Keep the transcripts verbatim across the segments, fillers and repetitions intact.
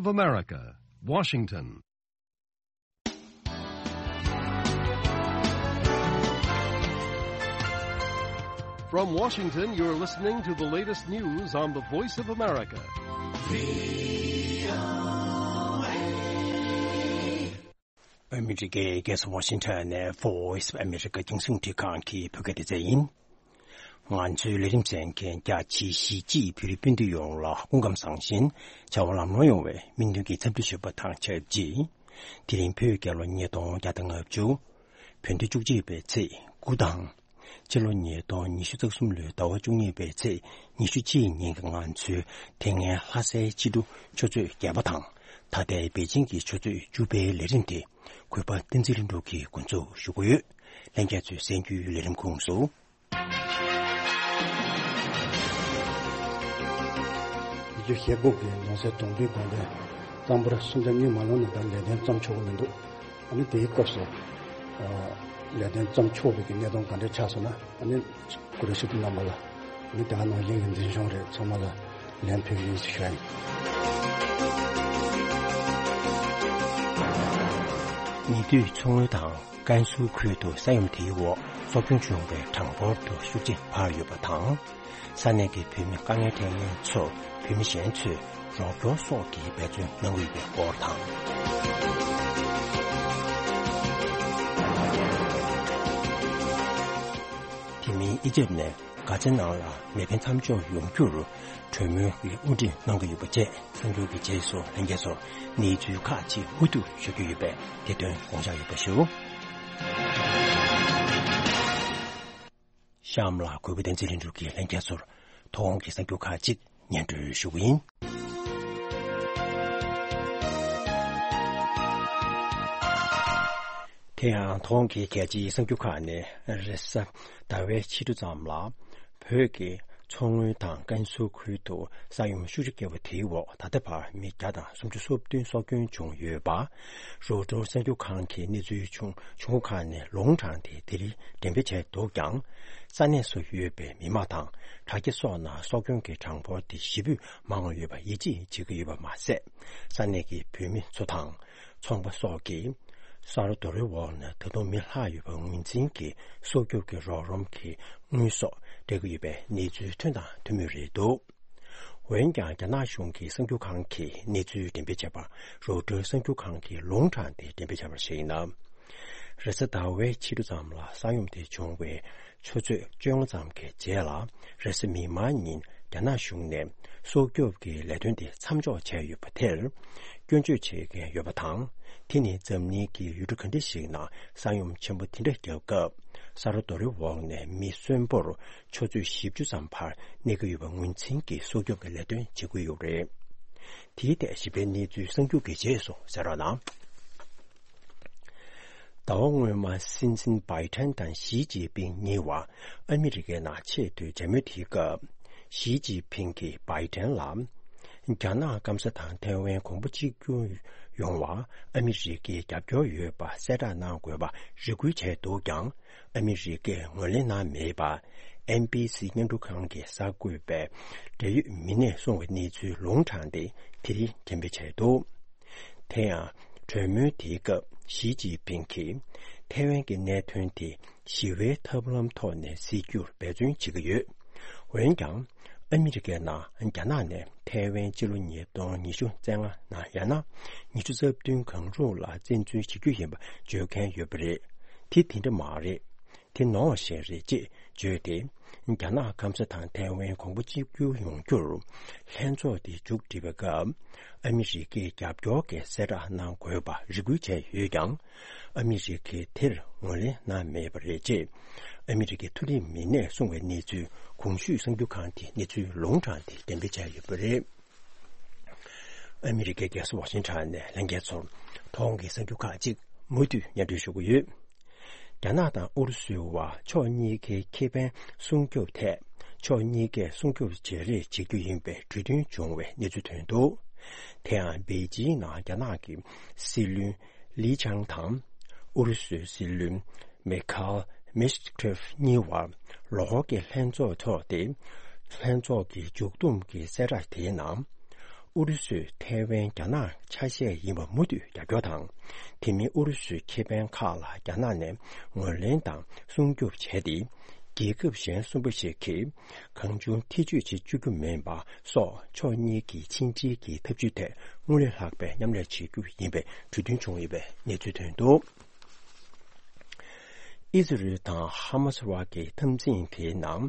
of America, Washington. From Washington, you're listening to the latest news on the Voice of America. ཨ་མི་རི་ཀའི་རྒྱལ་ས་ཝ་ཤིང་ཊོན་ནས་Voice of America རྒྱང་སྲིང་འཕྲིན་ཁང་གི་བོད་སྐད་སྡེ་ཚན་ཡིན། ང་ཚོའི་ལས་རིམ་གསན་མཁན་རྒྱ་ཆེའི་གཞིས་བྱེས་བོད་རིགས་སྤུན་ཟླ་ཡོངས་ལ་སྐུ་ཁམས་བཟང་ཞིང་བྱ་བ་ལམ་ལྷོང་ཡོང་བའི་སྨོན་འདུན་གྱི་འཚམས་འདྲི་ཞུ་བ་དང་ཆབས་ཅིག་དེ་རིང་བོད་རྒྱལ་ལོ་ཉིས་སྟོང་བརྒྱ་དང་ལྔ་བཅུ། བོད་ཟླ་བཅུ་གཅིག་པའི་ཚེས་དགུ་དང་། སྤྱི་ལོ་ཉིས་སྟོང་ཉི་ཤུ་རྩ་གསུམ་ལོའི་ཟླ་བ་བཅུ་གཉིས་པའི་ཚེས་ཉི་ཤུ་གཅིག་ཉིན་གྱི་ང་ཚོའི་དེ་སྔའི་ལྷ་སའི་ཕྱི་དྲོ་ཆུ་ཚོད་བརྒྱད་པ་དང་། ད་ལྟའི་པེ་ཅིང་གི་ཆུ་ཚོད་བཅུ་པའི་ལས་རིམ་དེ་གུས་པ་བསྟན་འཛིན་ལྷུན་གྲུབ་ཀྱིས་འགོ་འཛུགས་ཞུ་གི་ཡོད། ལྷན་རྒྱས་ཚོས་གསན་རྒྱུའི་ལས་རིམ་ཁོངས་སུ། ཉི་ཤུ་ཞེ་དགུ་གི་ལོ་སའི་གྲོང་པའི་དགོན་སྡེ་གཙང་པོར་སུམ་ཆ་གཉིས་མ་ལོན་ན་ད་ལས་དོན་བརྩམས་ཆོག་གི་མི་འདུག་ཨ་ནི་དེའི་སྐབས་སུ་ཨ་ལས་དོན་བརྩམས་ཆོག་པའི་གི་གནས་སྟངས་ག་འདྲ་ཆགས་སོང་ན། ཨ་ནི་གུ་རུ་ཤྲི་ཏུ་རྣམ་པ་ལ་ཨ་ནི་དེ་ག་ནང་བཞིན་གྱི་འཛིན་སྐྱོང་རེད། ཚང་མ་ལ་ལན་ཕུལ་གྱི་ཡིན་ཞེས་ཞུ་ཡ་ཡིན། ཉེ་དུས་མཚོ་སྔོན་དང་ཀན་སུའུ་ཁུལ་དུ་ས་ཡོམ་དེའི་འོག་སྲོག་སྐྱོན་བྱུང་བའི་གྲངས་འབོར་དུ་ཤུགས་ཆེ་འཕར་ཡོད་པ་དང་། ས་གནས་ཀྱི་བོད་མི་དཀའ་ངལ་འཕྲད་མཁན་ཚོར་བོད་མི་གཞན་ཚོས་རོགས་སྐྱོར་སོགས་ཀྱི་འབད་བརྩོན་གནང་གི་ཡོད་པའི་སྐོར་དང་། དེ་མིན་ཨི་ཇེབ་ནས་གྷ་ཛའི་ནང་ལ་མེ་འཕེན་མཚམས་འཇོག་ཡོང་རྒྱུར་གྲོས་མོལ་གྱི་དབུ་ཁྲིད་གནང་གི་ཡོད་པ་བཅས་གསར་འགྱུར་གྱི་རྗེས་སུ་ལྷན་རྒྱས་ཚོར་གནས་ཚུལ་ཁག་ཅིག་མུ་མཐུད་ཞུ་རྒྱུ་ཡོད་པས་དེ་དོན་དགོངས་འཇགས་ཡོད་པ་ཞུ། གཤམ་ལ་གུས་པ་བསྟན་འཛིན་ལྷུན་གྲུབ་ཀྱིས་ལྷན་རྒྱས་ཚོར་ཐོག་ཁོངས་ཀྱི་གསར་འགྱུར་ཁག་ཅིག་སྙན་སྒྲོན་ཞུ་གི་ཡིན། དེ་ཡང་ཐོག་ཁོངས་ཀྱི་གལ་ཆེའི་གསར་འགྱུར་ཁག་ནས་རེས་གཟའ་ཟླ་བའི་ཕྱི་དྲོ་ཙམ་ལ། བོད་ཀྱི་མཚོ་སྔོན་དང་ཀན་སུའུ་ཁུལ་དུ་ས་ཡོམ་ཤུགས་ཆེ་བརྒྱབ་པ་དེའི་འོག་ད་ལྟ་བར་མི་བརྒྱ་དང་སུམ་ཅུ་སོ་བདུན་སྲོག་སྐྱོན་བྱུང་ཡོད་པ། རོའི་ཊར་གསར་འགྱུར་ཁང་གི་གནས་ཚུལ་ཆུང་ཆུང་ངུ་ཁག་ནས་ལུང་དྲངས་ཏེ་དེ་རིང་འགྲེམས་སྤེལ་བྱས་འདུག་ཀྱང་། ས་གནས་སུ་ཡོད་པའི་མི་མང་དང་དྲ་རྒྱ་སོགས་ནང་སྲོག་སྐྱོན་གྱི་གྲངས་འབོར་དེ་ཞེ་པོས་མང་བ་ཡོད་པ་ཡིད་ཆེས་བྱེད་ཀྱི་ཡོད་པ་མ་ཟད། ས་གནས་ཀྱི་བོད་མི་ཚོ་དང་ཚོང་པ་སོགས་ཀྱིས་ས་རོ་རྡོ་རོའི་འོག་ནས་ད་དུང་མི་ལྷག་ཡོད་པ་ངོས་འཛིན་གྱིས་སྲོག་སྐྱོབ་ཀྱི་རོགས་རམ་གྱི་དངུལ་སོགས་སྤྲད་ཀྱི་ཡོད་པའི་གནས་ཚུལ་ཐོན་དང་ཐོན་མུས་རེད་འདུག་འོན་ཀྱང་། རྒྱ་ནག་གཞུང་གི་གསར་འགྱུར་ཁང་གིས་གནས་ཚུལ་འགྲེམས་སྤེལ་བྱས་པ་རོའི་ཊར་གསར་འགྱུར་ཁང་གིས་ལུང་དྲངས་ཏེ་འགྲེམས་སྤེལ་བྱས་པར་གཞིགས་ན། རེས་གཟའ་ཟླ་བའི་ཕྱི་དྲོ་ཙམ་ལ་ས་ཡོམ་དེ་བྱུང་བའི་ཆུ་ཚོད་བཅོ་ལྔ་ཙམ་གྱི་རྗེས་ལ། རེས་གཟའ་མིག་དམར་ཉིན་རྒྱ་ནག་གཞུང་ནས་སྲོག་སྐྱོབ་ཀྱི་ལས་དོན་དེ་མཚམས་འཇོག་བྱས་ཡོད་པ་དེར་སྐྱོན་བརྗོད་བྱེད་མཁན་ཡོད་པ་དང་། དེ་ནི་འཛམ་གླིང་གི་ཡུལ་གྲུ་ག་འདྲ་ཞིག་ནང་ས་ཡོམ་ཆེན་པོ་དེ་འདྲ་བརྒྱབ་སྐབས། ས་རོ་རྡོ་རོའི་འོག་ནས་མི་གསོན་པོར་ཆུ་ཚོད་བཞི་བཅུ་ཙམ་བར་གནས་ཀྱི་ཡོད་པ་ངོས་འཛིན་གྱིས་སྲོག་སྐྱོབ་ཀྱི་ལས་དོན་བྱེད་ཀྱི་ཡོད་རེད། དེའི་ཐད་ཞིབ་ཕྲའི་གནས་ཚུལ་གསར་འགྱུར་གྱི་རྗེས་སུ་གསན་རོགས་གནང་། ཟླ་བ་སྔོན་མ་སྲིད་འཛིན་བྷའི་ཏན་དང་ཞི་ཅིན་ཕིང་གཉིས་བར་ཨ་མི་རི་ཀའི་ནང་ཆེས་མཐོའི་མཇལ་མོལ་དེའི་སྐབས། ཞི་ཅིན་ཕིང་གིས་བྷའི་ཏན་ལ། རྒྱ་ནག་སྐམ་ས་དང་ཐའེ་ཝན་གོང་བུ་གཅིག་གྱུར་ཡོང་བར་ཨ་མི་རི་ཀའི་རྒྱབ་སྐྱོར་ཡོད་པ་གསལ་བསྒྲགས་གནང་དགོས་པ་རེ་སྐུལ་བྱས་འདུག་ཀྱང་། ཨ་མི་རི་ཀས་ངོས་ལེན་གནང་མེད་པ། ཨེན་བྷི་སི་སྙན་སྒྲོན་ཁང་གིས་གསར་འགོད་པའི་འབྲེལ་ཡོད་མི་སྣས་གསུངས་པའི་གནས་ཚུལ་ལུང་དྲངས་ཏེ་དེ་རིང་འགྲེམས་སྤེལ་བྱས་འདུག་དེ་ཡང་། གྲོས་མོལ་དེའི་སྐབས་ཞི་ཅིན་ཕིང་གིས་ཐའེ་ཝན་གྱི་གནད་དོན་དེ་ཞི་བའི་ཐབས་ལམ་ཐོག་ནས་སེལ་རྒྱུར་འབད་བརྩོན་བྱེད་ཀྱི་ཡོད། འོན་ཀྱང་། ཨ་མི་རི་ཀའི་ནང་རྒྱ་ནག་ནས་ཐའེ་ཝན་སྤྱི་ལོ་ཉིས་སྟོང་ཉི་ཤུ་རྩ་ལྔ་ནང་ཡང་ན་ཉི་ཤུ་རྩ་བདུན་གང་རུང་ལ་བཙན་འཛུལ་བྱེད་རྒྱུ་ཡིན་པ་བརྗོད་མཁན་ཡོད་པ་རེད། དེ་དེ་འདྲ་མ་རེད། དེ་ནོར་བ་ཞིག་རེད་ཅེས་བརྗོད་དེ། རྒྱ་ནག་སྐམ་ས་དང་ཐའེ་ཝན་གོང་བུ་གཅིག་གྱུར་ཡོང་རྒྱུར་ལྷན་ཚོགས་དེ་མཇུག་སྒྲིལ་བའི་སྐབས། ཨ་མི་རི་ཀས་རྒྱབ་སྐྱོར་གྱི་གསལ་བསྒྲགས་གནང་དགོས་པ་རེ་སྐུལ་བྱས་ཡོད་ཀྱང་། ཨ་མི་རི་ཀས་དེར་ངོས་ལེན་གནང་མེད་པ་རེད་ཅེས། ཨ་མི་རི་ཀའི་མཐོ་རིམ་མི་སྣས་གསུངས་པའི་གནས་ཚུལ་གོང་ཞུས་གསར་འགྱུར་ཁང་དེས་གནས་ཚུལ་ལུང་དྲངས་ཏེ་འགྲེམས་སྤེལ་བྱས་ཡོད་པ་རེད། ཨ་མི་རི་ཀའི་རྒྱལ་ས་ཝ་ཤིང་ཊོན་ནས་ལྷན་རྒྱས་ཚོར་ཐོག་ཁོངས་ཀྱི་གསར་འགྱུར་ཁག་ཅིག་མུ་མཐུད་སྙན་སྒྲོན་ཞུ་གི་ཡོད། རྒྱ་ནག་དང་ཨུ་རུ་སུའི་བར་ཕྱོགས་གཉིས་ཀའི་ཁེ་ཕན་སྲུང་སྐྱོབ་ཐད། ཕྱོགས་གཉིས་ཀས་སྲུང་སྐྱོབ་བརྗེ་རེས་བྱེད་རྒྱུ་ཡིན་པའི་གྲོས་མཐུན་བྱུང་བའི་གནས་ཚུལ་ཐོན་འདུག་དེ་ཡང་པེ་ཅིང་ནང་རྒྱ་ནག་གི་སྲིད་བློན་ལི་ཆང་དང་། ཨུ་རུ་སུའི་སྲིད་བློན་མེ་ཁཱལ་མེ་ཤ་ཁྲེབ་གཉིས་བར་ལོ་འཁོར་གྱི་ལྷན་ཚོགས་འཚོགས་ཏེ། ལྷན་ཚོགས་ཀྱི་མཇུག་བསྡོམས་ཀྱི་གསལ་བསྒྲགས་དེའི་ནང་། ཨུ་རུ་སུས་ཐའེ་ཝན་རྒྱ་ནག་ཆ་ཤས་ཡིན་པ་མུ་མཐུད་རྒྱབ་སྐྱོར་དང་། དེ་མིན་ཨུ་རུ་སུའི་ཁེ་ཕན་ཁག་ལ་རྒྱ་ནག་ནས་ངོས་ལེན་དང་སྲུང་སྐྱོབ་བྱས་ཏེ། རྒྱལ་ཁབ་གཞན་གསུམ་པ་ཞིག་གིས་གང་བྱུང་ཐེ་བྱུས་བྱེད་བཅུག་རྒྱུ་མིན་པ་སོགས་ཕྱོགས་གཉིས་ཀྱི་ཕྱི་འབྲེལ་གྱི་འཐབ་ཇུས་ཐད་སྔར་ལས་ལྷག་པའི་མཉམ་ལས་བྱེད་རྒྱུ་ཡིན་པའི་གྲོས་མཐུན་བྱུང་ཡོད་པའི་གནས་ཚུལ་ཐོན་འདུག་ཨི་ཛི་རལ་དང་ཧ་མ་སི་བར་གྱི་འཐབ་འཛིང་དེའི་ནང་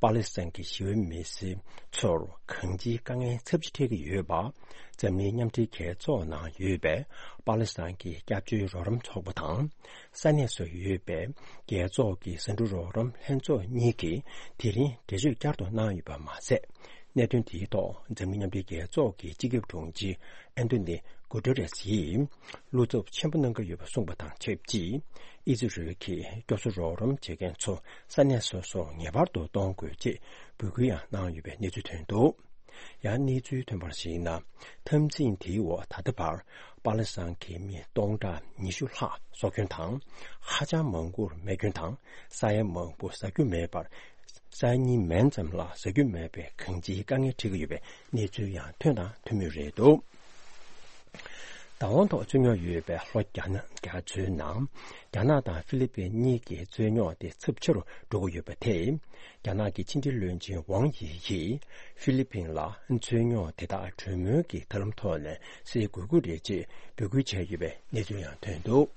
པ་ལི་སི་ཐན་གྱི་ཞི་བའི་མི་སེར་ཚོར་གང་ཅིའི་དཀའ་ངལ་ཚབས་ཆེ་འཕྲད་ཀྱི་ཡོད་པ། འཛམ་གླིང་མཉམ་འབྲེལ་རྒྱལ་ཚོགས་ནང་ཡོད་པའི་པ་ལི་སི་ཐན་གྱི་སྐྱབས་བཅོལ་རོགས་རམ་ཚོགས་པ་དང་། ས་གནས་སུ་ཡོད་པའི་རྒྱལ་ཚོགས་ཀྱི་ཟ་འབྲུ་རོགས་རམ་ལྷན་ཚོགས་གཉིས་ཀྱིས་དེ་རིང་འགྲེལ་བརྗོད་བསྐྱར་དུ་གནང་ཡོད་པ་མ་ཟད། གནད་དོན་དེའི་ཐོག་འཛམ་གླིང་མཉམ་འབྲེལ་རྒྱལ་ཚོགས་ཀྱི་སྤྱི་ཁྱབ་དྲུང་ཆེ་ཨན་ཏོ་ནི་གུ་ཏེ་རེས་ཡིས་བློ་འཚབ་ཆེན་པོ་གནང་གི་ཡོད་པ་གསུངས་པ་དང་ཆབས་ཅིག་ཨི་ཛི་རལ་གྱིས་སྐྱོབ་གསོ་རོགས་རམ་བྱེད་མཁན་ཚོ་ས་གནས་སོ་སོར་ངེས་པར་དུ་གཏོང་དགོས་ཅེས་འབོད་སྐུལ་ཡང་གནང་ཡོད་པའི་གནས་ཚུལ་ཐོན་འདུག་ཡང་གནས་ཚུལ་ཐོན་པར་གཞིགས་ན། འཐབ་འཛིང་དེའི་འོག་ད་ལྟ་བར་པ་ལི་སི་ཐན་གྱི་མི་སྟོང་ཕྲག་ཉི་ཤུ་ལྷག་སྲོག་སྐྱོན་དང་། ཧ་ཅང་མང་པོར་རྨས་སྐྱོན་དང་ས་ཡ་མང་པོ་ཟ་རྒྱུ་མེད་པར། ས་ཡ་གཉིས་མན་ཙམ་ལ་ཟ་རྒྱུ་མེད་པའི་གང་ཅིའི་དཀའ་ངལ་འཕྲད་ཀྱི་ཡོད་པའི་གནས་ཚུལ་ཡང་ཐོན་དང་ཐོན་མུས་རེད་འདུག་བདག་དབང་ཐོག་རྩོད་རྙོག་ཡོད་པའི་ལྷོ་རྒྱ་ནག་རྒྱ་མཚོའི་ནང་རྒྱ་ནག་དང་ཧྥི་ལི་པིན་གཉིས་ཀྱི་རྩོད་རྙོག་དེ་ཚབས་ཆེ་རུ་འགྲོ་གི་ཡོད་པ་དེས། རྒྱ་ནག་གི་ཕྱི་འབྲེལ་བློན་ཆེན་ཝང་ཡི་ཡིས་ཧྥི་ལི་པིན་ལ་རྩོད་རྙོག་དེ་དག་གྲོས་མོལ་གྱི་ཐབས་ལམ་ཐོག་ནས་སེལ་དགོས་ཀྱི་རེད་ཅེས་འབོད་སྐུལ་བྱས་ཡོད་པའི་གནས་ཚུལ་ཡང་ཐོན་འདུག་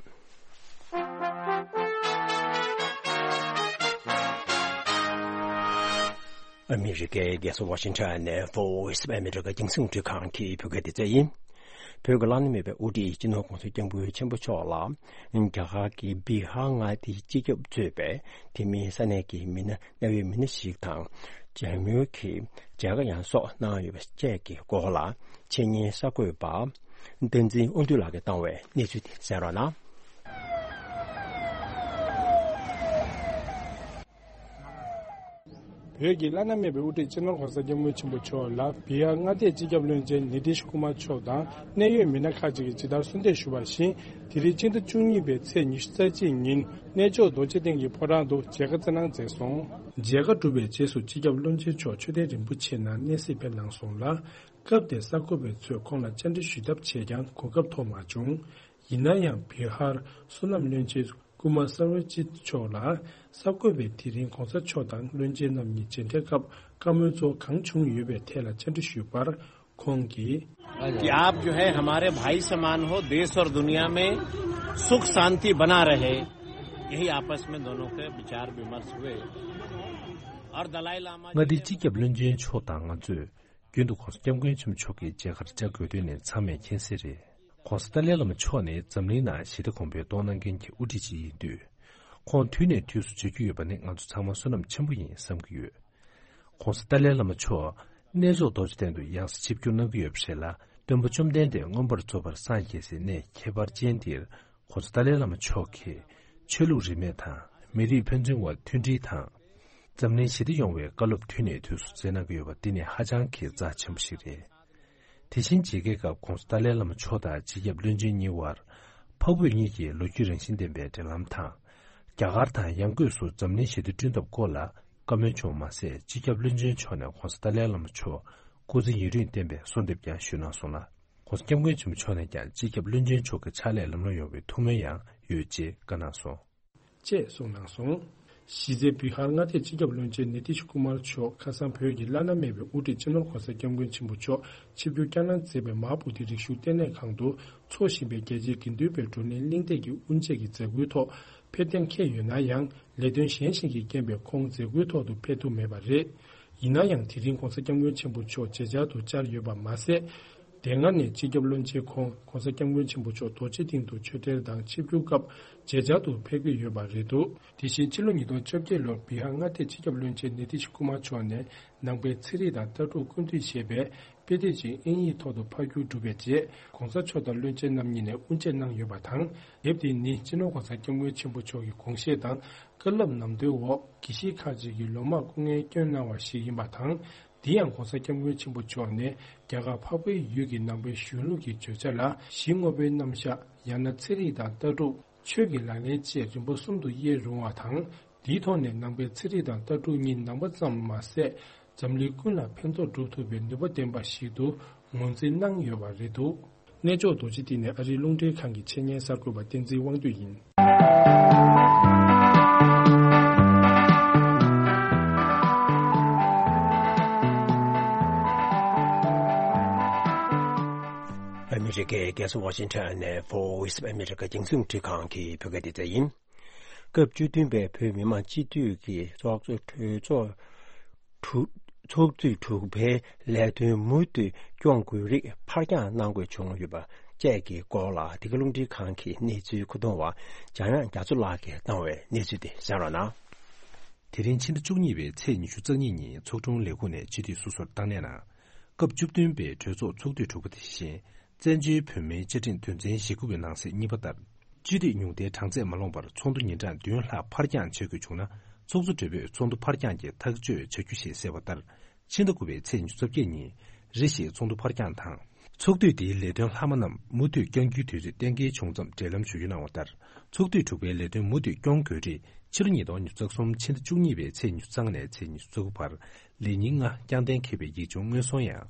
ཨ་མི་རི་ཀའི་རྒྱལ་ས་ཝ་ཤིང་ཊོན་ནས་Voice of America་རྒྱང་སྲིང་རླུང་འཕྲིན་ཁང་གི་བོད་སྐད་སྡེ་ཚན་ཡིན། བོད་ཀྱི་བླ་ན་མེད་པའི་དབུ་ཁྲིད་སྤྱི་ནོར་༸གོང་ས་༸སྐྱབས་མགོན་ཆེན་པོ་མཆོག་ལ་རྒྱ་གར་གྱི་བི་ཧར་མངའ་སྡེའི་སྤྱི་ཁྱབ་གཙོས་པའི་དེ་མིན་ས་གནས་ཀྱི་མི་སྣ་གནད་ཡོད་མི་སྣ་ཞིག་དང་། མཇལ་མོལ་གྱི་མཇལ་ཁ་ཡང་སོགས་གནང་ཡོད་པ་བཅས་ཀྱི་སྐོར་ལ་འཆད་ཉན་གསར་འགོད་པ་བསྟན་འཛིན་དབང་འདུས་ལགས་ཀྱིས་བཏང་བའི་གནས་ཚུལ་དེ་གསན་རོགས་གནང་། བོད་ཀྱི་བླ་ན་མེད་པའི་དབུ་ཁྲིད་སྤྱི་ནོར་༸གོང་ས་༸སྐྱབས་མགོན་ཆེན་པོ་མཆོག་ལ་བི་ཧར་མངའ་སྡེའི་སྤྱི་ཁྱབ་བློན་ཆེན་ནི་ཏིཤ་ཀུ་མར་མཆོག་དང་གནད་ཡོད་མི་སྣ་ཁག་ཅིག་གིས་ཇི་ལྟར་གསོལ་འདེབས་ཞུས་པར་བཞིན། དེ་རིང་ཕྱི་ཟླ་བཅུ་གཉིས་པའི་ཚེས་ཉི་ཤུ་རྩ་གཅིག་ཉིན་གནས་མཆོག་རྡོ་རྗེ་གདན་གྱི་ཕོ་བྲང་དུ་མཇལ་ཁ་བསྩལ་གནང་མཛད་སོང་། མཇལ་ཁ་གྲུབ་པའི་རྗེས་སུ་སྤྱི་ཁྱབ་བློན་ཆེན་མཆོག་མཆོད་རྟེན་རིན་པོ་ཆེ་ནང་གནས་གཟིགས་ཕེབས་གནང་སོང་ལ། སྐབས་དེར་གསར་འགོད་པ་ཚོས་ཁོང་ལ་བཅར་འདྲི་ཞུས་ཐབས་བྱས་ཀྱང་གོ་སྐབས་ཐོབ་མ་བྱུང་། ཡིན་ན་ཡང་བི་ཧར་བསོད་ནམས་བློན་ཆེན་ཀུ་མར་སར་བ་ཇིད་མཆོག་ལ་གསར་འགོད་པས་དེ་རིང་༸གོང་ས་མཆོག་དང་བློན་ཆེན་རྣམ་གཉིས་མཇལ་འཕྲད་སྐབས་བཀའ་མོལ་ཚོ་གང་བྱུང་ཡོད་པའི་ཐད་ལ་བཅར་འདྲི་ཞུས་པར། ཁོང་གིས། कि आप जो है हमारे भाई समान हो, देश और दुनिया में सुख शांति बना रहे, यही आपस में दोनों के विचार विमर्श हुए। और दलाई लामा མངའ་སྡེའི་སྤྱི་ཁྱབ་བློན་ཆེན་མཆོག་དང་ང་ཚོས་རྒྱུན་དུ་༸གོང་ས་༸སྐྱབས་མགོན་ཆེན་པོ་མཆོག་གི་མཇལ་ཁར་བཅར་དགོས་དོན་ནི་ཚང་མས་མཁྱེན་གསལ་རེད། ༸གོང་ས་ཏཱ་ལའི་བླ་མ་མཆོག་ནི་འཛམ་གླིང་ནང་ཞི་བདེ་གོང་འཕེལ་གཏོང་གནང་མཁན་གྱི་དབུ་ཁྲིད་ཅིག་ཡིན་དུས། ཁོང་དུས་ནས་དུས་སུ་མཇལ་རྒྱུ་ཡོད་པ་ནི་ང་ཚོ་ཚང་མ་བསོད་ནམས་ཆེན་པོ་ཡིན་བསམ་གྱི་ཡོད། ༸གོང་ས་ཏཱ་ལའི་བླ་མ་མཆོག་གནས་མཆོག་རྡོ་རྗེ་གདན་དུ་ཡང་སེ་ཆིབས་བསྒྱུར་གནང་གི་ཡོད་པ་རེད་ལ། སྟོན་པ་བཅོམ་ལྡན་འདས་མངོན་པར་རྫོགས་པར་སངས་རྒྱས་སའི་གནས་ཁྱད་པར་ཅན་འདིར་༸གོང་ས་ཏཱ་ལའི་བླ་མ་མཆོག་གིས་ཆོས་ལུགས་རིས་མེད་དང་མི་རིགས་ཕན་ཚུན་དབར་མཐུན་སྒྲིལ་དང་། འཛམ་གླིང་ཞི་བདེ་ཡོང་བའི་བཀའ་སློབ་དུས་ནས་དུས་སུ་སྩལ་གནང་གི་ཡོད་པ་འདི་ནི་ཧ་ཅང་གི་རྩ་ཆེན་པོ་ཞིག་རེད། དེ་བཞིན་མཇལ་ཁའི་སྐབས་༸གོང་ས་ཏཱ་ལའི་བླ་མ་མཆོག་དང་སྤྱི་ཁྱབ་བློན་ཆེན་གཉིས་དབར་འཕགས་བོད་གཉིས་ཀྱི་ལོ་རྒྱུས་རང་བཞིན་ལྡན་པའི་འབྲེལ་ལམ་དང་། རྒྱ་གར་དང་ཡང་སྒོས་སུ་འཛམ་གླིང་ཞི་བདེ་བསྐྲུན་ཐབས་སྐོར་ལ་བཀའ་མོལ་བྱུང་བ་མ་ཟད། སྤྱི་ཁྱབ་བློན་ཆེན་མཆོག་ནས་༸གོང་ས་ཏཱ་ལའི་བླ་མ་མཆོག་སྐུ་ཚེ་ཡུན་རིང་བརྟན་པའི་གསོལ་འདེབས་ཀྱང་ཞུས་གནང་སོང་ལ། ༸གོང་ས་༸སྐྱབས་མགོན་ཆེན་པོ་མཆོག་ནས་ཀྱང་སྤྱི་ཁྱབ་བློན་ཆེན་མཆོག་གི་ཕྱག་ལས་ལམ་ལྷོང་ཡོང་བའི་ཐུགས་སྨོན་ཡང་ཡོད་ཅེས་བཀའ་གནང་སོང་། ཅེས་གསུངས་གནང་སོང་། གཞི་རྩའི་བི་ཧར་མངའ་སྡེའི་སྤྱི་ཁྱབ་བློན་ཆེན་ནི་ཏིཤ་ཀུ་མར་མཆོག་ཁ་སང་བོད་ཀྱི་བླ་ན་མེད་པའི་དབུ་ཁྲིད་སྤྱི་ནོར་༸གོང་ས་༸སྐྱབས་མགོན་ཆེན་པོ་མཆོག་ཆིབས་བསྒྱུར་བསྐྱངས་གནང་མཛད་པའི་མ་ཧཱ་བོ་དྷི་རིག་གཞུང་ལྟེ་གནས་ཁང་དུ་འཚོགས་བཞིན་པའི་རྒྱལ་སྤྱིའི་དགེ་འདུན་པའི་བགྲོ་གླེང་གླེང་སྟེགས་ཀྱི་དབུ་འབྱེད་ཀྱི་མཛད་སྒོའི་ཐོག་ཕེབས་གཏན་འཁེལ་ཡོད་ན་ཡང་། ལས་དོན་གཞན་ཞིག་གི་རྐྱེན་པས་ཁོང་མཛད་སྒོའི་ཐོག་ཏུ་ཕེབས་ཐུབ་མེད་པ་རེད། ཡིན་ན་ཡང་དེ་རིང་༸གོང་ས་༸སྐྱབས་མགོན་ཆེན་པོ་མཆོག་མཇལ་བཅར་དུ་བཅར་ཡོད་པ་མ་ཟད། དེ་སྔ་ནས་སྤྱི་ཁྱབ་བློན་ཆེན་ཁོང་༸གོང་ས་༸སྐྱབས་མགོན་ཆེན་པོ་མཆོག་རྡོ་རྗེ་གདན་དུ་ཆོས་འབྲེལ་དང་ཆིབས་བསྒྱུར་སྐབས་མཇལ་བཅར་དུ་ཕེབས་ཀྱི་ཡོད་པ་རེད་འདུག་དེ་བཞིན་ཕྱི་ལོ་ཉིས་སྟོང་བཅོ་བརྒྱད་ལོར་བི་ཧར་མངའ་སྡེའི་སྤྱི་ཁྱབ་བློན་ཆེན་ནི་ཏིཤ་ཀུ་མར་མཆོག་ནས་ནང་པའི་ཚན་རིག་དང་ལྟ་གྲུབ་ཀུན་བཏུས་ཞེས་པའི་དཔེ་དེབ་ཅིག་དབྱིན་ཡིག་ཐོག་ཏུ་ཕབ་བསྒྱུར་གྲུབ་པའི་རྗེས། ༸གོང་ས་མཆོག་དང་བློན་ཆེན་རྣམ་གཉིས་ནས་དབུ་འབྱེད་གནང་ཡོད་པ་དང་། དེབ་དེ་ནི་སྤྱི་ནོར་༸གོང་ས་༸སྐྱབས་མགོན་ཆེན་པོ་མཆོག་གི་དགོངས་བཞེད་དང་བཀའ་སློབ་ནམ་དོན་འོག་དགེ་བཤེས་ཁག་ཅིག་གིས་ལོ་མང་སྐུ་ངལ་བསྐྱོན་གནང་བ་ཞིག་ཡིན་པ་དང་། དེ་ཡང་༸གོང་ས་༸སྐྱབས་མགོན་ཆེན་པོ་མཆོག་ནས་རྒྱ་གར་འཕགས་པའི་ཡུལ་གྱི་ནང་པའི་གཞུང་ལུགས་ཀྱི་བརྗོད་བྱ་ལ་གཞི་དངོས་པོའི་རྣམ་གཞག་ཡང་ན་ཚན་རིག་དང་ལྟ་གྲུབ། ཆོས་ཀྱི་ལག་ལེན་བཅས་རིམ་པ་གསུམ་དུ་དབྱེ་རུང་བ་དང་། དེའི་ཐོག་ནས་ནང་པའི་ཚན་རིག་དང་ལྟ་གྲུབ་གཉིས་ནང་པ་ཙམ་མ་ཟད། འཛམ་གླིང་ཀུན་ལ་ཕན་ཐོགས་སྒྲུབ་ཐུབ་པའི་ནུས་པ་ལྡན་པ་ཞིག་ཏུ་ ངོས་འཛིན་གནང་ཡོད་པ་རེད་འདུག་གནས་མཆོག་རྡོ་རྗེ་གདན་ནས་ཨ་རིའི་རླུང་འཕྲིན་ཁང་གི་ཆེད་གཉེར་གསར་འགོད་པ་བསྟན་འཛིན་དབང་འདུས་ཡིན། ཨ་མི་རི་ཀའི་རྒྱལ་ས་ཝ་ཤིང་ཊོན་ནས་Voice of America རྒྱང་སྲིང་རླུང་འཕྲིན་ཁང་གི་བོད་སྐད་སྡེ་ཚན་ཡིན། སྐབས་བཅུ་བདུན་པའི་བོད་མི་མང་སྤྱི་འཐུས་ཀྱི་ཚོགས་གཙོ་གྲོས་ཚོགས་དྲུག་ཚོགས་དུས་དྲུག་པའི་ལས་དོན་མུ་མཐུད་སྐྱོང་དགོས་རིགས་ཕར་འགྱངས་གནང་དགོས་བྱུང་ཡོད་པ་བཅས་ཀྱི་སྐོར་ལ་འདི་ག་རླུང་འཕྲིན་ཁང་གི་གནས་ཚུལ་མཁོ་གཏོང་བ་འཇམ་དབྱངས་རྒྱ་མཚོ་ལགས་ཀྱིས་བཏང་བའི་གནས་ཚུལ་དེ་གསན་རོགས་གནང་། དེ་རིང་ཕྱི་ཟླ་བཅུ་གཉིས་པའི་ཚེས་ཉི་ཤུ་རྩ་གཉིས་ཉིན་ཚོགས་དྲུང་ལས་ཁུངས་ནས་སྤྱི་འཐུས་སོ་སོར་བཏང་གནས་གནང་། སྐབས་བཅུ་བདུན་པའི་གྲོས་ཚོགས་ཚོགས་དུས་དྲུག་པ་དེ་བཞིན། བཙན་བྱོལ་བོད་མིའི་བཅའ་ཁྲིམས་དོན་ཚན་ཞེ་དགུ་པའི་ནང་གསེས་གཉིས་པ་ལྟར། སྤྱི་འཐུས་ཉུང་མཐའི་གྲངས་ཚད་མ་ལོངས་པར་ཚོགས་འདུ་ཉིན་གྲངས་བདུན་ལྷག་ཕར་འགྱངས་བྱེད་དགོས་བྱུང་ན། ཚོགས་གཙོ་སྦྲེལ་པོས་ཚོགས་འདུ་ཕར་འགྱངས་ཀྱི་ཐག་གཅོད་བྱ་རྒྱུ་ཞེས་གསལ་བ་ལྟར། ཕྱི་ཟླ་དགུ་པའི་ཚེས་ཉི་ཤུ་རྩ་བརྒྱད་ཉིན། རེ་ཞིག་ཚོགས་འདུ་ཕར་འགྱངས་དང་། ཚོགས་དུས་དེའི་ལས་དོན་ལྷག་མ་རྣམས་མུ་མཐུད་བསྐྱང་རྒྱུའི་དུས་ཚོད་གཏན་འཁེལ་བྱུང་ཙམ་འབྲེལ་ལམ་ཞུ་རྒྱུ་གནང་བ་ལྟར། ཚོགས་དུས་དྲུག་པའི་ལས་དོན་མུ་མཐུད་སྐྱོང་དགོས་རིགས་ཕྱི་ལོ་ཉིས་སྟོང་ཉི་ཤུ་རྩ་གསུམ་ཕྱི་ཟླ་བཅུ་གཉིས་པའི་ཚེས་ཉི་ཤུ་རྩ་ལྔ་ནས་ཚེས་ཉི་ཤུ་རྩ་དགུ་བར་ལས་ཉིན་ལྔ་བསྐྱངས་གཏན་འཁེལ་བའི་ཡིག་ཆུང་སྔོན་སོང་ཡང་།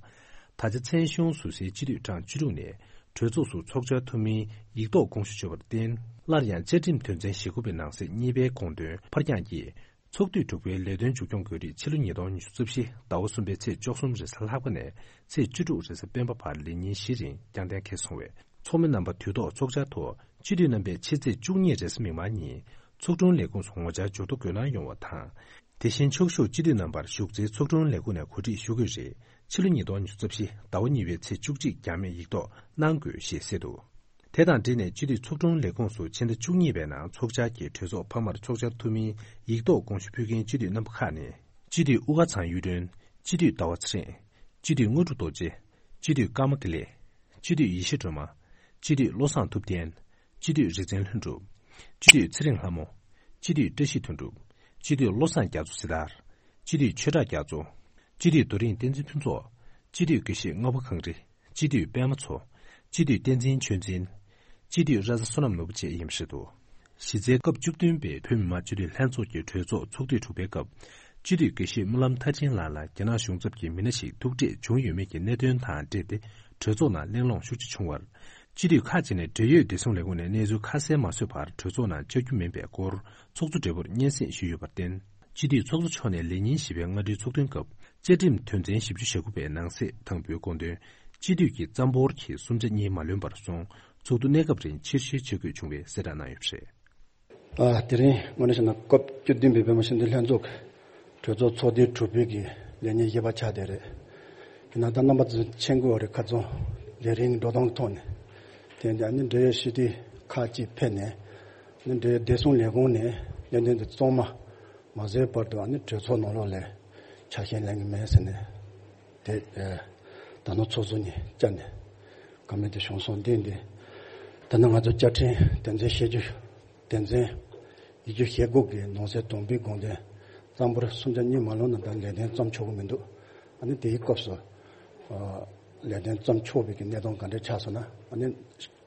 ད་ཆ་མཚན་གཞུང་ཟུར་སའི་སྤྱི་འཐུས་གྲངས་བཅུ་དྲུག་ནས་གྲོས་ཚོགས་སུ་ཚོགས་བཅར་ཐུབ་མིན་ཡིག་ཐོག་དགོངས་ཞུ་བྱས་པར་བརྟེན། སླར་ཡང་བཅའ་ཁྲིམས་དོན་ཚན་ཞེ་དགུ་པའི་ནང་གསེས་གཉིས་པའི་དགོངས་དོན་ཕར་འགྱངས་ཀྱིས། ཚོགས་དུས་དྲུག་པའི་ལས་དོན་མཇུག་སྐྱོང་དགོས་རིགས་ཕྱི་ལོ་ཉིས་སྟོང་ཉི་ཤུ་རྩ་བཞི་ཟླ་བ་གསུམ་པའི་ཚེས་བཅུ་གསུམ་རེས་གཟའ་ལྷག་པ་ནས་ཚེས་བཅུ་དྲུག་རེས་གཟའ་སྤེན་པ་བར་ལས་ཉིན་བཞི་རིང་བསྐྱངས་གཏན་འཁེལ་སོང་བས། ཚོགས་མི་རྣམ་པ་དུས་ཐོག་ཚོགས་བཅར་ཐོག་སྤྱི་འཐུས་རྣམ་པས་ཕྱི་ཚེས་བཅུ་གཉིས་རེས་གཟའ་མིག་དམར་ཉིན་ཚོགས་དྲུང་ལས་ཁུངས་སུ་ངོ་བཅར་འབྱོར་ཐོ་འགོད་གནང་ཡོང་བ་དང་། དེ་བཞིན་ཕྱོགས་བཞུགས་སྤྱི་འཐུས་རྣམ་པར་བཞུགས་སའི་ཚོགས་དྲུང་ལས་ཁུངས་ནས་གོ་སྒྲིག་ཞུ་དགོས་རིགས་ཕྱི་ལོ་ཉིས་སྟོང་ཉི་ཤུ་རྩ་བཞི་ཟླ་བ་གཉིས་པའི་ཚེས་བཅུ་གཅིག་འགྱངས་མེད་ཡིག་ཐོག་གནང་དགོས་ཞེས་གསལ་འདུག་དེ་དང་འབྲེལ་ནས་སྤྱི་འཐུས་ཚོགས་དྲུང་ལས་ཁུངས་སུ་ཕྱི་ཟླ་བཅུ་གཉིས་པའི་ནང་ཚོགས་བཅར་གྱིས་གྲོས་ཚོགས་འཕར་མར་ཚོགས་བཅར་ཐུབ་མིན་ཡིག་ཐོག་དགོངས་ཞུ་ཕུལ་མཁན་སྤྱི་འཐུས་རྣམ་པ་ཁག་ནི། སྤྱི་འཐུས་དབུ་དཀར་ཚང་གཡུ་སྒྲོན། སྤྱི་འཐུས་ཟླ་བ་ཚེ་རིང་། སྤྱི་འཐུས་དངོས་གྲུབ་རྡོ་རྗེ། སྤྱི་འཐུས་ཀརྨ་དགེ་ལེགས། སྤྱི་འཐུས་ཡེ་ཤེས་སྒྲོལ་མ། སྤྱི་འཐུས་བློ་བཟང་ཐུབ་བསྟན། སྤྱི་འཐུས་རིག་འཛིན་ལྷུན་གྲུབ། སྤྱི་འཐུས་ཚེ་རིང་ལྷ་མོ། སྤྱི་འཐུས་བཀྲ་ཤིས་དོན་གྲུབ། སྤྱི་འཐུས་བློ་བཟང་རྒྱ་མཚོ་སྲི་ཐར། སྤྱི་འཐུས་ཆོས་གྲགས་རྒྱ་མཚོ། སྤྱི་འཐུས་རྡོ་རིང་བསྟན་འཛིན་ཕུན་ཚོགས། སྤྱི་འཐུས་དགེ་བཤེས་རྔ་བ་གངས་རི། སྤྱི་འཐུས་པད་མ་མཚོ། སྤྱི་འཐུས་བསྟན་འཛིན་ཆོས་འཛིན། སྤྱི་འཐུས་ར་ས་བསོད་ནམས་ནོར་བུ་བཅས་ཡིན་པ་རེད་འདུག་གཞི་རྩའི་སྐབས་བཅུ་བདུན་པའི་བོད་མི་མང་སྤྱི་འཐུས་ལྷན་ཚོགས་ཀྱི་གྲོས་ཚོགས་ཚོགས་དུས་དྲུག་པའི་སྐབས། སྤྱི་འཐུས་དགེ་བཤེས་སྨོན་ལམ་མཐར་ཕྱིན་ལགས་ལ་རྒྱ་ནག་གཞུང་ཚབ་ཀྱི་མི་སྣ་ཞིག་ཐུག་འཕྲད་བྱུང་ཡོད་མེད་ཀྱི་གནད་དོན་དང་འབྲེལ་ཏེ་གྲོས་ཚོགས་ནང་གླེང་སློང་ཤུགས་ཆེ་བྱུང་བར། སྤྱི་འཐུས་ཁག་ཅིག་ནས་འབྲེལ་ཡོད་བདེ་སྲུང་ལས་ཁུངས་ནས་གནས་ཚུལ་ཁ་གསལ་མ་བཟོས་བར་གྲོས་ཚོགས་ནང་བཅར་རྒྱུ་མིན་པའི་སྐོར་ཚོགས་གཙོ་སྦྲེལ་པོར་སྙན་སེང་ཞུས་ཡོད་པར་བརྟེན། སྤྱི་འཐུས་ཚོགས་གཙོ་མཆོག་ནས་ལས་ཉིན་བཞི་པའི་སྔ་དྲོའི་ཚོགས་ཐུན་སྐབས། བཅའ་ཁྲིམས་དོན་ཚན་བཞི་བཅུ་ཞེ་དགུ་པའི་ནང་གསེས་དང་པོའི་དགོངས་དོན། སྤྱི་འཐུས་ཀྱི་རྩ་འབོར་གྱི་གསུམ་ཆ་གཉིས་མ་ལོན་པར་སོང་། ཚོགས་འདུ་གནས་སྐབས་རིང་ཕྱིར་བཤོལ་བྱེད་དགོས་བྱུང་བའི་གསལ་བསྒྲགས་གནང་ཡོད་པ་རེད། ཨ། དེ་རིང་དངོས་གནས་བྱས་ན་སྐབས་བཅུ་བདུན་པའི་བོད་མི་སྤྱི་འཐུས་ལྷན་ཚོགས་ཀྱི་གྲོས་ཚོགས་ཚོགས་དུས་དྲུག་པའི་གི་ལས་ཉིན་བཞི་པ་ཆགས་བསྡད་རེད། ཡིན་ན་ད་རྣམ་པ་ཚོས་མཁྱེན་གྱི་ཡོད་རེད། ཁ་རྩང་ལས་རིམ་འགྲོ་སྟངས་ཐོག་ནས། དེ་ཡིན་དུས་ཨ་ནི་འབྲེལ་ཡོད་སྤྱི་འཐུས་ཁག་ཅིག་ཕེབས་ནས། ཨ་ནི་འབྲེལ་ཡོད་བདེ་སྲུང་ལས་ཁུངས་ནས་གནད་དོན་དེ་གཙང་མ་མ་བཟོས་བར་དུ་ཨ་ནི་གྲོས་ཚོགས་ནང་ལོགས་ལ་ཆ་ཤས་ལེན་གྱི་མེད་ཟེར་ནས། དེ་ཨ་ད་ནང་ཚོགས་གཙོ་ནས་བཅར་ནས་བཀའ་མོལ་དེ་བྱུང་སོང་། དེ་འདི་ད་ནི་ང་ཚོ་བཅའ་ཁྲིམས་དོན་ཚན་བཞི་བཅུ། དོན་ཚན་ཉི་ཤུ་ཞེ་དགུ་གི་ནང་གསེས་དང་པོའི་དགོངས་དོན་རྩ་འབོར་གསུམ་ཆ་གཉིས་མ་ལོན་ན་ད་ལས་དོན་བརྩམ་ཆོག་གི་མི་འདུག་ཨ་ནི་དེའི་སྐབས་སུ་ཨ་ལས་དོན་བརྩམ་ཆོག་པའི་གི་གནས་སྟངས་ག་འདྲ་ཆགས་སོང་ན། ཨ་ནི་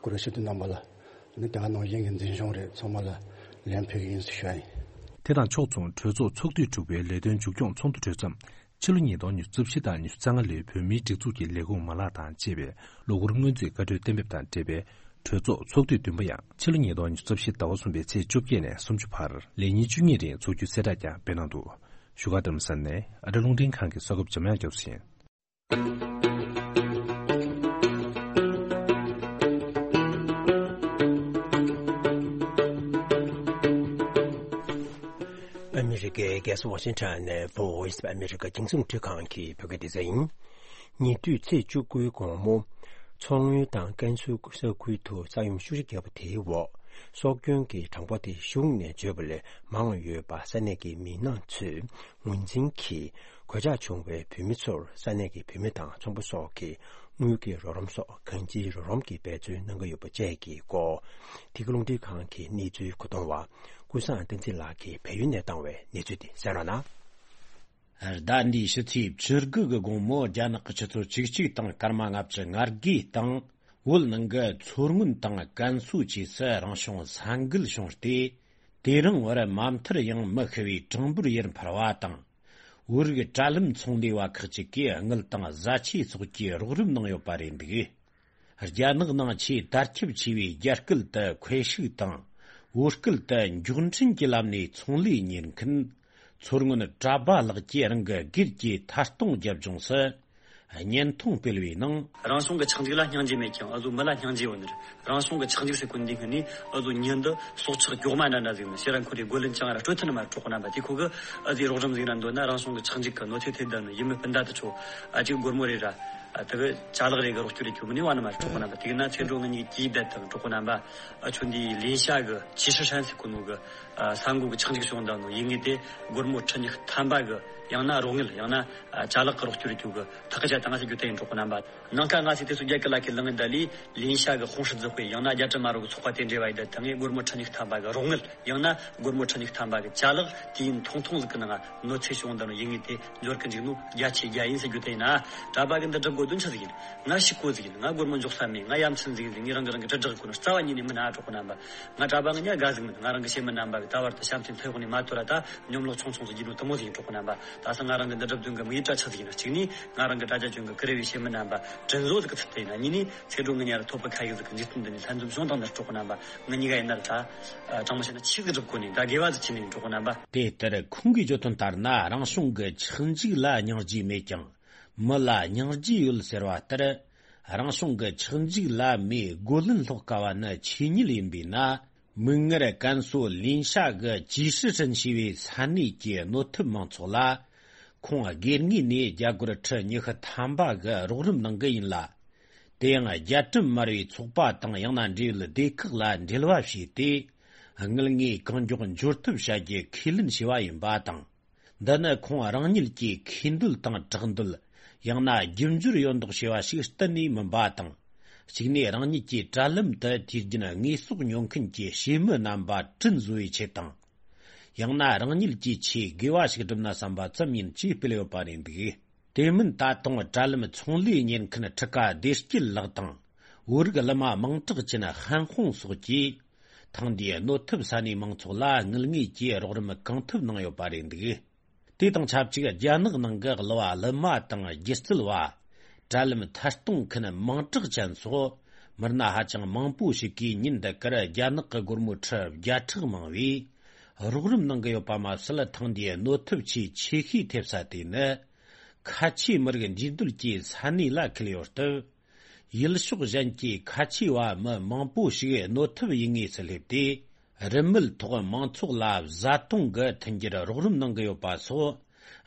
གུ་རུ་སྤྱི་འཐུས་རྣམ་པ་ལ། ཨ་ནི་དེ་ག་ནང་བཞིན་གྱི་འཛིན་སྐྱོང་རེད། ཚང་མ་ལ་ལན་ཕུལ་གི་ཡིན་ཟེར་ཞུ་ཡ་ཡིན། དེ་དང་ཕྱོགས་མཚུངས་གྲོས་ཚོགས་ཚོགས་དུས་དྲུག་པའི་ལས་དོན་མཇུག་སྐྱོང་ཚོགས་འདུ་གྲོལ་མཚམས། ཕྱི་ལོ་ཉིས་སྟོང་ཉི་ཤུ་རྩ་བཞི་དང་ཉི་ཤུ་རྩ་ལྔ་ལོའི་བོད་མིའི་སྒྲིག་འཛུགས་ཀྱི་ལས་ཁུངས་མ་ལག་དང་བཅས་པའི་ལོ་འཁོར་སྔོན་རྩིས་བཀའ་འཁྲོལ་གཏན་འབེབས་དང་འབྲེལ་བའི་གྲོས་ཚོགས་ཚོགས་དུས་བདུན་པ་ཡང་ཕྱི་ལོ་ཉིས་སྟོང་ཉི་ཤུ་རྩ་བཞི་ཟླ་བ་གསུམ་པའི་ཚེས་བཅོ་བརྒྱད་ནས་སུམ་ཅུ་བར་ལས་ཉིན་བཅུ་གཉིས་རིང་འཚོགས་རྒྱུའི་གསལ་བསྒྲགས་ཀྱང་སྤེལ་གནང་འདུག་བཞུགས་སྒར་རྡ་རམ་ས་ལ་ནས་ཨ་རི་རླུང་འཕྲིན་ཁང་གི་གསར་འགོད་འཇམ་དབྱངས་རྒྱ་མཚོ་ཡིན། ཨ་མི་རི་ཀའི་རྒྱལ་ས་ཝ་ཤིང་ཊོན་ནས་Voice of America རྒྱང་སྲིང་རླུང་འཕྲིན་ཁང་གི་བོད་སྐད་སྡེ་ཚན་ཡིན། ཉེ་དུས་ཚེས་བཅུ་དགུའི་དགོང་མོ། མཚོ་སྔོན་དང་ཀན་སུའུ་ས་ཁུལ་དུ་ས་ཡོམ་ཤུགས་ཆེ་བརྒྱབ་པ་དེའི་འོག་སྲོག་སྐྱོན་གྱི་གྲངས་འབོར་དེ་གཞུང་ནས་བརྗོད་པ་ལས་མང་བ་ཡོད་པ་ས་གནས་ཀྱི་མི་སྣ་ཚོས་ངོས་འཛིན་གྱིས། གོད་ཆག་བྱུང་བའི་བོད་མི་ཚོར་ས་གནས་ཀྱི་བུད་མེད་དང་ཚོང་པ་སོགས་ཀྱིས་དངུལ་གྱི་རོགས་རམ་སོགས་གང་ཅིའི་རོགས་རམ་གྱི་འབད་བརྩོན་གནང་གི་ཡོད་པ་བཅས་ཀྱི་སྐོར། འདི་ག་རླུང་འཕྲིན་ཁང་གི་གནས་ཚུལ་མཁོ་གཏོང་བ་ཀུན་བཟང་བསྟན་འཛིན་ལགས་ཀྱིས་བལ་ཡུལ་ནས་བཏང་བའི་གནས་ཚུལ་དེ་གསན་རོགས་གནང་། ཟླ་འདིའི་ཕྱི་ཚེས་བཅུ་དགུ་གི་དགོང་མོ་རྒྱ་ནག་གི་ཆུ་ཚོད་བཅུ་གཅིག་དང་སྐར་མ་ལྔ་བཅུ་ང་དགུའི་སྟེང་། བོད་ནང་གི་མཚོ་སྔོན་དང་ཀན་སུའུ་བཅས་སུ་རང་བྱུང་ས་འགུལ་བྱུང་སྟེ། དེ་རིང་བར་མ་མཐར་ཡང་མི་ཤི་བའི་གྲངས་འབོར་ཡར་འཕར་བ་དང་། བོད་རིགས་དྲ་ལམ་ཚོང་ལས་པ་ཁག་ཅིག་གིས་དངུལ་དང་བཟའ་ཆས་སོགས་ཀྱི་རོགས་རམ་གནང་ཡོད་པ་རེད་འདུག་རྒྱ་ནག་ནང་ཆེས་དར་ཁྱབ་ཆེ་བའི་རྒྱ་སྐད་དུ་ཁོའེ་ཧྲིག་དང་། བོད་སྐད་དུ་མགྱོགས་འཕྲིན་གྱི་ལམ་ནས་ཚོང་ལས་གཉེར་མཁན་མཚོ་སྔོན་གྲྭ་པ་ལགས་ཀྱིས་རང་གི་སྒེར་གྱི་ཐད་གཏོང་རྒྱབ་ལྗོངས་སུ་བརྙན་ཐུང་སྤེལ་བའི་ནང་། རང་བྱུང་གི་ཆག་འཇིག་ལ་སྙིང་རྗེ་མེད་ཀྱང་། འུ་ཟོ་མི་ལ་སྙིང་རྗེ་ཡོད་ནི་རེད། རང་བྱུང་གི་ཆག་འཇིག་ཟེར་གོ་འདི་སྔོན་ནས་འུ་ཟོ་མྱི་འདི་སྲོག་ཆགས་མགྱོགས་མ་འདྲ་འདྲ་ཟིག་ནི་ཕྱིར་ར་འཁོར་རེ་རྒོལ་ལན་ཅང་ར་སྤྲོད་ཐུབ་ནི་མ་རེད། གྲོགས་པོ་རྣམ་པ། དེ་ཁོ་གི་འུ་ཟོའི་རོགས་རམ་ཟིག་ར་འདོད་ན། རང་བྱུང་གི་ཆག་འཇིག་གི་གནོད་འཚེ་ཐེབས་བསྡད་ནི་ཡུལ་མི་སྤུན་ཟླ་དེ་ཚོ་ཨ་ཅིག་སྒོར་མོ་རེ་ར་ཨ་དེ་གི་ཅ་ལག་རེ་གི་རོགས་སྐྱོར་རེ་ཁྱོད་མི་ནུས་བ་ནི་མ་རེད། གྲོགས་པོ་རྣམ་པ། དེ་གི་ན་ཚེ་འགྲོ་ངེད་གཉིས་ཀྱིས་བསྡད་དང་། གྲོགས་པོ་རྣམ་པ། ཨ་ཁྱོད་འདི་ལིན་ཤ་གི་ཅི་ཧྲི་ཧྲན་ཟེར་གོ་ནོ་གི་ཨ་ས་འགོ་གི་ཆག་འཇིག་བྱུང་བསྡད་ནོ་ཡིན་ངེས་ཏེ། སྒོར་མོ་ཁྲི་ཉི་ཤུ་ཐམ་པ་གི་ཡང་ན་རོགས་དངུལ། ཡང་ན་ཨ་ཅ་ལག་གི་རོགས་སྐྱོར་རེ་ཁྱོད་གི་ཐག་གི་བཅད་བཏང་ཟེར་རྒྱུ་དེ་ཡིན། གྲོགས་པོ་རྣམ་པ། ནངས་ཀ་ང་ཚོས་དེ་ཚོ་རྒྱ་སྐད་ལ་ཁས་ལེན་ངེས་ད་ལི་ལིན་ཤ་གི་ཧོང་ཧྲི་ཛི་ཧུའེ། ཡང་ན་རྒྱ་དྲི་མ་རོ་གི་ཚོགས་པ་དེ་འབྲེལ་བ་ཡི་ད་ད་ངས་སྒོར་མོ་ཁྲི་ཉི་ཤུ་ཐམ་པ་གི་རོགས་དངུལ། ཡང་ན་སྒོར་མོ་ཁྲི་ཉི་ཤུ་ཐམ་པ་གི་ཅ་ལག་དུས་ཡུན་ཐུང་ཐུང་ཟིག་གི་ནང་གནོད་འཚེ་བྱུང་བསྡད་ནོ་ཡིན་ངེས་ཏེ། འབྱོར་གི་འཇུག་ནོ་རྒྱ་ཆེ་རྒྱ་ཡིན་ཟེར་རྒྱུ་དེ་ཡིན་ན། གྲྭ་པ་གི་འདི་སྒྲུབ་དགོས་དོན་ཆི་ཟིག་ཡིན། ང་ཤི་ཀོ་ཟིག་ཡིན། ང་སྒོར་མོ་འཇོག་ས་མེད། ང་ཡ་མཚན་ཟིག་ཡིན་ཟིག་ངས་རང་གི་རང་གི་དྲིལ་བསྒྲགས་གོ་ནོ་རྩ་བ་ཉིད་ནས་མིན་ན། གྲོགས་པོ་རྣམ་པ། ང་གྲྭ་པ་ངི་ཉག་ག་ཟིག་མིན། ང་རང་གི་སེམས་མི་རྣམ་པ་གི་ད་བར་དུ་བྱམས་སེམས་ཐོས་ཡོང་ནས་མ་ཐོར་ར། ད་སྙོམ་ལོག་ཆུང་ཆུང་ཟིག་ཡིན་ནོ་དུ་མོ་ཟིག་ཡིན། གྲོགས་པོ་རྣམ་པ། ད་ས་ང་རང་གི་འདི་སྒྲུབ་དོན་གི་དམིགས་ཡུལ་གྲྭ་ཆི་ཟིག་ཡིན་ན། གཅིག་ནི་ང་རང་གི་དྲ་རྒྱ་ཅུང་གི་ཀི་རེ་བའི་སེམས་མི་རྣམ་པ་དྲིན་གཟོ་ཟིག་གི་ཚུལ་དུ་ཡིན་ན། གཉིས་ནི་ཚེ་སྒྲོན་ངི་ཉག་ར་ཐོབ་པ་ཁ་ཡིག་ཟིག་གི་འཇིག་རྟེན་འདི་ནས་ལྷན་འཛོམས་བྱུང་དང་ནི། གྲོགས་པོ་རྣམ་པ། ངི་གཉིས་ཀ་ཡིན་ན་ར་ད་དྲང་མོ་བཤད་ན་ཆི་ཟིག་སྒྲུབ་དགོས་ནི། ད་དགེ་བ་ཟིག་བྱས་ནི་ཡིན། གྲོགས་པོ་རྣམ་པ། དེ་ལྟར་ཁོང་གིས་བརྗོད་དོན་ལྟར་ན། རང་བྱུང་གི་ཆག་འཇིག་ལ་སྙིང་རྗེ་མེད་ཀྱང་། མི་ལ་སྙིང་རྗེ་ཡོད་ཟེར་བ་ལྟར། རང་བྱུང་གི་ཆག་འཇིག་ལ་མིས་རྒོལ་ལན་སློག་དཀའ་བ་ནི་ཆོས་ཉིད་ཡིན་པས་ན། མིག་སྔར་ཀན་སུའུ་ལིན་ཤ་གི་ཅི་ཧྲི་ཧྲན་ཞེས་པའི་ས་གནས་ཀྱི་གནོད་ཐེབས་མང་ཚོགས་ལ། ཁོང་སྒེར་ངོས་ནས་རྒྱ་སྒོར་ཁྲི་ཉི་ཤུ་ཐམ་པ་གི་རོགས་རམ་གནང་གི་ཡིན་ལ། དེ་ཡང་རྒྱ་གྲམ་དམར་བའི་ཚོགས་པ་དང་། ཡང་ན་འབྲེལ་ཡོད་སྡེ་ཁག་ལ་འབྲེལ་བ་བྱས་ཏེ། དངུལ་དངོས་གང་མགྱོགས་འབྱོར་ཐབས་བྱ་རྒྱུ་ཁས་ལེན་བྱས་པ་ཡིན་པ་དང་། འདི་ནི་ཁོང་རང་ཉིད་ཀྱི་ཁེ་འདོད་དང་གྲགས་འདོད། ཡང་ན་རྒྱུ་འབྱོར་ཡོད་མདོག་བྱས་པ་ཞིག་གཏན་ནས་མིན་པ་དང་། གཅིག་ནས་རང་ཉིད་ཀྱི་དྲ་ལམ་དུ་དུས་རྒྱུན་དངོས་ཟོག་ཉོ་མཁན་གྱི་བྱེད་མི་རྣམ་པ་དྲིན་གཟོ་བའི་ཆེད་དང་། ཡང་ན་རང་ཉིད་ཀྱི་ཆེད་དགེ་བ་ཞིག་སྒྲུབ་ན་བསམ་པ་ཙམ་ཡིན་ཅེས་སྤེལ་ཡོད་པ་རེད་འདུག་དེ་མིན་ད་དུང་དྲ་ལམ་ཚོང་ལས་གཉེར་མཁན་ཁྲི་ཀ་བདེ་སྐྱིད་ལགས་དང་། བོད་རིགས་གླུ་མ་མིང་གྲགས་ཅན་ཧན་ཧོང་སོགས་ཀྱིས། ཐེངས་འདིའི་གནོད་ཐེབས་ས་གནས་མང་ཚོགས་ལ་དངུལ་དངོས་ཀྱི་རོགས་རམ་གང་ཐུབ་གནང་ཡོད་པ་རེད་འདུག་དེ་དང་ཆབས་ཅིག་རྒྱ་ནག་ནང་གི་གླུ་བ་གླུ་མ་དང་སྒྱུ་རྩལ་བ། དྲ་ལམ་ཐད་གཏོང་མཁན་མིང་གྲགས་ཅན་སོགས། མི་སྣ་ཧ་ཅང་མང་པོ་ཞིག་གིས་ཉིན་འདི་གར་རྒྱ་ནག་གི་སྒོར་མོ་ཁྲི་བརྒྱ་ཕྲག་མང་བའི་རོགས་རམ་གནང་གི་ཡོད་པ་མ་ཟད། ཐེངས་འདིའི་གནོད་ཐེབས་ཆེས་ཆེ་ཤོས་ཐེབས་ས་དེ་ནི། ཁ་ཆེའི་མི་རིགས་འདུས་སྡོད་ཀྱི་ས་གནས་ལ་འཁེལ་ཡོད་སྟབས། ཡུལ་ཕྱོགས་གཞན་གྱི་ཁ་ཆེ་བ་མི་མང་པོ་ཞིག་གནོད་ཐེབས་ཡིན་ངེས་སུ་སླེབས་ཏེ། རིན་མེད་ཐོག་མང་ཚོགས་ལ་བཟའ་བཏུང་གི་མཐུན་འགྱུར་རོགས་རམ་གནང་གི་ཡོད་པ་སོགས།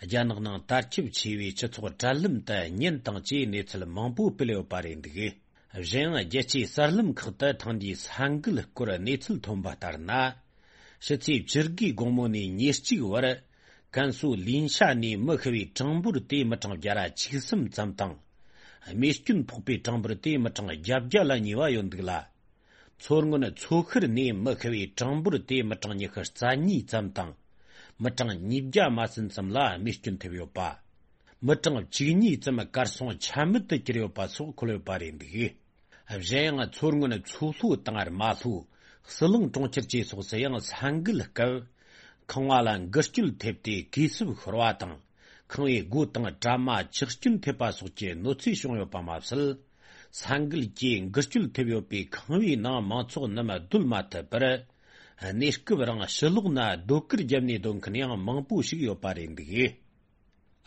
རྒྱ་ནག་ནང་དར་ཁྱབ་ཆེ་བའི་སྤྱི་ཚོགས་དྲ་ལམ་དུ་བརྙན་དང་བཅས་གནས་ཚུལ་མང་པོ་སྤེལ་ཡོད་པ་རེད་འདུག་གཞན་ཡང་། རྒྱལ་སྤྱིའི་གསར་ལམ་ཁག་ཏུ་ཐེངས་འདིའི་ས་འགུལ་སྐོར་གནས་ཚུལ་ཐོན་པ་ལྟར་ན། ཕྱི་ཚེས་བཅུ་དགུའི་དགོང་མོ་ནས་ཉེར་གཅིག་བར། ཀན་སུའུ་ལིན་ཤ་ནས་མི་ཤི་བའི་གྲངས་འབོར་དེ་མི་གྲངས་བརྒྱ་ར་བཅུ་གསུམ་ཙམ་དང་། རྨས་སྐྱོན་ཕོག་པའི་གྲངས་འབོར་དེ་མི་གྲངས་བརྒྱད་བརྒྱ་ལ་ཉེ་བ་ཡོད་འདུག་ལ། མཚོ་སྔོན་མཚོ་ཤར་ནས་མི་ཤི་བའི་གྲངས་འབོར་དེ་མི་གྲངས་ཉི་ཤུ་རྩ་གཉིས་ཙམ་དང་། མི་གྲངས་ཉིས་བརྒྱ་མ་ཟིན་ཙམ་ལ་རྨས་སྐྱོན་ཐེབས་ཡོད་པ། མི་གྲངས་བཅུ་གཉིས་ཙམ་གར་སོང་ཆ་མེད་དུ་གྱུར་ཡོད་པ་སོགས་འཁོད་ཡོད་པ་རེད་འདུག་གཞན་ཡང་། མཚོ་སྔོན་མཚོ་ལྷོ་དང་རྨ་ལྷོ། ཟི་ལིང་གྲོང་ཁྱེར་བཅས་སོགས་སུ་ཡང་ས་འགུལ་སྐབས། ཁང་བ་ལ་འགུལ་སྐྱོད་ཐེབས་ཏེ་གས་སྲུབས་ཤོར་བ་དང་། ཁང་བའི་སྒོ་དང་དྲ་མ་ཆག་སྐྱོན་ཐེབས་པ་སོགས་ཀྱི་གནོད་འཚེ་བྱུང་ཡོད་པ་མ་ཟད། ས་འགུལ་གྱིས་འགུལ་སྐྱོད་ཐེབས་ཡོད་པའི་ཁང་བའི་ནང་མང་ཚོགས་རྣམས་སྡོད་མ་ཐུབ་པར། གནས་སྐབས་རིང་ཕྱི་ལོགས་ན་སྡོད་གུར་བརྒྱབ་ནས་སྡོད་མཁན་ཡང་མང་པོ་ཞིག་ཡོད་པ་རེད་འདུག་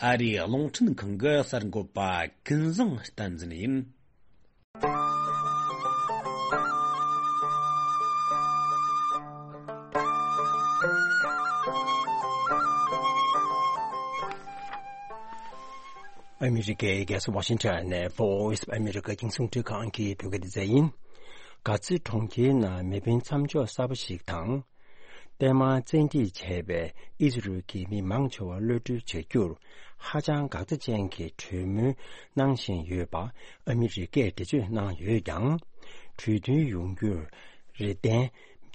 ཨ་རིའི་རླུང་འཕྲིན་ཁང་གི་གསར་འགོད་པ་ཀུན་བཟང་བསྟན་འཛིན་ཡིན། ཨ་མི་རི་ཀའི་རྒྱལ་ས་ཝ་ཤིང་ཊོན་ནས་Voice of America རྒྱང་སྲིང་འཕྲིན་ཁང་གི་བོད་སྐད་སྡེ་ཚན་ཡིན། གྷ་ཛའི་གྲོང་ཁྱེར་ནང་མེ་འཕེན་མཚམས་འཇོག་གསར་པ་ཞིག་དང་། ཐེངས་མང་བཙན་ཁྲིད་བྱས་པའི་ཨི་ཟི་རུལ་གྱི་མི་མང་ཆེ་བ་གློད་གྲོལ་བྱ་རྒྱུར་ཧ་ཅང་འགག་རྩ་ཅན་གྱི་གྲོས་མོལ་གནང་བཞིན་ཡོད་པ་ཨ་མི་རི་ཀས་འགྲེལ་བརྗོད་གནང་ཡོད་ཀྱང་། གྲོས་མཐུན་ཡོང་རྒྱུར་རེ་ལྡན་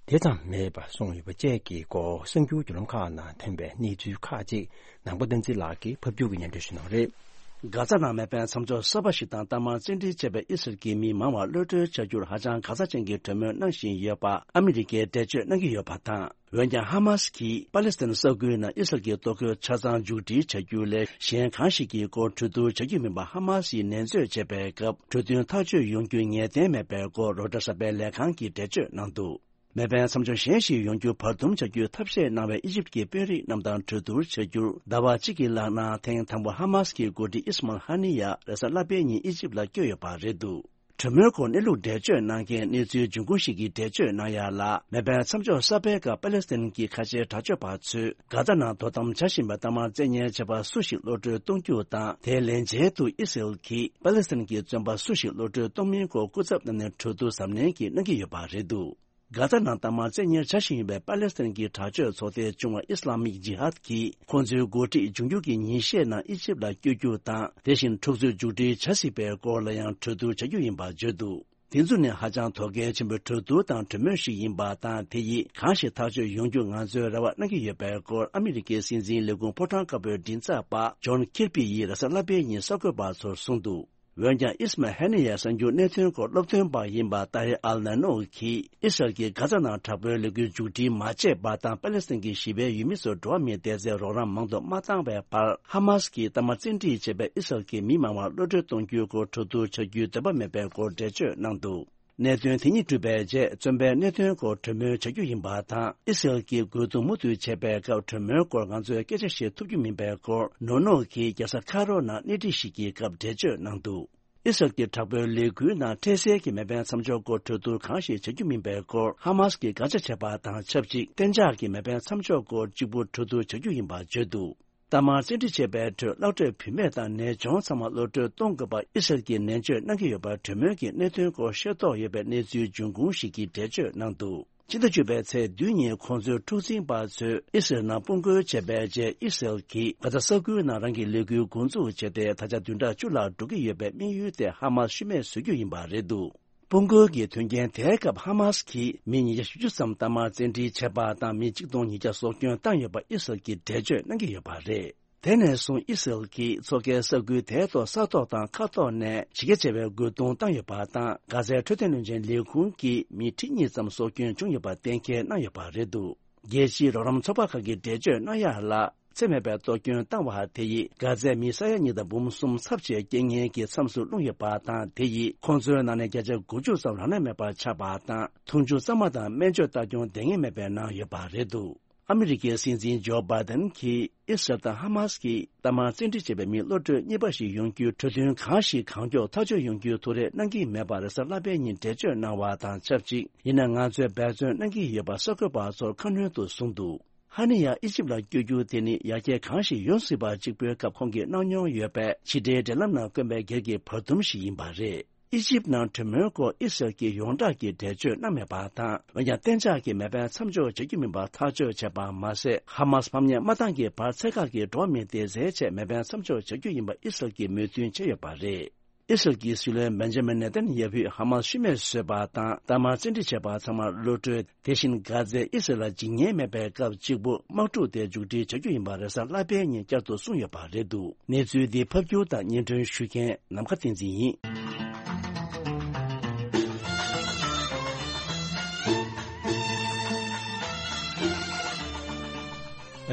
དེ་ཙམ་མེད་པ་གསུངས་ཡོད་པ་བཅས་ཀྱི་སྐོར་གསར་འགྱུར་བརྒྱུད་ལམ་ཁག་ནང་ཐོན་པའི་གནས་ཚུལ་ཁག་ཅིག་ནང་པ་བསྟན་འཛིན་ལགས་ཀྱིས་ཕབ་སྒྱུར་གྱིས་སྙན་སྒྲོན་ཞུ་གནང་བ་རེད། གྷ་ཛ་ནང་མེ་འཕེན་མཚམས་འཇོག་གསར་པ་ཞིག་དང་གཏའ་མར་བཙན་ཁྲིད་བྱས་པའི་ཨི་སི་རལ་གྱི་མི་མང་བ་གློད་གྲོལ་བྱ་རྒྱུར་ཧ་ཅང་ག་ཚ་ཅན་གྱི་གྲོས་མོལ་གནང་བཞིན་ཡོད་པ་ཨ་མི་རི་ཀས་འགྲེལ་བརྗོད་གནང་གི་ཡོད་པ་དང་། འོན་ཀྱང་། ཧ་མ་སི་ཀྱིས་པ་ལེ་སི་ཐན་ས་ཁུལ་ནང་ཨི་སི་རལ་གྱི་གཏོར་རྒོལ་ཆ་ཚང་མཇུག་སྒྲིལ་བྱ་རྒྱུ་ལས་གཞན་གང་ཞིག་གི་སྐོར་གྲོས་བསྡུར་བྱ་རྒྱུ་མིན་པ་ཧ་མ་སི་ཡིས་ནན་བརྗོད་བྱས་པའི་སྐབས། གྲོས་མཐུན་ཐག་གཅོད་ཡོང་རྒྱུ་ངེས་གཏན་མེད་པའི་སྐོར་རོའི་ཊར་གསར་པའི་ལས་ཁང་གིས་འགྲེལ་བརྗོད་གནང་འདུག་མེ་འཕེན་མཚམས་འཇོག་གཞན་ཞིག་ཡོང་རྒྱུ་བར་འདུམ་བྱ་རྒྱུའི་ཐབས་ཤེས་གནང་བའི་ཨི་ཇིབ་ཀྱི་དཔོན་རིགས་རྣམས་དང་གྲོས་བསྡུར་བྱ་རྒྱུར་ཟླ་བ་གཅིག་གི་ལག་ནང་ཐེངས་དང་པོ་ཧ་མ་སི་ཀྱི་འགོ་ཁྲིད་ཨིས་མལ་ཧ་ནི་ཡ་རེས་གཟའ་ལྷག་པའི་ཉིན་ཨི་ཇིབ་ལ་བསྐྱོད་ཡོད་པ་རེད་འདུག་གྲོས་མོལ་སྐོར་གནས་ལུགས་འགྲེལ་བརྗོད་གནང་མཁན་གནས་ཚུལ་འབྱུང་ཁུངས་ཤིག་གིས་འགྲེལ་བརྗོད་གནང་ཡ་ལ། མེ་འཕེན་མཚམས་འཇོག་གསར་པའི་སྐབས་པ་ལེ་སི་ཐན་གྱི་ཁ་ཆེའི་དྲག་སྤྱོད་པ་ཚོས་གྷ་ཛ་ནང་དོ་དམ་བྱ་བཞིན་པའི་གཏའ་མར་བཙན་ཉར་བྱས་པ་སུ་ཞིག་གློད་གྲོལ་གཏོང་རྒྱུ་དང་། དེའི་ལན་ཆེད་དུ་ཨི་སི་རལ་གྱིས་པ་ལེ་སི་ཐན་གྱི་བཙོན་པ་སུ་ཞིག་གློད་གྲོལ་གཏོང་མིན་སྐོར་སྐུ་ཚབ་རྣམས་ནས་གྲོས་བསྡུར་གཟབ་ནན་གྱིས་གནང་གི་ཡོད་པ་རེད་འདུག་གྷ་ཛ་ནང་གཏའ་མར་བཙན་ཉར་བྱ་བཞིན་ཡོད་པའི་པ་ལེ་སི་ཐན་གྱི་དྲག་སྤྱོད་ཚོགས་སྡེ་བྱུང་བ་ཨི་སི་ལ་མིག་ཇི་ཧཱད་ཀྱིས། ཁོང་ཚོའི་འགོ་ཁྲིད་འབྱུང་འགྱུར་གྱི་ཉིན་ཤས་ནང་ཨི་ཇིབ་ལ་བསྐྱོད་རྒྱུ་དང་། དེ་བཞིན་འཁྲུག་རྩོད་མཇུག་སྒྲིལ་བྱ་སྲིད་པའི་སྐོར་ལ་ཡང་གྲོས་བསྡུར་བྱ་རྒྱུ་ཡིན་པ་བརྗོད་འདུག་དེ་ཚོ་ནི་ཧ་ཅང་དོ་གལ་ཆེན་པོའི་གྲོས་བསྡུར་དང་གྲོས་མོལ་ཞིག་ཡིན་པ་དང་། དེ་ཡིས་གང་ཞིག་ཐག་གཅོད་ཡོང་རྒྱུ་ང་ཚོས་རེ་བ་གནང་གི་ཡོད་པའི་སྐོར་ཨ་མི་རི་ཀའི་སྲིད་འཛིན་ལས་ཁུངས་ཕོ་བྲང་དཀར་པོའི་མགྲིན་ཚབ་པ་ཇོན་ཁིར་པི་ཡིས་རེས་གཟའ་ལྷག་པའི་ཉིན་གསར་འགོད་པ་ཚོར་གསུངས་འདུག་འོན་ཀྱང་། ཨིས་མ་ཧེ་ནི་ཡ་གསར་འགྱུར་གནད་དོན་སྐོར་སློབ་སྟོན་པ་ཡིན་པ་ཏཱ་ཧེར་ཨལ་ནན་ནོ་གིས། ཨི་སི་རལ་གྱིས་གྷ་ཛ་ནང་དྲག་པོའི་ལས་འགུལ་མཇུག་སྒྲིལ་མ་བྱས་པ་དང་། པ་ལེ་སི་ཐན་གྱི་ཞི་བའི་ཡུལ་མི་ཚོར་འགྲོ་བ་མིའི་བདེ་རྩའི་རོགས་རམ་མང་དུ་མ་བཏང་བའི་བར། ཧ་མ་སི་གིས་གཏའ་མར་བཙན་ཁྲིད་བྱས་པའི་ཨི་སི་རལ་གྱི་མི་མང་བ་གློད་གྲོལ་གཏོང་རྒྱུའི་སྐོར་གྲོས་བསྡུར་བྱ་རྒྱུའི་འདོད་པ་མེད་པའི་སྐོར་འགྲེལ་བརྗོད་གནང་འདུག་གནད་དོན་དེ་གཉིས་གྲུབ་པའི་རྗེས། བཙོན་པའི་གནད་དོན་སྐོར་གྲོས་མོལ་བྱ་རྒྱུ་ཡིན་པ་དང་། ཨི་སི་རལ་གྱིས་རྒོལ་རྡུང་མུ་མཐུད་བྱས་པའི་སྐབས། གྲོས་མོལ་སྐོར་ང་ཚོས་སྐད་ཆ་བཤད་ཐུབ་རྒྱུ་མིན་པའི་སྐོར་ནོ་ནོ་གིས་རྒྱལ་ས་ཁ་རོ་ནང་གནས་འདྲི་ཞིག་གི་སྐབས་འགྲེལ་བརྗོད་གནང་འདུག་ཨི་སི་རལ་གྱི་དྲག་པོའི་ལས་འགུལ་ནང་འཕྲལ་སེལ་གྱི་མེ་འཕེན་མཚམས་འཇོག་སྐོར་གྲོས་བསྡུར་གང་ཞིག་བྱ་རྒྱུ་མིན་པའི་སྐོར། ཧ་མ་སི་གིས་དགག་བྱ་བྱས་པ་དང་ཆབས་ཅིག་གཏན་འཇགས་ཀྱི་མེ་འཕེན་མཚམས་འཇོག་སྐོར་གཅིག་པུ་གྲོས་བསྡུར་བྱ་རྒྱུ་ཡིན་པ་བརྗོད་འདུག་གཏའ་མར་བཙན་ཁྲིད་བྱས་པའི་ཁྲོད་གློད་གྲོལ་བུད་མེད་དང་ནད་གཅོང་ཚང་མ་གློད་གྲོལ་གཏོང་དགོས་པ་ཨི་སི་རལ་གྱིས་ནན་བརྗོད་གནང་གི་ཡོད་པ་གྲོས་མོལ་གྱི་གནད་དོན་སྐོར་ཤེས་རྟོགས་ཡོད་པའི་གནས་ཚུལ་འབྱུང་ཁུངས་ཤིག་གིས་འགྲེལ་བརྗོད་གནང་འདུག་ཕྱི་ཟླ་བཅུ་པའི་ཚེས་བདུན་ཉིན་ཁོང་ཚོའི་འཁྲུག་འཛིང་པ་ཚོས་ཨི་སི་རལ་ནང་དཔུང་རྒོལ་བྱས་པའི་རྗེས། ཨི་སི་རལ་གྱིས་གྷ་ཛ་ས་ཁུལ་ནང་རང་གི་ལས་འགུལ་འགོ་འཛུགས་བྱས་ཏེ། ད་ཆ་བདུན་ཕྲག་བཅུ་ལྷག་འགྲོ་གི་ཡོད་པའི་དམིགས་ཡུལ་དེ་ཧ་མ་སི་ཤི་རྨས་བཟོ་རྒྱུ་ཡིན་པ་རེད་འདུག་དཔུང་རྒོལ་གྱི་དོན་རྐྱེན་དེའི་སྐབས་ཧ་མ་སི་གིས་མི་ཉིས་བརྒྱ་བཞི་བཅུ་ཙམ་གཏའ་མར་བཙན་ཁྲིད་བྱས་པ་དང་། མི་གཅིག་སྟོང་ཉིས་བརྒྱ་སྲོག་སྐྱོན་བཏང་ཡོད་པ་ཨི་སི་རལ་གྱིས་འགྲེལ་བརྗོད་གནང་གི་ཡོད་པ་རེད། དེ་ནས་བཟུང་ཨི་སི་རལ་གྱིས་མཚོ་ཁའི་ས་ཁུལ་དེའི་ཐོག་ས་ཐོག་དང་མཁའ་ཐོག་ནས་གཞི་རྒྱ་ཆེ་བའི་རྒོལ་རྡུང་བཏང་ཡོད་པ་དང་། གྷ་ཛའི་འཕྲོད་བསྟེན་བློན་ཆེན་ལས་ཁུངས་ཀྱི་མི་ཁྲི་གཉིས་ཙམ་སྲོག་སྐྱོན་བྱུང་ཡོད་པ་གཏན་འཁེལ་གནང་ཡོད་པ་རེད་འདུག་རྒྱལ་སྤྱིའི་རོགས་རམ་ཚོགས་པ་ཁག་གིས་འགྲེལ་བརྗོད་གནང་ཡ་ལ། འཚེ་མེད་པའི་གཏོར་སྐྱོན་བཏང་བ་དེ་ཡིས་གྷ་ཛའི་མི་ས་ཡ་གཉིས་དང་འབུམ་གསུམ་ཚབས་ཆེའི་རྐྱེན་ངན་གྱི་མཚམས་སུ་ལྷུང་ཡོད་པ་དང་། དེ་ཡིས་ཁོང་ཚོའི་ནང་ནས་བརྒྱ་ཆ་དགུ་བཅུ་ཙམ་རང་ལས་མེད་པར་ཆགས་པ་དང་། འཐུང་ཆུ་གཙང་མ་དང་སྨན་བཅོས་ལྟ་སྐྱོང་འདང་ངེས་མེད་པའི་ནང་ཡོད་པ་རེད་འདུག་ཨ་མི་རི་ཀའི་སྲིད་འཛིན་ཇོ་བྷའི་ཏན་གྱིས་ཨི་སི་རལ་དང་ཧ་མ་སི་གིས་གཏའ་མར་བཙན་ཁྲིད་བྱས་པའི་མི་གློད་གྲོལ་གཉིས་པ་ཞིག་ཡོང་རྒྱུའི་གྲོས་མཐུན་གང་ཞིག་གང་མགྱོགས་ཐག་གཅོད་ཡོང་རྒྱུའི་ཐུགས་རེ་གནང་གི་མེད་པ་རེས་གཟའ་ལྷག་པའི་ཉིན་འགྲེལ་བརྗོད་གནང་བ་དང་ཆབས་ཅིག་ཡིན་ན་ང་ཚོས་འབད་བརྩོན་གནང་གི་ཡོད་པ་གསར་འགོད་པ་ཚོར་ཁ་སྣོན་དུ་གསུངས་འདུག་ཧ་ནི་ཡ་ཨི་ཇིབ་ལ་བསྐྱོད་རྒྱུ་དེ་ནི་ཡར་རྒྱས་གང་ཞིག་ཡོང་སྲིད་པ་གཅིག་པུའི་སྐབས་ཁོང་གིས་གནང་མྱོང་ཡོད་པའི་ཕྱི་འབྲེལ་འབྲེལ་ལམ་ནང་བསྐོན་པའི་སྒེར་གྱི་བར་འདུམ་ཞིག་ཡིན་པ་རེད། ཨི་ཇིབ་ནང་གྲོས་མོལ་སྐོར་ཨི་སི་རལ་གྱིས་ཡོངས་གྲགས་ཀྱི་འགྲེལ་བརྗོད་གནང་མེད་པ་དང་། འོན་ཀྱང་གཏན་འཇགས་ཀྱི་མེ་འཕེན་མཚམས་འཇོག་བྱ་རྒྱུ་མིན་པ་ཐག་གཅོད་བྱས་པ་མ་ཟད། ཧ་མ་སི་ཕམ་ཉེས་མ་བཏང་གི་བར་ཚད་བཀག་གིས་འགྲོ་བ་མིའི་བདེ་རྩའི་ཆེད་མེ་འཕེན་མཚམས་འཇོག་བྱ་རྒྱུ་ཡིན་པ་ཨི་སི་རལ་གྱིས་མོས་མཐུན་བྱས་ཡོད་པ་རེད། ཨི་སི་རལ་གྱི་སྲིད་བློན་བེན་ཇ་མིན་ནེ་ཐན་ཡ་ཧུས་ཧ་མ་སི་ཤི་རྨས་བཟོས་པ་དང་། གཏའ་མར་བཙན་ཁྲིད་བྱས་པ་ཚང་མ་གློད་གྲོལ། དེ་བཞིན་གྷ་ཛའི་ཨི་སི་རལ་ལ་འཇིགས་ཉེན་མེད་པའི་སྐབས་གཅིག་པུ་དམག་འཁྲུག་དེ་མཇུག་སྒྲིལ་བྱ་རྒྱུ་ཡིན་པ་རེས་གཟའ་ལྷག་པའི་ཉིན་བསྐྱར་དུ་གསུངས་ཡོད་པ་རེད་འདུག་གནས་ཚུལ་འདི་ཕབ་སྒྱུར་དང་སྙན་སྒྲོན་ཞུ་མཁན་ནམ་མཁའ་བསྟན་འཛིན་ཡིན།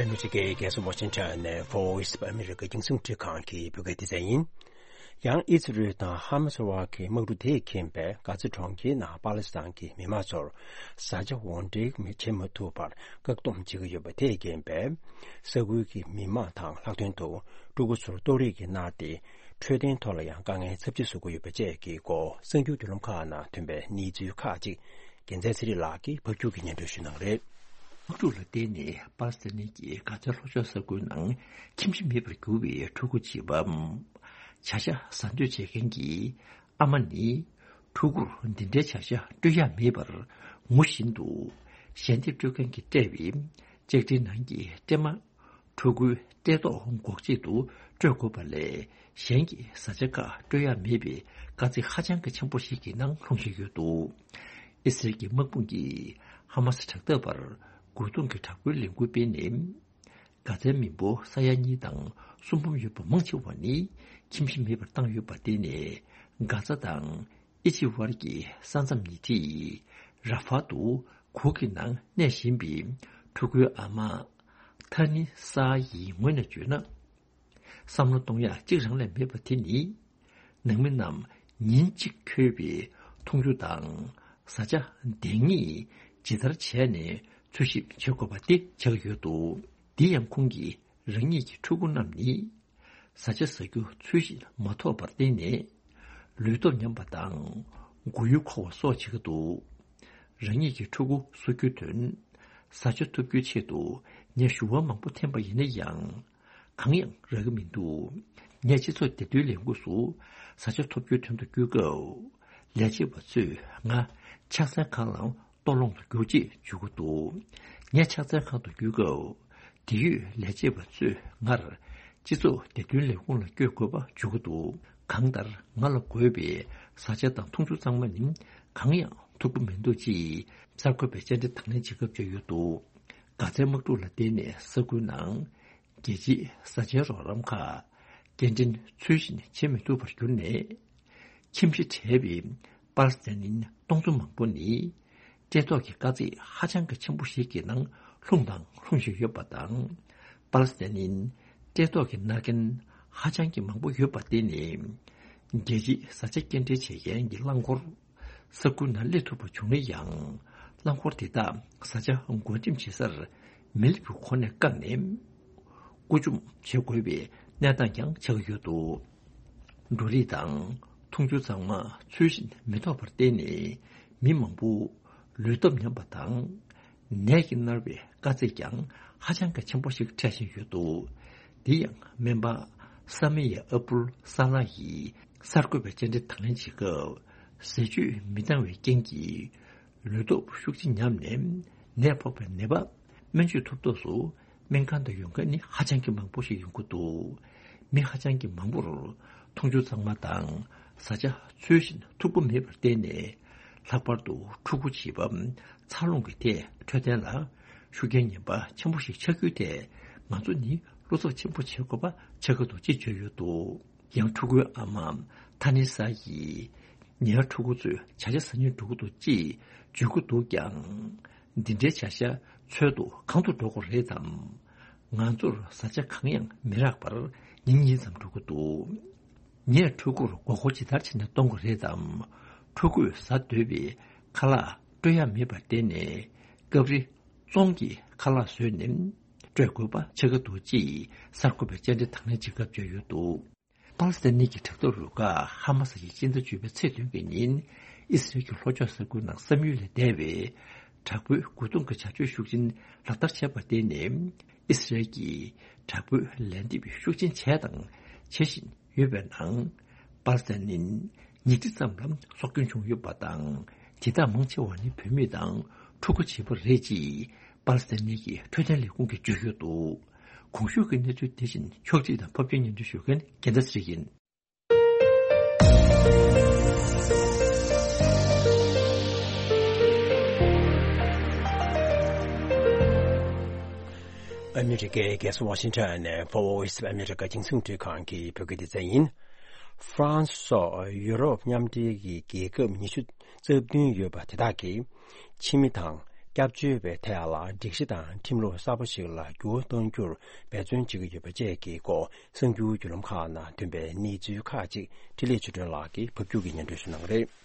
ཨ་མི་རི་ཀའི་རྒྱལ་ས་ཝ་ཤིང་ཊོན་ནས་Voice of America རྒྱང་སྲིང་འཕྲིན་ཁང་གི་བོད་སྐད་སྡེ་ཚན་ཡིན། ཡང་ཨི་ཛི་རལ་དང་ཧ་མ་སི་དབར་གྱི་དམག་འཁྲུག་དེས་ཁེངས་པའི་གྷ་ཛ་གྲོང་ཁྱེར་ནང་པ་ལི་སི་ཐན་གྱི་མི་མང་ཚོར་བཟའ་བཅའ་དབོར་འདྲེན་བྱེད་མ་ཐུབ་པར་བཀག་སྡོམ་བྱེད་ཀྱི་ཡོད་པ་དེས་རྐྱེན་པས། ས་ཁུལ་གྱི་མི་མང་དང་ལྷག་དོན་དུ་ཕྲུ་གུ་ཚོར་གཏོར་རེས་ཀྱིས་མནར་ཏེ། འཕྲོད་བསྟེན་ཐོག་ལ་ཡང་དཀའ་ངལ་ཚབས་ཆེ་བཟོ་གི་ཡོད་པ་བཅས་ཀྱི་སྐོར་གསར་འགྱུར་བརྒྱུད་ལམ་ཁག་ནང་ཐོན་པའི་གནས་ཚུལ་ཁག་ཅིག་རྒྱལ་མཚན་ཚེ་རིང་ལགས་ཀྱིས་ཕབ་སྒྱུར་གྱིས་སྙན་སྒྲོན་ཞུ་གནང་རེད། དམག་འཁྲུག་ལ་བརྟེན་ནས་པ་ལི་སི་ཐན་གྱི་གྷ་ཛ་ལྷོ་ཕྱོགས་ས་ཁུལ་ནང་ཁྱིམ་གཞིས་མེད་པར་གྱུར་བའི་ཕྲུ་གུ་བྱིས་པ། བྱ་གཞག་ཟ་འདོད་བྱེད་མཁན་གྱི་ཨ་མ་ནི། ཕྲུ་གུར་འདི་འདྲའི་བྱ་གཞག་སྤྲོད་ཡ་མེད་པར་ངུ་བཞིན་དུ། ཞལ་འདེབས་སྤྲོད་མཁན་གྱིས་སྤྲད་པའི་ལྕགས་ཁྲིའི་ནང་གི་སྲན་མ། ཕྲུ་གུའི་བཀྲེས་ལྟོགས་འགོག་ཆེད་དུ་སྤྲོད་དགོས་པ་ལས། གཞན་གྱི་བཟའ་བཅའ་ཁག་སྤྲོད་ཡ་མེད་པའི་དཀའ་ཚེགས་ཧ་ཅང་གི་ཆེན་པོ་ཞིག་གི་ནང་ལྷུང་བཞིན་ཡོད་འདུག་ཨི་སི་རལ་གྱི་དམག་དཔུང་གིས་ཧ་མ་སི་དྲག་འཐབ་པར་རྒོལ་རྡུང་གི་དྲག་པོའི་ལས་འགུལ་སྤེལ་ནས། གྷ་ཛའི་མི་འབོར་ས་ཡ་གཉིས་དང་སུམ་འབུམ་ཡོད་པ་མང་ཆེ་བ་ནི་ཁྱིམ་གཞིས་མེད་པར་བཏང་ཡོད་པ། དེ་ནི་གྷ་ཛ་དང་ཨི་ཇིབ་དབར་གྱི་ས་མཚམས་ཉེ་འཁྲིས་ར་ཧྥ་ཏུ་གུར་གྱི་ནང་གནས་བཞིན་པའི་ཕྲུ་གུའི་ཨ་མ་ཐ་ནི་ས་ཡི་ངོས་ནས་བརྗོད་ན། བསམ་བློ་གཏོང་ཡག་གཅིག་རང་ལས་མེད་པ་དེ་ནི། ནང་མི་རྣམས་ཉིན་གཅིག་འཁྱོལ་བའི་འཐུང་ཆུ་དང་བཟའ་བཅའ་འདང་ངེས་ཇི་ལྟར་བྱས་ནས་འཚོལ་ཞིབ་བྱེད་དགོས་པ་དེ་ཆགས་ཡོད་འདུག། དེ་ཡང་ཁོང་གིས་རང་ཉིད་ཀྱི་ཕྲུ་གུ་རྣམས་ནི་བཟའ་བཅའ་ཟ་རྒྱུ་ཚུལ་བཞིན་མ་ཐོབ་པར་བརྟེན་ནས་ལུས་སྟོབས་ཉམས་པ་དང་མགོ་ཡུ་འཁོར་བ་སོགས་བྱེད་ཀྱི་འདུག། རང་ཉིད་ཀྱི་ཕྲུ་གུ་གསོ་རྒྱུའི་དོན། བཟའ་བཅའ་ཐོབ་རྒྱུའི་ཆེད་དུ་ངས་ཞུ་བ་མང་པོ་འཐེན་པ་ཡིན་ན་ཡང་། གང་ཡང་རག་གི་མི་འདུག། ངས་སྤྱི་ཚོགས་བདེ་དོན་ལས་ཁུངས་སུ་བཟའ་བཅའ་ཐོབ་རྒྱུའི་དོན་དུ་བསྐྱོད་སྐབས། ལས་བྱེད་པ་ཚོས་ང་ཕྱག་འཚལ་ཁང་ལ་ལྟོ་སློང་དུ་རྒྱུགས་ཅེས་བརྗོད་ཀྱི་འདུག། ངས་ཕྱག་འཚལ་ཁང་དུ་བསྐྱོད་སྐབས། དེ་ཡོད་ལས་བྱེད་པ་ཚོས་ངར་སྤྱི་ཚོགས་བདེ་དོན་ལས་ཁུངས་ལ་བསྐྱོད་དགོས་པ་བརྗོད་ཀྱི་འདུག། གང་ལྟར་ང་ལ་དགོས་པའི་བཟའ་བཅའ་དང་འཐུང་ཆུ་ཚང་མ་ནི་གང་ཡང་ཐོབ་ཀྱི་མི་འདུག་ཅེས་གསར་འགོད་པས་བཅར་འདྲི་དང་ལེན་བྱེད་སྐབས་བརྗོད་ཡོད་འདུག། གྷ་ཛའི་དམག་འཁྲུག་ལ་བརྟེན་ནས་ས་ཁུལ་ནང་རྒྱལ་སྤྱིའི་བཟའ་བཅའི་རོགས་རམ་ཁག་སྐྱེལ་འདྲེན་ཚུལ་བཞིན་བྱེད་མི་ཐུབ་པར་གྱུར་ནས། ཁྱིམ་གཞིས་བྲལ་བའི་པ་ལི་སི་ཐན་ནི་སྟོང་ཚོ་མང་པོ་ནི་བཀྲེས་ལྟོགས་ཀྱི་དཀའ་ཚེགས་ཧ་ཅང་གི་ཆེན་པོ་ཞིག་གི་ནང་ལྷུང་དང་ལྷུང་བཞིན་ཡོད་པ་དང་། པ་ལི་སི་ཐན་ནི་བཀྲེས་ལྟོགས་ཀྱི་མནར་མཁན་ཧ་ཅང་གི་མང་པོ་ཡོད་པ་བརྟེན་ནས། རྒྱལ་སྤྱིའི་བཟའ་བཅའ་སྐྱེལ་འདྲེན་བྱེད་མཁན་གྱི་རླངས་འཁོར་ས་ཁུལ་ནང་སླེབས་ཐུབ་པ་བྱུང་ན་ཡང་། རླངས་འཁོར་དེ་དག་བཟའ་བཅའ་བགོ་འགྲེམས་བྱེད་སར་མི་སླེབས་པའི་གོང་ནས་བཀག་ནས། བཀོད་འཇོམས་བྱེད་དགོས་པའི་གནས་སྟངས་ཀྱང་ཆགས་ཀྱི་ཡོད་འདུག། འབྲུ་རིགས་དང་འཐུང་ཆུ་ཚང་མ་ཚུལ་བཞིན་མི་ཐོབ་པར་བརྟེན་ནས། མི་མང་པོ་ལུས་སྟོབས་ཉམས་པ་དང་། ནད་ཀྱིས་མནར་བའི་དཀའ་ཚེགས་ཀྱང་ཧ་ཅང་གི་ཆེན་པོ་ཞིག་འཕྲད་བཞིན་ཡོད་འདུག། འདི་ཡང་སྨན་པ་ས་མི་ཡ་ཨབ་དུལ་ས་ལ་ཡིས་གསར་འགོད་པའི་བཅར་འདྲི་དང་ལེན་བྱེད་སྐབས། ཟས་བཅུད་མི་འདང་བའི་རྐྱེན་གྱིས། ལུས་སྟོབས་ཤུགས་ཆེ་ཉམས་ནས་ནད་ཕོག་པའི་ནད་པ་སྨན་བཅོས་ཐུབ་ཐབས་སུ་སྨན་ཁང་དུ་ཡོང་མཁན་ནི་ཧ་ཅང་གི་མང་པོ་ཞིག་ཡོང་གི་འདུག། མི་ཧ་ཅང་གི་མང་པོར་འཐུང་ཆུ་གཙང་མ་དང་བཟའ་བཅའ་ཚུལ་བཞིན་ཐུབ་པ་མེད་པར་བརྟེན་ནས། ལྷག་པར་དུ་ཕྲུ་གུ་བྱིས་པ་འཚར་ལོངས་ཀྱི་ཐད་འཕྲོད་བསྟེན་ལ་ཤུགས་རྐྱེན་ངན་པ་ཆེན་པོ་ཞིག་ཆགས་རྒྱུའི་ཐད་ང་ཚོ་ནི་བློ་འཚབ་ཆེན་པོ་བྱེད་དགོས་པ་ཆགས་ཀྱི་འདུག་ཅེས་བརྗོད་ཡོད་འདུག། ཡང་ཕྲུ་གུའི་ཨ་མ་ཐ་ནི་ས་ཡིས། ངའི་ཕྲུ་གུ་ཚོས་བྱ་བྱེད་ཟ་སྙིང་འདོད་ཀྱི་འདུག་ཅེས་བརྗོད་ཀྱི་འདུག་ཀྱང་། འདི་འདྲའི་བྱ་བྱེད་འཚོལ་དུ་གང་དུ་འགྲོ་དགོས་རེད་དམ། ང་ཚོར་བཟའ་བཅའ་གང་ཡང་མི་རག་པར་ཉིན་གཉིས་ཙམ་འགྲོ་གི་འདུག། ངས་ཕྲུ་གུར་མགོ་སྐོར་ཇི་ལྟར་བྱས་ནས་གཏོང་དགོས་རེད་དམ། ཕྲུ་གུས་ཟ་འདོད་པའི་ཁ་ལག་སྤྲོད་ཡག་མེད་པར་བརྟེན་ནས། སྐབས་རེ་བཙོང་གི་ཁ་ལག་བཟོས་ནས་སྤྲོད་དགོས་པ་ཆགས་ཀྱི་འདུག་ཅེས་གསར་འགོད་པས་བཅར་འདྲི་དང་ལེན་བྱེད་སྐབས་བརྗོད་ཡོད་འདུག། པ་ལི་སི་ཐན་གྱི་དྲག་འཐབ་རུ་ཁག་ཧ་མ་སི་ཡིས་སྤྱི་ཟླ་བཅུ་པའི་ཚེས་བདུན་གྱི་ཉིན་ཨི་སི་རལ་གྱི་ལྷོ་ཕྱོགས་ས་ཁུལ་ནང་བསམ་ཡུལ་ལས་འདས་པའི་དྲག་པོའི་རྒོལ་རྡུང་གི་བྱ་སྤྱོད་ཤུགས་ཆེན་ལག་བསྟར་བྱས་པར་བརྟེན་ནས། ཨི་སི་རལ་གྱིས་དྲག་པོའི་ལན་འདེབས་ཤུགས་ཆེན་བྱས་དང་བྱེད་བཞིན་ཡོད་པའི་ནང་། པ་ལི་སི་ཐན་ནི་ཉིས་ཁྲི་ཙམ་ལ་སྲོག་སྐྱོན་བྱུང་ཡོད་པ་དང་། དེ་དག་མང་ཆེ་བ་ནི་བུད་མེད་དང་ཕྲུ་གུ་བྱིས་པ་རེད་ཅེས་པ་ལི་སི་ཐན་གྱི་འཕྲོད་བསྟེན་ལས་ཁུངས་ཀྱིས་བརྗོད་ཡོད་འདུག། གོང་ཞུས་ཀྱི་གནས་ཚུལ་དེ་བཞིན་ཕྱོགས་སྒྲིག་དང་ཕབ་སྒྱུར་སྙན་སྒྲོན་ཞུ་མཁན་རྒྱལ་མཚན་ཚེ་རིང་ཡིན། ཨ་མི་རི་ཀའི་རྒྱལ་ས་ཝ་ཤིང་ཊོན་ནས་Voice of America་རྒྱང་སྲིང་རླུང་འཕྲིན་ཁང་གི་བོད་སྐད་སྡེ་ཚན་ཡིན། ཧྥ་རན་སི་སོགས་ཡུ་རོབ་མཉམ་འབྲེལ་གྱི་རྒྱལ་ཁབ་ཉི་ཤུ་རྩ་བདུན་ཡོད་པ་དེ་དག་གིས། ཕྱི་མི་དང་སྐྱབས་བཅོལ་བའི་ཐད་ལ་སྒྲིག་གཞི་དང་ཁྲིམས་ལུགས་གསར་པ་ཞིག་ལ་འགྱུར་བ་གཏོང་རྒྱུར་འབད་བརྩོན་བྱེད་ཀྱི་ཡོད་པ་བཅས་ཀྱི་སྐོར་གསར་འགྱུར་བརྒྱུད་ལམ་ཁག་ནང་ཐོན་པའི་གནས་ཚུལ་ཁག་ཅིག་འཕྲིན་ལས་ཆོས་སྒྲོན་ལགས་ཀྱིས་ཕབ་སྒྱུར་གྱིས་སྙན་སྒྲོན་ཞུ་གནང་གི་རེད།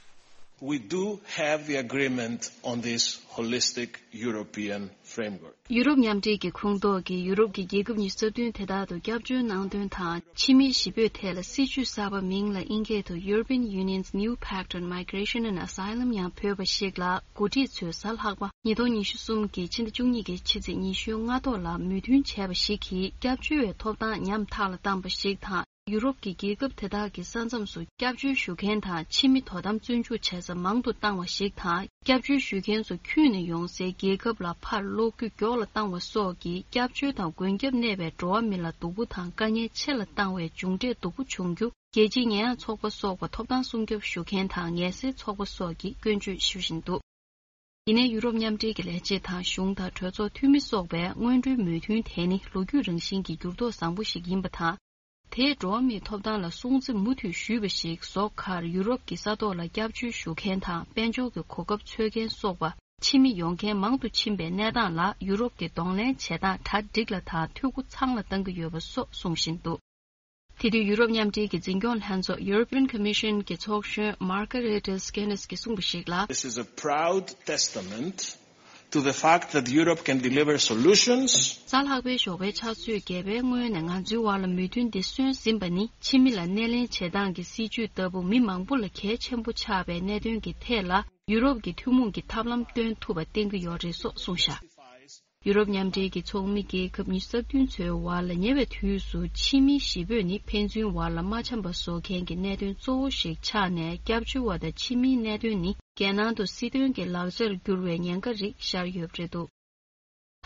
We do have the agreement on this holistic European framework. ཡུ་རོབ་མཉམ་འབྲེལ་གྱི་ཁོངས་གཏོགས་ཀྱི་ཡུ་རོབ་ཀྱི་རྒྱལ་ཁབ་ཉི་ཤུ་རྩ་བདུན་དེ་དག་ཏུ་སྐྱབས་བཅོལ་གནང་དོན་དང་། ཕྱི་མི་གཞིས་སྤོས་ཐད་ལ་སྲིད་ཇུས་གསར་པ་མིང་ལ་ཨིན་སྐད་དུ་European Union's New Pact on Migration and Asylum ཡང་འབོད་པ་ཞིག་ལ། འགོ་ཁྲིད་ཚོས་གཟའ་ལྷག་པ་ཉིས་སྟོང་ཉི་ཤུ་གསུམ་གྱི་ཕྱི་ཟླ་བཅུ་གཉིས་ཀྱི་ཕྱི་ཚེས་ཉི་ཤུ་ལྔ་ཐོག་ལ་མོས་མཐུན་བྱས་པ་ཞིག་གིས། སྐྱབས་བཅོལ་བའི་ཐོབ་ཐང་ཉམ་ཐག་ལ་བཏང་བ་ཞིག་དང་། ཡུ་རོབ་ཀྱི་རྒྱལ་ཁབ་དེ་དག་གི་ས་མཚམས་སུ་སྐྱབས་བཅོལ་ཞུ་མཁན་དང་ཕྱི་མི་དོ་དམ་བཙོན་འཇུག་བྱེད་ས་མང་དུ་བཏང་བ་ཞིག་དང་། སྐྱབས་བཅོལ་ཞུ་མཁན་ཚོ་ཁྱོན་ནས་ཡོང་སའི་རྒྱལ་ཁབ་ལ་ཕར་སློག་རྒྱུ་མགྱོགས་ལ་བཏང་བ་སོགས་ཀྱིས། སྐྱབས་བཅོལ་དང་མགོན་སྐྱབས་གནས་པའི་འགྲོ་བ་མི་ལ་སྡུག་པོ་དང་དཀའ་ངལ་ཆེ་ལ་བཏང་བའི་མཇུག་འབྲས་སྡུག་པོ་བྱུང་རྒྱུ། རྒྱལ་སྤྱིའི་ཉེས་ཡངས་ཚོགས་པ་སོགས་པ་ཐོབ་ཐང་སྲུང་སྐྱོབ་ཞུ་མཁན་དང་ངལ་སེལ་ཚོགས་པ་སོགས་ཀྱིས་སྐྱོན་བརྗོད་ཞུ་བཞིན་འདུག། ཡིན་ནའི་ཡུ་རོབ་མཉམ་འབྲེལ་གྱི་ལས་བྱེད་དང་གཞུང་དང་གྲོས་ཚོགས་འཐུས་མི་སོགས་པས་སྔོན་འགྲོའི་མོས་མཐུན་དེ་ནི་ལོ་རྒྱུས་རང་བཞིན་གྱི་འགྱུར་ལྡོག་བཟང་པོ་ཞིག་ཡིན་པ་དང་། དེས་འགྲོ་བ་མིའི་ཐོབ་ཐང་ལ་སྲུང་བརྩི་མུ་མཐུད་ཞུས་པ་ཞིག་བཟོ་ཁར་ཡུ་རོབ་ཀྱི་ས་ཐོག་ལ་སྐྱབས་བཅོལ་ཞུ་མཁན་དང་དཔལ་འབྱོར་གྱི་གོ་སྐབས་འཚོལ་མཁན་སོགས་པ་ཕྱི་མི་ཡོང་མཁན་མང་དུ་ཕྱིན་པའི་གནས་སྟངས་ལ་ཡུ་རོབ་ཀྱིས་གདོང་ལེན་བྱེད་སྟངས་གྲ་སྒྲིག་ལ་དང་འཐུས་སྒོ་ཚང་ལ་བཏང་གི་ཡོད་པ་སོགས་གསུང་བཞིན་འདུག་དེ་དུས་ཡུ་རོབ་མཉམ་འབྲེལ་གྱི་འཛིན་སྐྱོང་ལྷན་ཚོགས་European Commission གྱི་ཚོགས་གཞོན་Margaritis Guinness གྱིས་གསུངས་པ་ཞིག་ལ། This is a proud testament to the fact that Europe can deliver solutions. གཟའ་ལྷག་པའི་ཞོགས་པའི་ཕྱག་ཚོད་བརྒྱད་པའི་སྔོན་ནས་ང་ཚོའི་བར་ལ་མོས་མཐུན་འདི་སོན་ཟིན་པ་ནི་ཕྱི་མི་ལ་སྣེ་ལེན་བྱེད་སྟངས་ཀྱི་སྲིད་ཇུས་ལྟ་བུ་མི་མང་པོ་ལ་གལ་ཆེན་པོ་ཆགས་པའི་གནད་དོན་གྱི་ཐད་ལ་ཡུ་རོབ་ཀྱི་ཐུན་མོང་གི་ཐབས་ལམ་སྟོན་ཐུབ་པ་བསྟན་གྱི་ཡོད་རེད་སོགས་གསུངས་བཞག་ཡུ་རོབ་མཉམ་འབྲེལ་གྱི་ཚོགས་མི་རྒྱལ་ཁབ་ཉི་ཤུ་རྩ་བདུན་ཚོའི་བར་ལ་ཉེ་བའི་དུས་སུ་ཕྱི་མི་བཞི་པོས་ནི་ཕན་ཚུན་བར་ལ་མ་འཆམ་པ་བཟོ་མཁན་གྱི་གནད་དོན་གཙོ་བོ་ཞིག་ཆགས་ནས་སྐྱབས་བཅོལ་བ་དང་ཕྱི་མིའི་གནད་དོན་ནི་རྒྱལ་ནང་དུ་སྲིད་དོན་གྱི་ལག་ཆར་གྱུར་བའི་ཉེན་ཁ་རིགས་ཤར་ཡོད་པ་རེད་འདུག་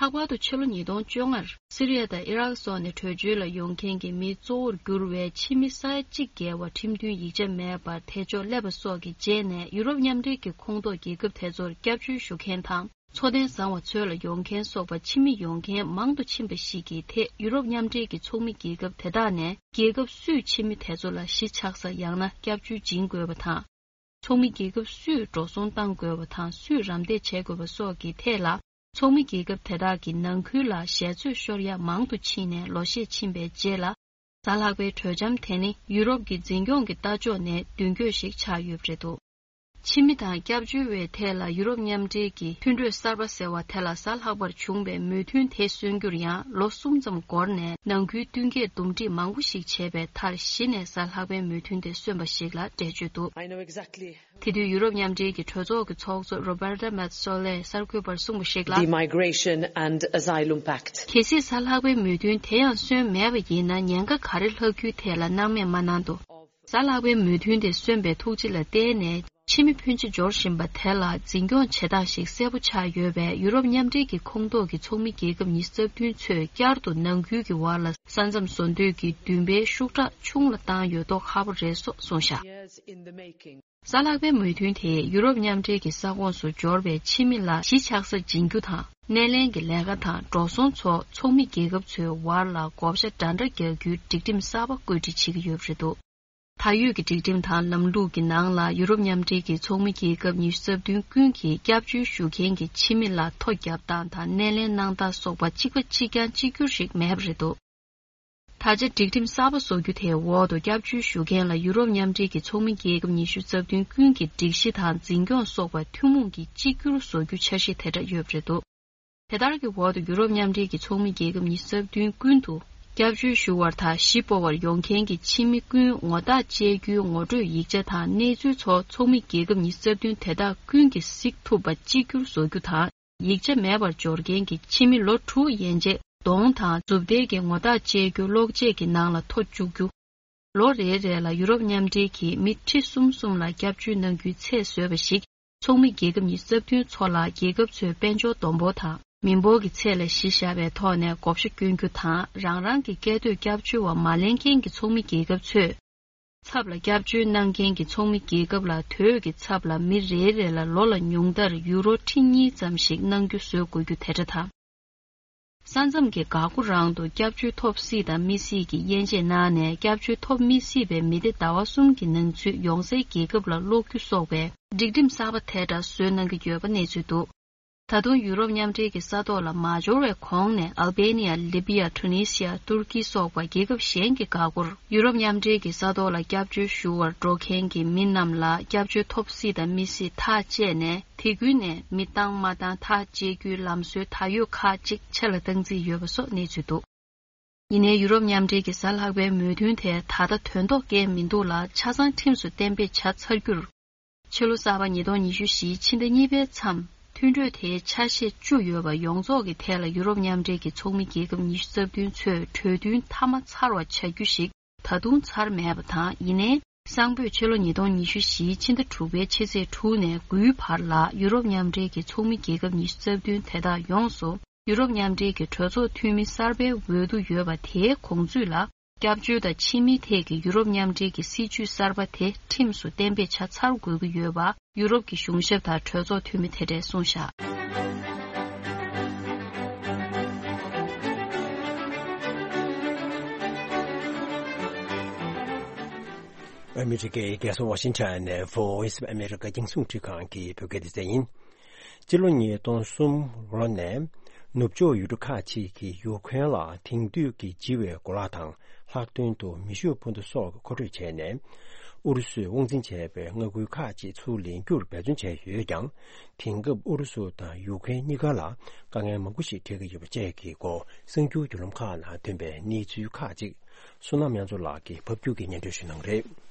ལྷག་པར་དུ་ཕྱི་ལོ་ཉིས་སྟོང་བཅོ་ལྔར་སི་རི་ཡ་དང་ཨི་རག་སོགས་ནས་བྲོས་བྱོལ་ལ་ཡོང་མཁན་གྱི་མི་གཙོ་བོར་གྱུར་བའི་ཕྱི་མི་ས་ཡ་གཅིག་བརྒལ་བ་ཁྲིམས་མཐུན་ཡིག་ཆ་མེད་པར་ཐེ་ཇོག་སླེབས་པ་སོགས་ཀྱི་རྗེས་ནས་ཡུ་རོབ་མཉམ་འབྲེལ་གྱི་ཁོངས་གཏོགས་རྒྱལ་ཁབ་དེ་ཚོར་སྐྱབས་བཅོལ་ཞུ་མཁན་དང་། འཚོ་རྟེན་བཟང་བ་འཚོལ་ལ་ཡོང་མཁན་སོགས་པ་ཕྱི་མི་ཡོང་མཁན་མང་དུ་ཕྱིན་པ་ཞིག་གི་ཐད་ཡུ་རོབ་མཉམ་འབྲེལ་གྱི་ཚོགས་མི་རྒྱལ་ཁབ་དེ་དག་ནས་རྒྱལ་ཁབ་སུས་ཕྱི་མི་དེ་ཚོ་ལ་གཞིས་ཆགས་ས་ཡང་ན་སྐྱབས་བཅོལ་སྦྱིན་དགོས་པ་དང་། ཚོགས་མི་རྒྱལ་ཁབ་སུས་འགྲོ་སོང་བཏང་དགོས་པ་དང་སུས་རམ་འདེགས་བྱེད་དགོས་པ་སོགས་ཀྱི་ཐད་ལ་ཚོགས་མི་རྒྱལ་ཁབ་དེ་དག་གི་ནང་ཁུལ་ལ་ཞལ་ཚོད་ཤོར་ཡ་མང་དུ་ཕྱིན་ནས་ལོ་ཤས་ཕྱིན་པའི་རྗེས་ལ། གཟའ་ལྷག་པའི་གྲོས་འཆམ་དེ་ནི་ཡུ་རོབ་ཀྱི་འཛིན་སྐྱོང་གི་ལྟ་ཕྱོགས་ནས་མདུན་སྐྱོད་ཞིག་ཆགས་ཡོད་པ་རེད་འདུག་ཕྱི་མི་དང་སྐྱབས་བཅོལ་བའི་ཐད་ལ་ཡུ་རོབ་མཉམ་འབྲེལ་གྱི་མཐུན་གྲོས་གསར་པ་ཟེར་བ་དེ་ལ་གཟའ་ལྷག་པར་བྱུང་བའི་མོས་མཐུན་དེ་སོན་རྒྱུར་ཡང་ལོ་གསུམ་ཙམ་འགོར་ནས་ནང་ཁུལ་བསྟུན་མཁས་འདུམ་འགྲིག་མང་པོ་ཞིག་བྱས་པའི་མཐར་གཞི་ནས་གཟའ་ལྷག་པའི་མོས་མཐུན་དེ་སོན་པ་ཞིག་ལ་འགྲེལ་བརྗོད་འདུག I know exactly དེ་དུས་ཡུ་རོབ་མཉམ་འབྲེལ་གྱི་གྲོས་ཚོགས་ཀྱི་ཚོགས་གཙོ་Roberta Metsola གསར་འགོད་པར་གསུངས་པ་ཞིག་ལ། The Migration and Asylum Pact. གལ་སྲིད་གཟའ་ལྷག་པའི་མོས་མཐུན་དེ་ཡང་སོན་མེད་པ་ཡིན་ན་ཉེན་ཁ་ག་རེ་ལྷག་རྒྱུའི་ཐད་ལ་སྣང་མེད་མ་གནང་འདུག་གཟའ་ལྷག་པའི་མོས་མཐུན་དེ་སོན་པའི་ཐུགས་རྗེ་ལ་བརྟེན་ནས་ཕྱི་མི་ཕོན་ཆེ་འབྱོར་བཞིན་པ་དེ་ལ་འཛིན་སྐྱོང་བྱེད་སྟངས་ཤིག་གསལ་པོ་ཆགས་ཡོད་པས་ཡུ་རོབ་མཉམ་འབྲེལ་གྱི་ཁོངས་གཏོགས་ཀྱི་ཚོགས་མི་རྒྱལ་ཁབ་ཉི་ཤུ་རྩ་བདུན་ཚོས་བསྐྱར་དུ་ནང་ཁུལ་གྱི་བར་ལ་ས་མཚམས་བཟོ་འདོད་ཀྱི་འདུན་པའི་ཤུགས་དྲག་ཆུང་ལ་བཏང་ཡོད་མདོག་ཁ་པོ་རེད་སོགས་གསུངས་བཞག Years in the making. གཟའ་ལྷག་པའི་མོས་མཐུན་དེས་ཡུ་རོབ་མཉམ་འབྲེལ་གྱི་ས་ཁོངས་སུ་འབྱོར་བའི་ཕྱི་མི་ལ་གཞིས་ཆགས་ས་སྦྱིན་རྒྱུ་དང་སྣེ་ལེན་གྱི་ལས་ཀ་དང་འགྲོ་སོང་ཚོ་ཚོགས་མི་རྒྱལ་ཁབ་ཚོའི་བར་ལ་བགོ་བཤའ་འདྲ་འདྲ་རྒྱག་རྒྱུའི་སྒྲིག་ཁྲིམས་གསར་པ་བཀོད་སྒྲིག་བྱེད་ཀྱི་ཡོད་པ་རེད་འདུག་ད་ཡོད་ཀྱི་སྒྲིག་ཁྲིམས་དང་ལམ་ལུགས་ཀྱི་ནང་ལ་ཡུ་རོབ་མཉམ་འབྲེལ་གྱི་ཚོགས་མི་རྒྱལ་ཁབ་ཉི་ཤུ་རྩ་བདུན་ཀུན་གྱིས་སྐྱབས་བཅོལ་ཞུ་མཁན་གྱི་ཕྱི་མི་ལ་ཐོ་བརྒྱབ་སྟངས་དང་སྣེ་ལེན་གནང་སྟངས་སོགས་པ་གཅིག་པ་གཅིག་རྐྱང་གཅིག་གྱུར་ཞིག་མེད་པ་རེད་འདུག་ད་ཆ་སྒྲིག་ཁྲིམས་གསར་པ་བཟོ་རྒྱུ་དེའི་འོག་ཏུ་སྐྱབས་བཅོལ་ཞུ་མཁན་ལ་ཡུ་རོབ་མཉམ་འབྲེལ་གྱི་ཚོགས་མི་རྒྱལ་ཁབ་ཉི་ཤུ་རྩ་བདུན་ཀུན་གྱི་སྒྲིག་གཞི་དང་འཛིན་སྐྱོང་སོགས་པ་ཐུན་མོང་གིས་གཅིག་གྱུར་བཟོ་རྒྱུ་འཆར་གཞི་དེ་འདྲ་ཡོད་པ་རེད་འདུག་དེ་ལྟར་གྱི་འོག་ཏུ་ཡུ་རོབ་མཉམ་འབྲེལ་གྱི་ཚོགས་མི་རྒྱལ་ཁབ་ཉི་ཤུ་རྩ་བདུན་ཀུན་ཏུ་སྐྱབས་བཅོལ་ཞུ་བར་དང་གཞིས་སྤོ་བར་ཡོང་མཁན་གྱི་ཕྱི་མི་ཀུན་ངོ་རྟགས་བཅད་རྒྱུའི་ངོ་སྤྲོད་ཡིག་ཆ་དང་གནས་ཚུལ་ཚོ་ཚོགས་མི་རྒྱལ་ཁབ་ཉི་ཤུ་རྩ་བདུན་དེ་དག་ཀུན་གྱིས་གཟིགས་ཐུབ་པ་གཅིག་གྱུར་བཟོ་རྒྱུ་དང་། ཡིག་ཆ་མེད་པར་འབྱོར་མཁན་གྱི་ཕྱི་མི་ལོ་དྲུག་ཡན་ཆད་གདོང་དང་མཛུབ་ཐེལ་གྱི་ངོ་རྟགས་བཅད་རྒྱུ་གློག་ཆས་ཀྱི་ནང་ལ་ཐོ་བཅུག་རྒྱུ། ལོ་རེ་རེ་ལ་ཡུ་རོབ་མཉམ་འབྲེལ་གྱིས་མི་ཁྲི་གསུམ་གསུམ་ལ་སྐྱབས་བཅོལ་གནང་རྒྱུའི་ཚད་བཟོས་པ་ཞིག་ཚོགས་མི་རྒྱལ་ཁབ་ཉི་ཤུ་རྩ་བདུན་ཚོ་ལ་རྒྱལ་ཁབ་ཚོའི་དཔལ་འབྱོར་བསྡོམས་འབོར་དང་མི་འབོར་གྱི་ཚད་ལ་གཞི་བཞག་པའི་ཐོག་ནས་བགོ་བཤའ་བསྐྱོན་རྒྱུ་དང་རང་རང་གི་སྐད་འདོད་སྐྱབས་བཅོལ་བ་མ་ལེན་མཁན་གྱི་ཚོགས་མི་རྒྱལ་ཁབ་ཚོས། ཚབ་ལ་སྐྱབས་བཅོལ་གནང་མཁན་གྱི་ཚོགས་མི་རྒྱལ་ཁབ་ལ་དོས་ཀྱི་ཚབ་ལ་མི་རེ་རེ་ལ་ལོ་ལ་ཉུང་མཐར་ཡུ་རོ་ཁྲི་གཉིས་ཙམ་ཞིག་གནང་རྒྱུ་བཟོ་དགོས་རྒྱུ་དེ་འདྲ་དང་། ས་མཚམས་ཀྱི་འགག་སྒོ་རང་དུ་སྐྱབས་བཅོལ་ཐོབ་སྲིད་དང་མི་སྲིད་ཀྱི་དབྱེ་འབྱེད་གནང་ནས་སྐྱབས་བཅོལ་ཐོབ་མི་སྲིད་པའི་མི་སྡེ་ཟླ་བ་གསུམ་གྱི་ནང་ཚུད་ཡོང་སའི་རྒྱལ་ཁབ་ལ་སློག་རྒྱུ་སོགས་པའི་སྒྲིག་ཁྲིམས་གསར་པ་དེ་འདྲ་བཟོས་གནང་གི་ཡོད་པ་གནས་ཚུལ་འདུག་ད་དུང་ཡུ་རོབ་མཉམ་འབྲེལ་གྱི་ས་ཐོག་ལ་མ་འབྱོར་བའི་གོང་ནས་ཨལ་བྷེ་ནི་ཡ། ལི་བི་ཡ། ཊུ་ནི་སི་ཡ། ཏུར་ཀི་སོགས་པ་རྒྱལ་ཁབ་གཞན་གྱི་འགག་སྒོར་ཡུ་རོབ་མཉམ་འབྲེལ་གྱི་ས་ཐོག་ལ་སྐྱབས་བཅོལ་ཞུ་བར་འགྲོ་མཁན་གྱི་མི་རྣམས་ལ་སྐྱབས་བཅོལ་ཐོབ་སྲིད་དང་མི་སྲིད་ཐག་བཅད་ནས་དེ་ཀུན་ནས་མི་བཏང་མ་བཏང་ཐག་བཅད་རྒྱུའི་ལམ་སྲོལ་ད་ཡོད་ཁག་ཅིག་ཆད་ལ་བཏང་རྩིས་ཡོད་པ་སོགས་གནས་ཚུལ་འདུག་ཡིན་ནའི་ཡུ་རོབ་མཉམ་འབྲེལ་གྱི་གཟའ་ལྷག་པའི་མོས་མཐུན་དེ་ད་ལྟ་དོན་ཐོག་བཀལ་མི་འདུག་ལ་ཆ་ཚང་ཁྲིམས་སུ་གཏན་འབེབས་བྱ་ཚར་རྒྱུར། ཕྱི་ལོ་གསར་པ་ཉིས་སྟོང་ཉི་ཤུ་བཞིའི་ཕྱི་ཟླ་གཉིས་པའི་མཚམས་མཐུན་གྲོས་དེའི་ཆ་ཤས་བཅུ་ཡོད་པ་ཡོངས་རྫོགས་ཀྱི་ཐད་ལ་ཡུ་རོབ་མཉམ་འབྲེལ་གྱི་ཚོགས་མི་རྒྱལ་ཁབ་ཉི་ཤུ་རྩ་བདུན་ཚོས་གྲོས་མཐུན་མཐའ་མ་ཚར་བ་བྱ་རྒྱུ་ཞིག་ད་དུང་ཚར་མེད་པ་དང་། ཡིན་ནའི་གསང་ཕོད་ཕྱི་ལོ་ཉིས་སྟོང་ཉི་ཤུ་བཞིའི་ཕྱི་ཟླ་དྲུག་པའི་ཕྱི་ཚེས་དྲུག་ནས་དགུའི་བར་ལ་ཡུ་རོབ་མཉམ་འབྲེལ་གྱི་ཚོགས་མི་རྒྱལ་ཁབ་ཉི་ཤུ་རྩ་བདུན་དེ་དག་ཡོངས་སུ་ཡུ་རོབ་མཉམ་འབྲེལ་གྱི་གྲོས་ཚོགས་འཐུས་མི་གསར་པའི་འོས་བསྡུ་ཡོད་པ་དེའི་གོང་ཚུད་ལ། སྐྱབས་བཅོལ་དང་ཕྱི་མིའི་ཐད་ཀྱི་ཡུ་རོབ་མཉམ་འབྲེལ་གྱི་སྲིད་ཇུས་གསར་པ་དེ་ཁྲིམས་སུ་གཏན་འབེབས་བྱ་ཚར་དགོས་ཀྱི་ཡོད་པ། ཡུ་རོབ་ཀྱི་གཞུང་ཞབས་དང་གྲོས་ཚོགས་འཐུས་མི་དེ་འདྲས་གསུངས་བཞག་ཨ་མི་རི་ཀའི་རྒྱལ་ས་ཝ་ཤིང་ཊོན་ནས་Voice of America་རྒྱང་སྲིང་འཕྲིན་ཁང་གི་བོད་སྐད་སྡེ་ཚན་ཡིན། སྤྱི་ལོ་ཉིས་སྟོང་གསུམ་ལོ་ནས་ནུབ་ཕྱོགས་ཡུལ་གྲུ་ཁག་ཅིག་གིས་ཡུ་ཁུ་རེན་ལ་དེང་དུས་ཀྱི་ལྗི་བའི་གོ་ལག་དང་། ལྷག་དོན་དུ་མེ་ཤུགས་འཕུར་མདའ་སོགས་མཁོ་སྤྲོད་བྱས་ནས། ཨུ་རུ་སུས་དབང་འཛིན་བྱས་པའི་མངའ་ཁུལ་ཁག་ཅིག་ཚུར་ལེན་རྒྱུར་འབད་བརྩོན་བྱས་ཡོད་ཀྱང་། དེང་སྐབས་ཨུ་རུ་སུ་དང་ཡུ་ཁུ་རེན་གཉིས་ཀ་ལ་དཀའ་ངལ་མང་པོ་ཞིག་འཕྲད་ཀྱི་ཡོད་པ་བཅས་ཀྱི་སྐོར་གསར་འགྱུར་བརྒྱུད་ལམ་ཁག་ནང་ཐོན་པའི་གནས་ཚུལ་ཁག་ཅིག་བསོད་ནམས་དབྱངས་མཚོ་ལགས་ཀྱིས་ཕབ་སྒྱུར་གྱིས་སྙན་སྒྲོན་ཞུ་གནང་གི་རེད།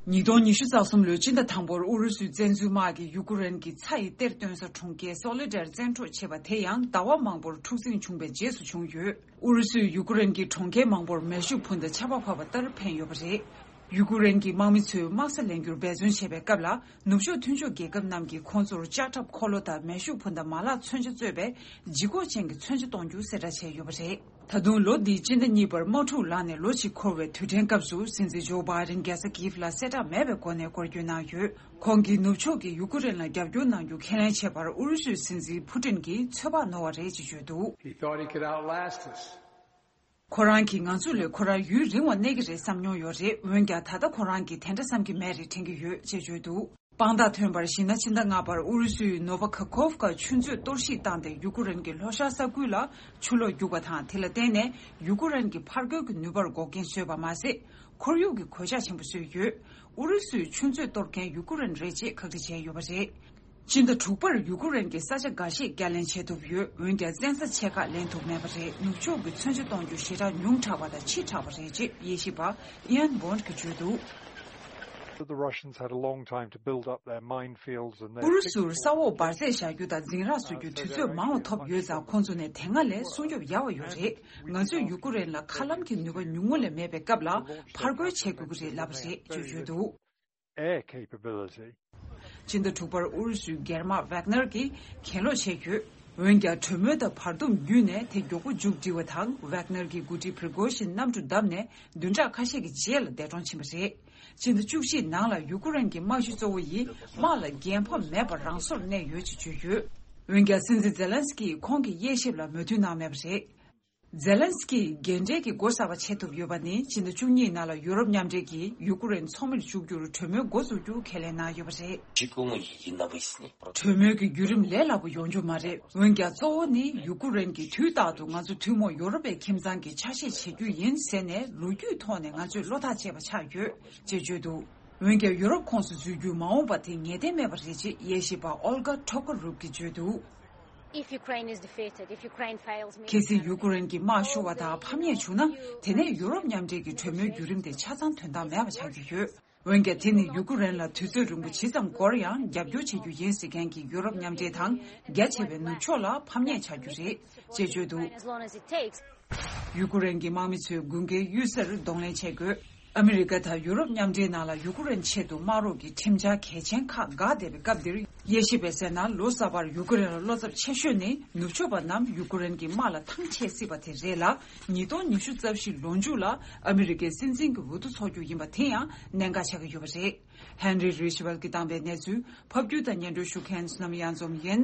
ཉིས་སྟོང་ཉི་ཤུ་རྩ་གསུམ་ལོའི་སྤྱི་ཟླ་དང་པོར་ཨུ་རུ་སུའི་བཙན་འཛུལ་དམག་གིས་ཡུ་ཀུ་རེན་གྱི་ཚྭ་ཡི་གཏེར་བཏོན་ས་གྲོང་ཁྱེར་སོ་ལེ་ཌར་བཙན་འཕྲོག་བྱས་པ་དེ་ཡང་ཟླ་བ་མང་པོར་འཁྲུག་འཛིང་བྱུང་བའི་རྗེས་སུ་བྱུང་ཡོད། ཨུ་རུ་སུས་ཡུ་ཀུ་རེན་གྱི་གྲོང་ཁྱེར་མང་པོར་མེ་ཤུགས་འཕུར་མདའ་ཆར་པ་བབས་པ་ལྟར་འཕེན་ཡོད་པ་རེད། ཡུ་ཀུ་རེན་གྱི་དམག་མི་ཚོས་དམག་ས་ལེན་རྒྱུར་འབད་བརྩོན་བྱེད་པའི་སྐབས་ལ། ནུབ་ཕྱོགས་མཐུན་ཕྱོགས་རྒྱལ་ཁབ་རྣམས་ཀྱིས་ཁོང་ཚོར་ལྕགས་ཁྲབ་འཁོར་ལོ་དང་མེ་ཤུགས་འཕུར་མདའ་མ་ལག་མཚོན་ཆ་གཙོས་པའི་ལྗིད་ཁོག་ཅན་གྱི་མཚོན་ཆ་གཏོང་རྒྱུ་གསལ་བསྒྲགས་བྱས་ཡོད་པ་རེད། ད་དུང་ལོ་འདིའི་སྤྱི་ཟླ་གཉིས་པར་དམག་འཁྲུག་ལངས་ནས་ལོ་གཅིག་འཁོར་བའི་དུས་དྲན་སྐབས་སུ་སྲིད་འཛིན་ཇོ་བྷའི་ཌེན་རྒྱལ་ས་ཀིབ་ལ་གསལ་བསྒྲགས་མེད་པའི་སྒོ་ནས་སྐོར་སྐྱོད་གནང་ཡོད། ཁོང་གིས་ནུབ་ཕྱོགས་ཀྱིས་ཡུ་ཀུ་རེན་ལ་རྒྱབ་སྐྱོར་གནང་རྒྱུ་ཁས་ལེན་བྱས་པར་ཨུ་རུ་སུའི་སྲིད་འཛིན་ཕུ་ཏིན་གྱིས་ཚོད་དཔག་ནོར་བ་རེད་ཅེས་བརྗོད་འདུག He thought he could outlast us. ཁོ་རང་གིས་ང་ཚོ་ལས་ཁོ་རང་ཡུན་རིང་བ་གནས་ཀྱི་རེད་བསམ་མྱོང་ཡོད་རེད། འོན་ཀྱང་ད་ལྟ་ཁོ་རང་གིས་དེ་འདྲ་བསམ་གྱི་མེད་རེད་དྲན་གྱི་ཡོད་ཅེས་བརྗོད་འདུག་དཔང་རྟགས་ཐོན་པར་གཞིགས་ན་ཕྱི་ཟླ་ལྔ་པར་ཨུ་རུ་སུའི་ནོ་ཝ་ཁ་ཁོབ་ཀ་ཆུ་མཛོད་གཏོར་བཤིག་བཏང་སྟེ་ཡུ་ཀུ་རེན་གྱི་ལྷོ་ཤར་ས་ཁུལ་ལ་ཆུ་ལོག་རྒྱུག་པ་དང་དེ་ལ་བརྟེན་ནས་ཡུ་ཀུ་རེན་གྱི་ཕར་རྒོལ་གྱི་ནུས་པར་འགོག་རྐྱེན་བཟོས་པ་མ་ཟད། ཁོར་ཡུག་གི་གོད་ཆག་ཆེན་པོ་བཟོས་ཡོད། ཨུ་རུ་སུའི་ཆུ་མཛོད་གཏོར་མཁན་ཡུ་ཀུ་རེན་རེད་ཅེས་ཁག་དཀྲི་བྱས་ཡོད་པ་རེད། སྤྱི་ཟླ་དྲུག་པར་ཡུ་ཀུ་རེན་གྱིས་ས་ཆ་འགའ་ཤས་བསྐྱར་ལེན་བྱེད་ཐུབ་ཡོད། འོན་ཀྱང་བཙན་ས་ཆེ་ཁག་ལེན་ཐུབ་མེད་པ་རེད། ནུབ་ཕྱོགས་ཀྱི་མཚོན་ཆ་གཏོང་རྒྱུ་ཞེ་དྲག་ཉུང་དྲགས་པ་དང་ཕྱི་དྲགས་པ་རེད་ཅེས་དབྱེ་ཞིབ་པ་Ian Bond་གྱིས་བརྗོད་འདུག But the Russians had a long time to build up their minefields and their ཨུ་རུ་སུར་ས་འོག་འབར་རྫས་བཞག་རྒྱུ་དང་འཛིང་རགས་བཟོ་རྒྱུ་དུས་ཚོད་མང་བ་ཐོབ་ཡོད་ཙང་ཁོང་ཚོ་ནས་དེ་སྔ་ལས་སྲུང་སྐྱོབ་ཡག་པ་ཡོད་རེད། ང་ཚོས་ཡུ་ཀུ་རེན་ལ་མཁའ་ལམ་གྱི་ནུས་པ་ཉུང་ངུ་ལས་མེད་པའི་སྐབས་ལ་ཕར་རྒོལ་བྱེད་དགོས་ཀྱི་རེད་ལབ་པ་རེད་ཅེས་བརྗོད་འདུག air capability. སྤྱི་ཟླ་དྲུག་པར་ཨུ་རུ་སུའི་སྒེར་དམག་ཝེག་ནར་གྱིས་གྱེན་ལོག་བྱས་ཡོད། འོན་ཀྱང་གྲོས་མོལ་དང་བར་འདུམ་བརྒྱུད་ནས་དེ་མགྱོགས་པོ་མཇུག་སྒྲིལ་བ་དང་ཝེག་ནར་གྱི་འགོ་ཁྲིད་པྲི་གོ་ཤིན་གནམ་གྲུ་བརྡབས་ནས་བདུན་ཕྲག་ཁ་ཤས་ཀྱི་རྗེས་ལ་འདས་གྲོངས་ཕྱིན་པ་རེད། སྤྱི་ཟླ་བཅུ་གཅིག་ནང་ལ་ཡུ་ཀུ་རེན་གྱི་དམག་གཞི་གཙོ་བོ་ཡིས་དམག་ལ་འགན་ཕབ་མེད་པར་རང་སོར་གནས་ཡོད་ཅེས་བརྗོད་ཡོད། འོན་ཀྱང་སྲིད་འཛིན་ཛེ་ལན་སི་ཀིས་ཁོང་གི་དབྱེ་ཞིབ་ལ་མོས་མཐུན་གནང་མེད་པ་རེད། ཛེ་ལན་སི་ཀིས་རྒན་གྲས་ཀྱི་སྒོ་གསར་པ་ཕྱེ་ཐུབ་ཡོད་པ་ནི་ཕྱི་ཟླ་བཅུ་གཉིས་ནང་ལ་ཡུ་རོབ་མཉམ་འབྲེལ་གྱིས་ཡུ་ཀུ་རེན་ཚོགས་མིར་འཇུག་རྒྱུར་གྲོས་མོལ་འགོ་འཛུགས་རྒྱུ་ཁས་ལེན་གནང་ཡོད་པ་རེད། གྲོས་མོལ་གྱི་བརྒྱུད་རིམ་ལས་སླ་པོ་ཡོང་རྒྱུ་མ་རེད། འོན་ཀྱང་གཙོ་བོ་ནི་ཡུ་ཀུ་རེན་གྱིས་དུས་རྟག་ཏུ་ང་ཚོ་ཐུན་མོང་ཡོ་རོབ་པའི་ཁྱིམ་ཚང་གི་ཆ་ཤས་བྱེད་རྒྱུ་ཡིན་ཟེར་ནས་ལོ་རྒྱུས་ཐོག་ནས་ང་ཚོས་བློ་ཐག་བཅད་པ་ཆགས་ཡོད་ཅེས་བརྗོད་འདུག་འོན་ཀྱང་ཡོ་རོབ་ཁོངས་སུ་འཛུལ་རྒྱུའི་མ་འོངས་པ་དེ་ངེས་གཏན་མེད་པ་རེད་ཅེས་དབྱེ་ཞིབ་པ་ཨོལ་གྷ་ཐོ་ཀ་རུབ་ཀྱིས་བརྗོད་འདུག If Ukraine is defeated, if Ukraine fails གལ་སྲིད་ཡུ་ཀུ་རེན་གྱི་དམག་ཤོར་བ་དང་ཕམ་ཉེས་བྱུང་ན། དེ་ནས་ཡུ་རོབ་མཉམ་འབྲེལ་གྱི་གྲོས་མོལ་བརྒྱུད་རིམ་དེ་ཆ་ཚང་དོན་དག་མེད་པ་ཆགས་ཀྱི་ཡོད། འོན་ཀྱང་དེ་ནི་ཡུ་ཀུ་རེན་ལ་དུས་ཚོད་རིང་པོ་ཇི་ཙམ་འགོར་ཡང་རྒྱབ་སྐྱོར་བྱེད་རྒྱུ་ཡིན་ཟེར་མཁན་གྱི་ཡུ་རོབ་མཉམ་འབྲེལ་དང་རྒྱ་ཆེ་བའི་ནུབ་ཕྱོགས་ལ་ཕམ་ཉེས་ཆགས་རྒྱུ་རེད་ཅེས་བརྗོད་འདུག As long as it takes. ཡུ་ཀུ་རེན་གྱི་དམག་མི་ཚོས་དགུན་ཁའི་གཡུལ་སར་གདོང་ལེན་བྱེད་དགོས། ཨ་མི་རི་ཀ་དང་ཡུ་རོབ་མཉམ་འབྲེལ་ནང་ལ་ཡུ་ཀུ་རེན་ཆེད་དུ་དམག་རོགས་ཀྱི་ཁྲིམས་འཆར་གལ་ཆེན་ཁག་འགག་བསྡད་པའི་སྐབས་འདིར། དབྱེ་ཞིབ་པས་གསལ་ན་ལོ་གསར་པར་ཡུ་ཀུ་རེན་ལ་བློ་འཚབ་ཆེ་ཤོས་ནི་ནུབ་ཕྱོགས་པ་རྣམས་ཡུ་ཀུ་རེན་གྱི་དམག་ལ་ཐང་ཆད་སྲིད་པ་དེ་རེད་ལ། ཉིས་སྟོང་ཉི་ཤུ་རྩ་བཞི་ལོ་མཇུག་ལ་ཨ་མི་རི་ཀའི་སྲིད་འཛིན་གྱི་འོས་བསྡུ་འཚོགས་རྒྱུ་ཡིན་པ་དེ་ཡང་གནད་འགག་ཆགས་ཀྱི་ཡོད་པ་རེད། ཧན་རི་རི་ཤི་ཝལ་གྱིས་བཏང་པའི་གནས་ཚུལ་ཕབ་སྒྱུར་དང་སྙན་སྒྲོན་ཞུ་མཁན་བསོད་ནམས་གཡང་འཛོམས་ཡིན།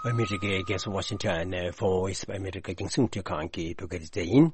ཨ་མི་རི་ཀའི་རྒྱལ་ས་ཝ་ཤིང་ཊོན་ནས་Voice of America་རྒྱང་སྲིང་འཕྲིན་ཁང་གི་བོད་སྐད་སྡེ་ཚན་ཡིན།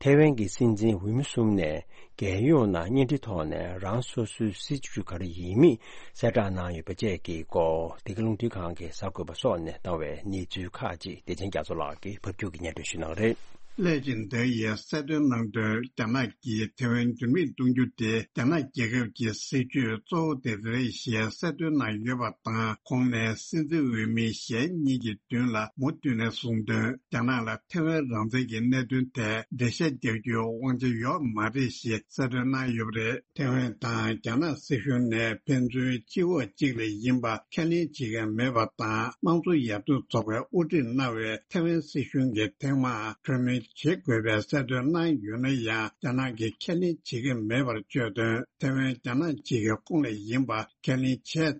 ཐའེ་ཝན་གྱི་སྲིད་འཛིན་འོས་མི་གསུམ་ནས་རྒྱལ་ཡོངས་ནང་བརྙན་འཕྲིན་ཐོག་ནས་རང་སོ་སོའི་སྲིད་ཇུས་ག་རེ་ཡིན་མིན་གསལ་བསྒྲགས་གནང་ཡོད་པ་བཅས་ཀྱི་སྐོར། འདི་ག་རླུང་འཕྲིན་ཁང་གི་གསར་འགོད་པ་སོགས་ནས་བཏང་བའི་གནས་ཚུལ་ཁག་ཅིག་བདེ་ཆེན་རྒྱ་མཚོ་ལགས་ཀྱིས་ཕབ་སྒྱུར་གྱིས་སྙན་སྒྲོན་ཞུ་གནང་རེད། ཀླད་ཅིང་འདའ་ཡིས་གསལ་སྟོན་གནང་དོན། རྒྱ་ནག་གིས་ཐེ་ཝན་འགྱུར་མེད་གཏོང་རྒྱུ་དེ་རྒྱ་ནག་རྒྱལ་ཁབ་ཀྱི་སྲིད་ཇུས་གཙོ་བོ་དེ་རེད་ཞེས་གསལ་སྟོན་གནང་ཡོད་པ་དང་། ཁོང་ནས་སྲིད་འཛིན་འོས་མི་གཞན་གཉིས་ཀྱི་མདུན་ལ་མུ་མཐུད་ནས་གསུངས་དོན། རྒྱ་ནག་ལ་ཐེ་ཝན་རང་བཙན་གྱི་གནད་དོན་ཐད་འགྲེལ་བཤད་རྒྱག་རྒྱུའི་དབང་ཆ་ཡོད་མ་རེད་ཞེས་གསལ་སྟོན་གནང་ཡོད་པ་རེད། ཐེ་ཝན་དང་རྒྱ་ནག་སྲིད་གཞུང་ནས་ཕན་ཚུན་སྤྱི་འོག་གཅིག་ལ་ཡིན་པ་ཁས་ལེན་བྱེད་མཁན་མེད་པ་དང་། དམངས་གཙོ་ཡར་ཐོན་ཚོགས་པས་དབུ་ཁྲིད་གནང་བའི་ཐེ་ཝན་སྲིད་གཞུང་གི་ཐེངས་མང་གྲོས་མོལ་ བྱེད་དགོས་པའི་གསལ་སྟོན་གནང་ཡོད་ན་ཡང་། རྒྱ་ནག་གིས་ཁས་ལེན་བྱེད་ཀྱི་མེད་པར་བརྗོད་དོན། ཐེ་ཝན་རྒྱ་ནག་གཅིག་གི་ཁོངས་ལ་ཡིན་པ་ཁས་ལེན་བྱས་ཚེ།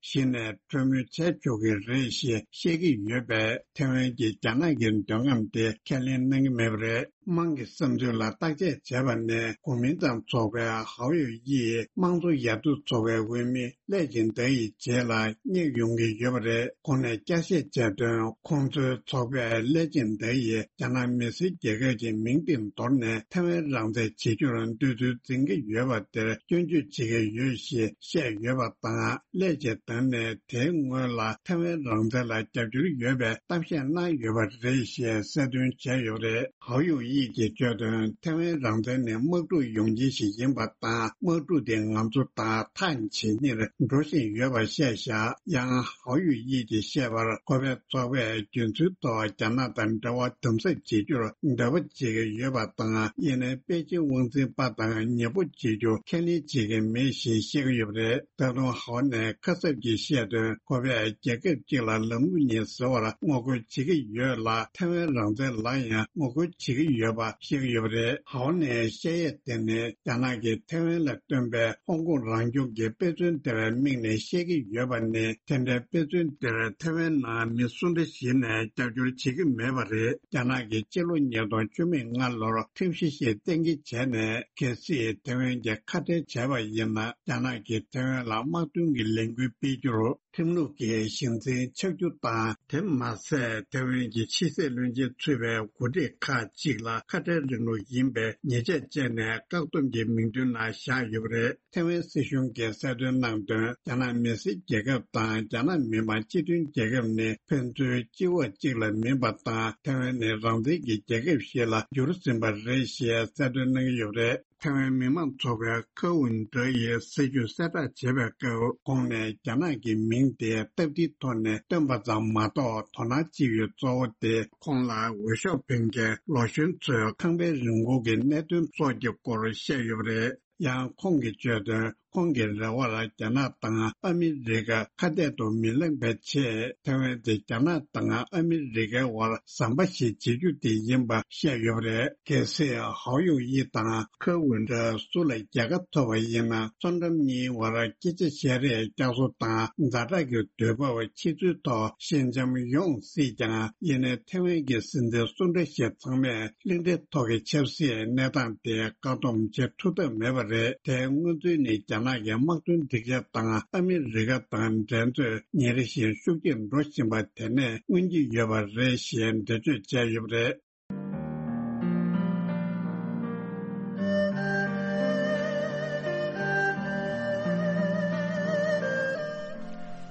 གཞི་ནས་གྲོས་མོལ་བྱས་ཆོག་གི་རེད་ཞེས་བཤད་ཀྱི་ཡོད་པས། ཐེ་ཝན་གྱིས་རྒྱ་ནག་གི་འདོད་རྔམ་དེ་ཁས་ལེན་གནང་གི་མེད་པ་རེད། དམངས་ཀྱི་བསམ་ཚུལ་ལ་བརྟག་དཔྱད་བྱས་པ་ནས། གོ་མིན་ཏང་ཚོགས་པའི་ཧའོ་ཡུ་ཡིས་དམངས་གཙོ་ཡར་ཐོན་ཚོགས་པའི་འོས་མི་ལེ་ཅིན་ཏེ་ཡི་རྗེས་ལ་སྙེག་ཡོང་གི་ཡོད་པ་རེད། ཁོང་ནས་བསྐྱར་བཤད་བྱས་དོན། ཁོང་ཚོའི་ཚོགས་པས་ལེ་ཅིན་ཏེ་ཡིས་རྒྱ་ནག་མི་སེར་རྒྱལ་ཁབ་ཀྱི་མིང་དེ་འདོར་ནས་ཐེ་ཝན་རང་བཙན་བྱེད་རྒྱུར་འདོད་ཚུལ་འཛིན་གྱི་ཡོད་པ་དེར་སྐྱོན་བརྗོད་བྱེད་ཀྱི་ཡོད་ཞེས་བཤད་ཡོད་པ་དང་། ལེ་ཅིན་ཏེ་ནས་དེའི་སྔོན་ལ་ཐེ་ཝན་རང་བཙན་ལ་རྒྱབ་སྐྱོར་ཡོད་པའི་གཏམ་བཤད་གནང་ཡོད་པ་རེད་ཞེས་གསལ་སྟོན་བྱས་ཡོད་པ་རེད། ཧའོ་ཡུ་ཡིས་ཀྱིས་བརྗོད་དོན། ཐེ་ཝན་རང་བཙན་ནི་དམག་འཁྲུག་ཡོང་རྐྱེན་ཞིག་ཡིན་པ་དང་། དམག་འཁྲུག་དེ་ང་ཚོ་དང་ཐག་ཇེ་ཉེར་འགྲོ་བཞིན་ཡོད་པ་བཤད་བཞག་ཡང་ཧའོ་ཡུ་ཡིས་ཀྱིས་བཤད་པར། ཁོ་པའི་ཚོགས་པས་རྒྱུན་སྲོལ་ཐོག་རྒྱ་ནག་དང་འབྲེལ་བ་དམ་ཟབ་བྱེད་རྒྱུར་འབད་པ་བྱེད་ཀྱི་ཡོད་པ་དང་། ཡིན་ནའི་པེ་ཅིན་དབང་འཛིན་པ་དང་ཉེ་པོ་བྱེད་རྒྱུ་ཁས་ལེན་བྱེད་ཀྱི་མེད་ཞེས་བཤད་ཀྱི་ཡོད་པ་རེད། ད་དུང་ཧའོ་ནས་ཁ་གསབ་ཀྱིས་བཤད་དོན། ཁོ་པས་རྒྱལ་ཁབ་གཅིག་ལ་ལམ་ལུགས་གཉིས་ཟེར་བར་ངོ་རྒོལ་བྱེད་ཀྱི་ཡོད་ལ། ཐེ་ཝན་རང་བཙན་ལ་ཡང་ངོ་རྒོལ་བྱེད་ཀྱི་ཡོད་པ་བཤད་ཀྱི་ཡོད་པ་རེད། ཧའོ་ནས་བཤད་ཡས་དེ་ནི། རྒྱ་ནག་གིས་ཐེ་ཝན་ལ་བཏོན་པའི་ཧོང་ཀོང་རང་སྐྱོང་གི་དཔེ་མཚོན་དེར་དམིགས་ནས་བཤད་ཀྱི་ཡོད་པ་ནི། དེ་འདྲའི་དཔེ་མཚོན་དེར་ཐེ་ཝན་ནང་མི་སུ་འདྲ་ཞིག་ནས་རྒྱབ་སྐྱོར་བྱེད་ཀྱི་མེད་པ་རེད། རྒྱ་ནག་གིས་སྤྱི་ལོ་ཉིས་སྟོང་བཅུ་མེད་ལྔ་ལོར་ཁྲིམས་གཞི་ཞིག་གཏན་འཁེལ་བྱས་ནས། གལ་སྲིད་ཐེ་ཝན་གྱིས་ཁ་བྲལ་བྱས་པ་ཡིན་ན། རྒྱ་ནག་གིས་ཐེ་ཝན་ལ་དམག་དོན་གྱི་ལས་འགུལ་སྤེལ་རྒྱུར་ཁྲིམས་ལུགས་ཀྱི་གཞི་འཛིན་ཆགས་རྒྱུ་དང་། དེ་མ་ཟད། ཐེ་ཝན་གྱི་ཕྱི་སྲིད་བློན་ཆེན་ཚུད་པའི་འགོ་ཁྲིད་ཁག་ཅིག་ལ་ཁ་བྲལ་རིང་ལུགས་ཡིན་པའི་ཉེས་ཆད་བཅད་ནས། བཀག་སྡོམ་གྱི་མིང་ཐོའི་ནང་བཞག་ཡོད་པ་རེད། ཐེ་ཝན་སྲིད་གཞུང་གིས་གསལ་སྟོན་གནང་དོན། རྒྱ་ནག་མི་སེར་རྒྱལ་ཁབ་དང་། རྒྱ་ནག་མི་དམངས་སྤྱི་མཐུན་རྒྱལ་ཁབ་ནི་ཕན་ཚུན་སྤྱི་འོག་གཅིག་ལ་མིན་པ་དང་། ཐེ་ཝན་ནི་རང་བཙན་གྱི་རྒྱལ་ཁབ་ཞིག་ལ་འགྱུར་ཟིན་པ་རེད་ཞེས་གསལ་སྟོན་གནང་གི་ཡོད་པ་རེད། ཐེ་ཝན་མི་མང་ཚོགས་པའི་ཁ་ཝུན་ཏྲ་ཡིས་སྲིད་བྱུས་གསལ་བསྒྲགས་བྱེད་པའི་སྐབས། ཁོང་ནས་རྒྱ་ནག་གི་མིང་དེ་སྟབས་བདེའི་ཐོག་ནས་བཏོན་པ་ཙམ་མ་གཏོགས། དོ་སྣང་བྱེད་ཡུལ་གཙོ་བོ་དེ་ཁོང་ལ་འོས་ཤོག་འཕེན་མཁན་ལོ་གཞོན་ཚོའི་ཁང་པའི་རིན་གོང་གི་གནད་དོན་སོགས་ཀྱི་སྐོར་བཤད་ཡོད་པ་རེད། ཡང་ཁོང་གིས་བརྗོད་དོན། ཁོང་གི་རེ་བར་རྒྱ་ནག་དང་ཨ་མི་རི་ཀ་ཁ་གཏད་དུ་མི་ལེན་པའི་ཆེད། ཐེ་ཝན་དེ་རྒྱ་ནག་དང་ཨ་མི་རི་ཀའི་དབར་ཟམ་པ་ཞིག་བྱེད་རྒྱུ་དེ་ཡིན་པ་བཤད་ཡོད་པ་རེད། གལ་སྲིད་ཧའོ་ཡུ་ཡི་དང་ཁ་ཝུན་ཏྲ་སུ་ལ་རྒྱལ་ཁ་ཐོབ་པ་ཡིན་ན། མཚོ་འགྲམ་གཉིས་བར་སྐད་ཆ་བཤད་རེས་བསྐྱར་གསོ་དང་ཛ་དྲག་གི་དུས་བབ་ཕྱེ་ཚུལ་ཐོག་ཞི་འཇམ་ཡོང་སྲིད་ཀྱང་། ཡིན་ནའི་ཐེ་ཝན་གྱི་སྲིད་འཛིན་སུ་འདྲ་ཞིག་ཚང་མས། གླིང་ཕྲན་ཐོག་གི་ཆབ་སྲིད་གནས་སྟངས་དེ་བཀག་སྡོམ་བྱེད་ཐུབ་ཐབས་མེད་པ་རེད། དེའི་སྔོན་ཚུད་ནི་རྒྱ་ནག་གི་དམག་དོན་སྒྲིག་ཆས་དང་ཨ་མི་རི་ཀ་དང་འགྲན་རྩོད་ཉིན་རེ་བཞིན་ཤུགས་ཆེར་འགྲོ་བཞིན་པ་དེ་ནས་མངོན་གྱི་ཡོད་པ་རེད་ཞེས་འགྲེལ་བརྗོད་བྱས་ཡོད་པ་རེད།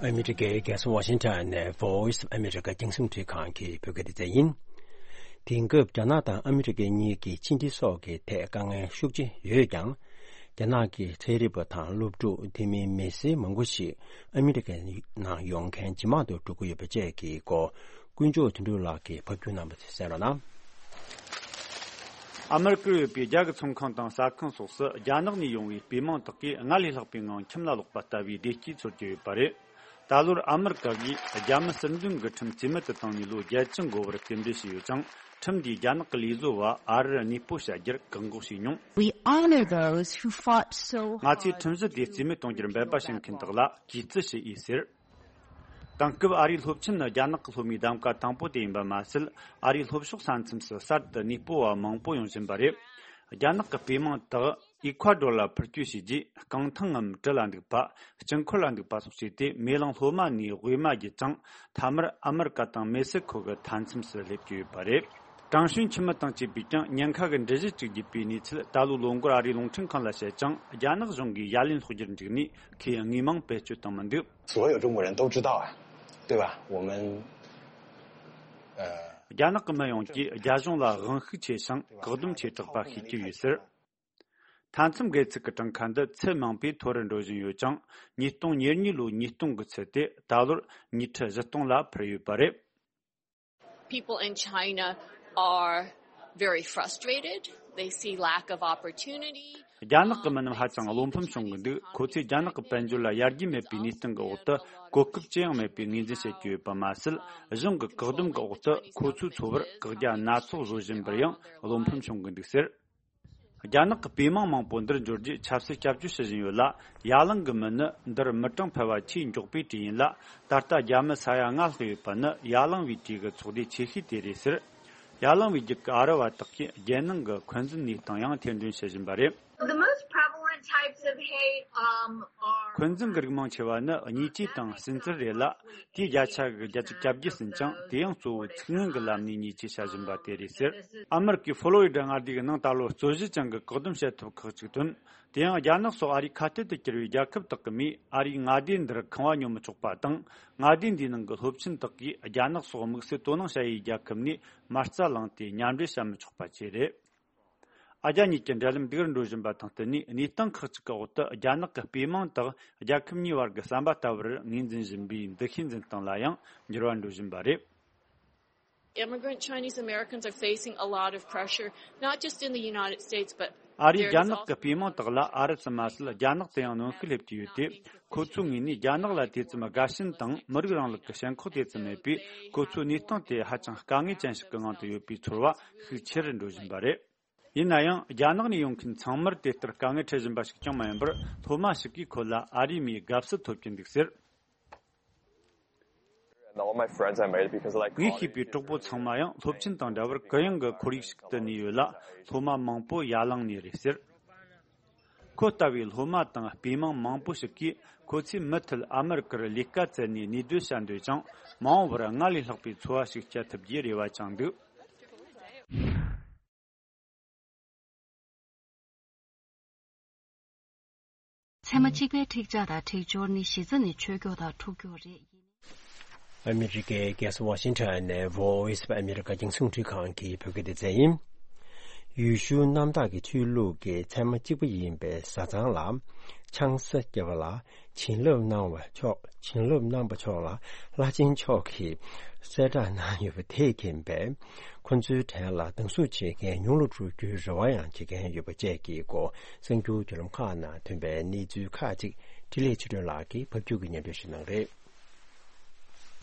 ཨ་མི་རི་ཀའི་རྒྱལ་ས་ཝ་ཤིང་ཊོན་ནས་Voice of America རྒྱང་སྲིང་འཕྲིན་ཁང་གི་བོད་སྐད་སྡེ་ཚན་ཡིན། དེང་སྐབས་རྒྱ་ནག་དང་ཨ་མི་རི་ཀ་གཉིས་ཀྱི་ཕྱི་འབྲེལ་སོགས་ཀྱི་ཐད་དཀའ་ངལ་ཤུགས་ཆེ་ཡོད་ཀྱང་། རྒྱ་ནག་གི་ཚན་རིག་པ་དང་སློབ་ཕྲུག་དེ་མིན་མི་སེར་མང་པོ་ཞིག་ཨ་མི་རི་ཀའི་ནང་ཡོང་མཁན་ཇེ་མང་དུ་འགྲོ་གི་ཡོད་པ་བཅས་ཀྱི་སྐོར། དཀོན་མཆོག་དོན་གྲུབ་ལགས་ཀྱིས་ཕབ་སྒྱུར་གནང་བ་དེ་གསན་རོགས་གནང་། ཨ་མི་རི་ཀར་ཡོད་པའི་རྒྱ་གི་ཚོང་ཁང་དང་ཟ་ཁང་སོགས་སུ་རྒྱ་ནག་ནས་ཡོང་བའི་སྤོས་མང་དག་གིས་སྔར་ལས་ལྷག་པའི་ངང་ཁྱིམ་ལ་ལོག་པ་ལྟ་བུའི་བདེ་སྐྱིད་འཚོལ་གྱི་ཡོད་པ་རེད། ད་ལོར་ཨ་མི་རི་ཀ་གིས་རྒྱ་མི་ཟུར་འདོན་གྱི་ཁྲིམས་རྩིས་མེད་དུ་བཏང་ནས་ལོ་བརྒྱད་ཅུ་འགོར་བར་རྟེན་འབྲེལ་བྱས་ཡོད་ཅིང་། ཁྲིམས་འདིས་རྒྱ་ནག་གི་ལས་བཟོ་བ་ཨ་རིར་གནས་སྤོ་བྱ་རྒྱུར་བཀག་འགོག་བྱས་མྱོང་། We honor those who fought so hard. ང་ཚོས་ཁྲིམས་གཞི་དེ་རྩིས་མེད་གཏོང་རྒྱུར་འབད་པ་བྱེད་མཁན་དག་ལ་གུས་བརྩི་ཞུ་ཡི་ཟེར། དེང་སྐབས་ཨ་རིའི་སློབ་ཆེན་ནི་རྒྱ་ནག་གི་སློབ་མའི་གདམ་ག་དང་པོ་དེ་ཡིན་པ་མ་ཟད། ཨ་རིའི་སློབ་ཕྱོགས་ས་མཚམས་སུ་གསར་དུ་གནས་སྤོ་བ་མང་པོ་ཡོང་བཞིན་པ་རེད། རྒྱ་ནག་གི་སྤོས་མང་དག་ཨི་ཁུ་ཨ་ཌོར་ལ་འཕུར་སྐྱོད་བྱས་རྗེས། རྐང་ཐང་ངམ་གྲུ་ལ་འདུག་པ། དཀྱིལ་འཁོར་ལ་འདུག་པ་སོགས་བྱས་ཏེ། མེ་གླིང་ལྷོ་མ་ནས་དབུས་མ་བརྒྱུད་ཅིང་། མཐའ་མར་ཨ་མི་རི་ཀ་དང་མེག་སི་ཁོ་གི་མཐའ་མཚམས་སུ་སླེབས་ཀྱི་ཡོད་པ་རེད། ཀྲང་ཧྲིན་ཁྱིམ་མི་དང་བཅས་པས་ཀྱང་ཉེན་ཁ་གི་འགྲུལ་བཞུད་ཅིག་བརྒྱུད་པའི་གནས་ཚུལ་ད་ལོའི་ལོ་འགོར་ཨ་རིའི་རླུང་འཕྲིན་ཁང་ལ་བཤད་ཅིང་། རྒྱ་ནག་གཞུང་གིས་ཡ་ལན་སློག་རྒྱུར་འཇུག་ནས་ཁོས་དངོས་མིང་བེད་སྤྱོད་བཏང་མི་འདུག། 所有中国人都知道啊，对吧？我们，呃， རྒྱ་ནག་གི་མི་ཡོངས་ཀྱིས་རྒྱ་གཞུང་ལ་དབང་ཤུགས་ཆེ་ཞིང་བཀག་སྡོམ་ཆེ་དྲགས་པ་ཤེས་ཀྱི་ཡོད་ཟེར། མཐའ་མཚམས་སྒལ་ཚིགས་ཀྱི་གྲངས་ཁ་འདི་ཚད་མང་པོས་མཐོ་རུ་འགྲོ་བཞིན་ཡོད་ཅིང་། ཉིས་སྟོང་ཉེར་གཉིས་ལོའི་ཉིས་སྟོང་གི་ཚད་དེ་ད་ལོར་ཉིས་ཁྲི་བཞི་སྟོང་ལ་འཕར་ཡོད་པ་རེད། People in China are very frustrated. They see lack of opportunity. རྒྱ་ནག་གི་མི་རྣམས་ཧ་ཅང་བློ་ཕམ་བྱུང་གི་འདུག་ཁོ་ཚོས་རྒྱ་ནག་གི་དཔལ་འབྱོར་ལ་ཡར་རྒྱས་མེད་པའི་གནས་སྟངས་ཀྱི་འོག་ཏུ་གོ་སྐབས་ཅི་ཡང་མེད་པའི་ངོས་འཛིན་བྱེད་ཀྱི་ཡོད་པ་མ་ཟད། གཞུང་གི་བཀག་སྡོམ་གྱི་འོག་ཏུ་ཁོ་ཚོའི་འཚོ་བར་བཀག་རྒྱ་སྣ་ཚོགས་བཟོ་བཞིན་པར་ཡང་བློ་ཕམ་བྱུང་གི་འདུག་ཟེར། རྒྱ་ནག་གི་པུས་མོ་མང་པོ་འདིར་འབྱོར་རྒྱུ་ཆབ་སྲིད་སྐྱབས་བཅོལ་ཞུ་བཞིན་ཡོད་ལ། ཡ་ལང་གི་མི་ནི་འདིར་མི་གྲངས་འཕེལ་བ་ཆེས་མགྱོགས་པའི་གྲས་ཡིན་ལ། ད་ལྟ་རྒྱ་མི་ས་ཡ་ལྔ་ལྷག་ཡོད་པ་ནི་ཡ་ལང་བའི་གྲས་ཀྱི་ཚོགས་སྡེ་ཆེ་ཤོས་དེ་རེད་ཟེར། ཡ་ལང་བའི་རྒྱུད་ཀྱི་ཨ་རི་བ་དག་གིས་རྒྱལ་ནང་གི་འཁོན་འཛིན་གནས་སྟངས་ཡང་ཐེར་འདོན་བྱེད་བཞིན་པ་རེད། The most prevalent types of hate, um, are འཁོན་འཛིན་གྱི་རིགས་མང་ཆེ་བ་ནི་བརྙས་བཅོས་དང་བསུན་གཙེར་རེད་ལ། དེའི་བརྒྱ་ཆ་གི་བརྒྱད་ཅུ་གྱ་བརྒྱད་ཟིན་ཅིང་། དེ་ཡང་གཙོ་བོ་ཚིག་ངན་གྱི་ལམ་ནས་བརྙས་བཅོས་བྱ་བཞིན་པ་དེ་རེད་ཟེར། ཨ་མེ་རི་ཀའི་ཧྥོ་ལོ་རི་ཌ་མངའ་སྡེ་གི་ནང་ད་ལོ་རྩོད་གཞི་ཅན་གྱི་བཀག་སྡོམ་བྱེད་ཐབས་ཁག་ཅིག་བཏོན། དེ་ཡང་རྒྱ་ནག་སོགས་ཨ་རིའི་ཁ་གཏད་དུ་གྱུར་བའི་རྒྱལ་ཁབ་དག་གི་མིས་ཨ་རིའི་མངའ་སྡེ་འདིར་ཁང་བ་ཉོ་མི་ཆོག་པ་དང་། མངའ་སྡེ་འདིའི་ནང་གི་སློབ་ཆེན་དག་གིས་རྒྱ་ནག་སོགས་དམིགས་བསལ་དོ་སྣང་བྱ་ཡུལ་རྒྱལ་ཁབ་ནས་མ་རྩ་བླངས་ཏེ་མཉམ་འབྲེལ་བྱ་མི་ཆོག་པ་བཅས་རེད། ཨ་རྒྱ་གཉིས་ཀྱི་འབྲེལ་ལམ་སྡུག་རུ་འགྲོ་བཞིན་པ་དང་བསྟུན་ནས། གནས་སྟངས་ཁག་ཅིག་གི་འོག་ཏུ་རྒྱ་ནག་གི་པུས་མོ་དག་རྒྱལ་ཁབ་གཉིས་བར་གྱི་ཟམ་པ་ལྟ་བུར་ངོས་འཛིན་བཞིན་པའི་འདུ་ཤེས་འཛིན་སྟངས་ལ་ཡང་འགྱུར་བ་འགྲོ་བཞིན་པ་རེད། Immigrant Chinese Americans are facing a lot of pressure, not just in the United States, but ཨ་རིའི་རྒྱ་ནག་གི་པུས་མོ་དག་ལ་ཨ་རི་ཙམ་མ་ཟད། རྒྱ་ནག་ཏུ་ཡང་གནོན་ཤུགས་སླེབས་ཀྱི་ཡོད་དེ། ཁོ་ཚོའི་ངོས་ནས་རྒྱ་ནག་ལ་དེ་ཙམ་དགའ་ཞེན་དང་། མི་རིགས་རིང་ལུགས་ཀྱི་ཞེན་ཁོག་དེ་ཙམ་མེད་པས། ཁོ་ཚོའི་གནས་སྟངས་དེ་ཧ་ཅང་དཀའ་ངལ་ཅན་ཞིག་གི་ངང་དུ་ཡོད་པའི་ཚོར་བ་ཤུགས་ཆེ་རུ་འགྲོ་བཞིན་པ་རེད། ཡིན་ན་ཡང་། རྒྱ་ནག་ནས་ཡོང་མཁན་ཚང་མར་དེ་ལྟར་དཀའ་ངལ་འཕྲད་བཞིན་པ་ཞིག་ཀྱང་མ་ཡིན་པར། སློབ་མ་ཞིག་གིས་ཁོ་ལ་ཨ་རིའི་མིའི་དགའ་བསུ་ཐོབ་ཀྱིན་འདུག་ཟེར། And all my friends I made it because I like ངས་ཤེས་པའི་གྲོགས་པོ་ཚང་མ་ཡང་སློབ་ཆེན་དང་འདྲ་བར་གུ་ཡངས་ཀྱི་ཁོར་ཡུག་ཞིག་ཏུ་གནས་ཡོད་ལ། སློབ་མ་མང་པོ་ཡ་ལང་ནས་རེད་ཟེར། ཁོ་ལྟ་བུའི་སློབ་མ་དང་པུས་མོ་མང་པོ་ཞིག་གིས་ཁོ་ཚོས་མུ་མཐུད་ཨ་མེ་རི་ཀར་ལས་ཀ་བཙལ་ནས་གནས་སྡོད་བྱ་འདོད་ཅིང་། མ་འོངས་པར་སྔར་ལས་ལྷག་པའི་འཚོ་བ་ཞིག་སྐྱེལ་ཐུབ་རྒྱུའི་རེ་བ་བཅངས་འདུག་ཚད་མ་གཅིག་པའི་འཁྲིག་ཆགས་དང་འཁྲིག་སྦྱོར་ནི་གཞི་རྩ་ནས་ཆོས་སྐྱོང་དང་འཁྲུག་སྐྱོང་རེད། ཨ་མི་རི་ཀའི་རྒྱལ་ས་ཝ་ཤིང་ཊོན་ནས་Voice of America རྒྱང་སྲིང་རླུང་འཕྲིན་ཁང་གི་བོད་སྐད་སྡེ་ཚན་ཡིན། ཡེ་ཤུ་གནམ་བདག་གི་ཆོས་ལུགས་ཀྱི་ཚད་མ་གཅིག་པ་ཡིན་པའི་བཟའ་ཚང་ལ་ཆང་ས་བརྒྱབ་པ་ལ་བྱིན་རླབས་གནང་བ་ཆོག་བྱིན་རླབས་གནང་བ་ཆོག་ལ་བླ་ཆེན་མཆོག་གིས་གསལ་བསྒྲགས་གནང་ཡོད་པ་དེས་མཁྱེན་པས། ཁོ་ཚོའི་གྲས་ལ་སྡང་ཟུག་བྱེད་མཁན་ཉུང་རུ་འགྲོ་རྒྱུའི་རེ་བ་ཡང་བྱེད་མཁན་ཡོད་པ་བཅས་ཀྱི་སྐོར་གསར་འགྱུར་བརྒྱུད་ལམ་ཁག་ནང་ཐོན་པའི་གནས་ཚུལ་ཁག་ཅིག་འཕྲིན་ལས་ཆོས་སྒྲོན་ལགས་ཀྱིས་ཕབ་སྒྱུར་གྱིས་སྙན་སྒྲོན་ཞུ་གནང་རེད།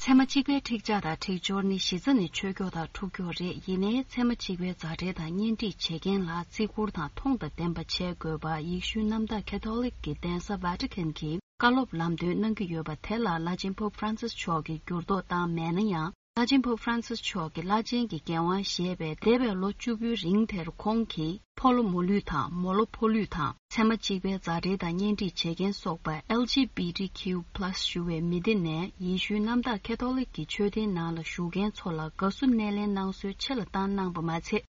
ཚད་མ་གཅིག་པའི་འཁྲིག་ཆགས་དང་འཁྲིག་སྦྱོར་ནི་གཞི་རྩ་ནས་ཆོས་སྐྱོང་དང་འཁྲུག་སྐྱོང་རེད། ཡིན་ནའི་ཚད་མ་གཅིག་པའི་མཛའ་འབྲེལ་དང་གཉེན་སྒྲིག་བྱེད་མཁན་ལ་བརྩི་བཀུར་དང་མཐོང་དང་ལྡན་པ་བྱེད་དགོས་པ་ཡེ་ཤུའི་གནམ་བདག་ཁེ་ཐོ་ལིག་གི་གདན་ས་ཝ་ཊི་ཁན་གྱིས་བཀའ་སློབ་ལམ་སྟོན་གནང་གི་ཡོད་པ་དེ་ལ་བླ་ཆེན་པོབ་ཧྥ་རན་སིས་མཆོག་གིས་འགྱུར་ལྡོག་བཏང་མེད་ན་ཡང་། བླ་ཆེན་པོབ་ཧྥ་རན་སིས་མཆོག་གི་བླ་ཆེན་གྱི་འགན་དབང་བཞེས་པའི་འདས་པའི་ལོ་བཅུ་པོའི་རིང་དེར་ཁོང་གིས་ཕོ་ལོ་མོ་ལུས་དང་མོ་ལོ་ཕོ་ལུས་དང་ཚད་མ་གཅིག་པའི་མཛའ་འབྲེལ་དང་གཉེན་སྒྲིག་བྱེད་མཁན་སོགས་པ་ཨེལ་ཇི་བི་ཊི་ཁིའུ་པ་ལ་སི་ཞུ་བའི་མི་སྡེ་ནས་ཡེ་ཤུའི་གནམ་བདག་ཁེ་ཐོ་ལིག་གི་ཆོས་ལྡན་ནང་ལ་ཞུགས་མཁན་ཚོ་ལ་དགའ་བསུ་སྣེ་ལེན་གནང་སྲོལ་ཆེ་ལ་བཏང་གནང་པ་མ་ཚད།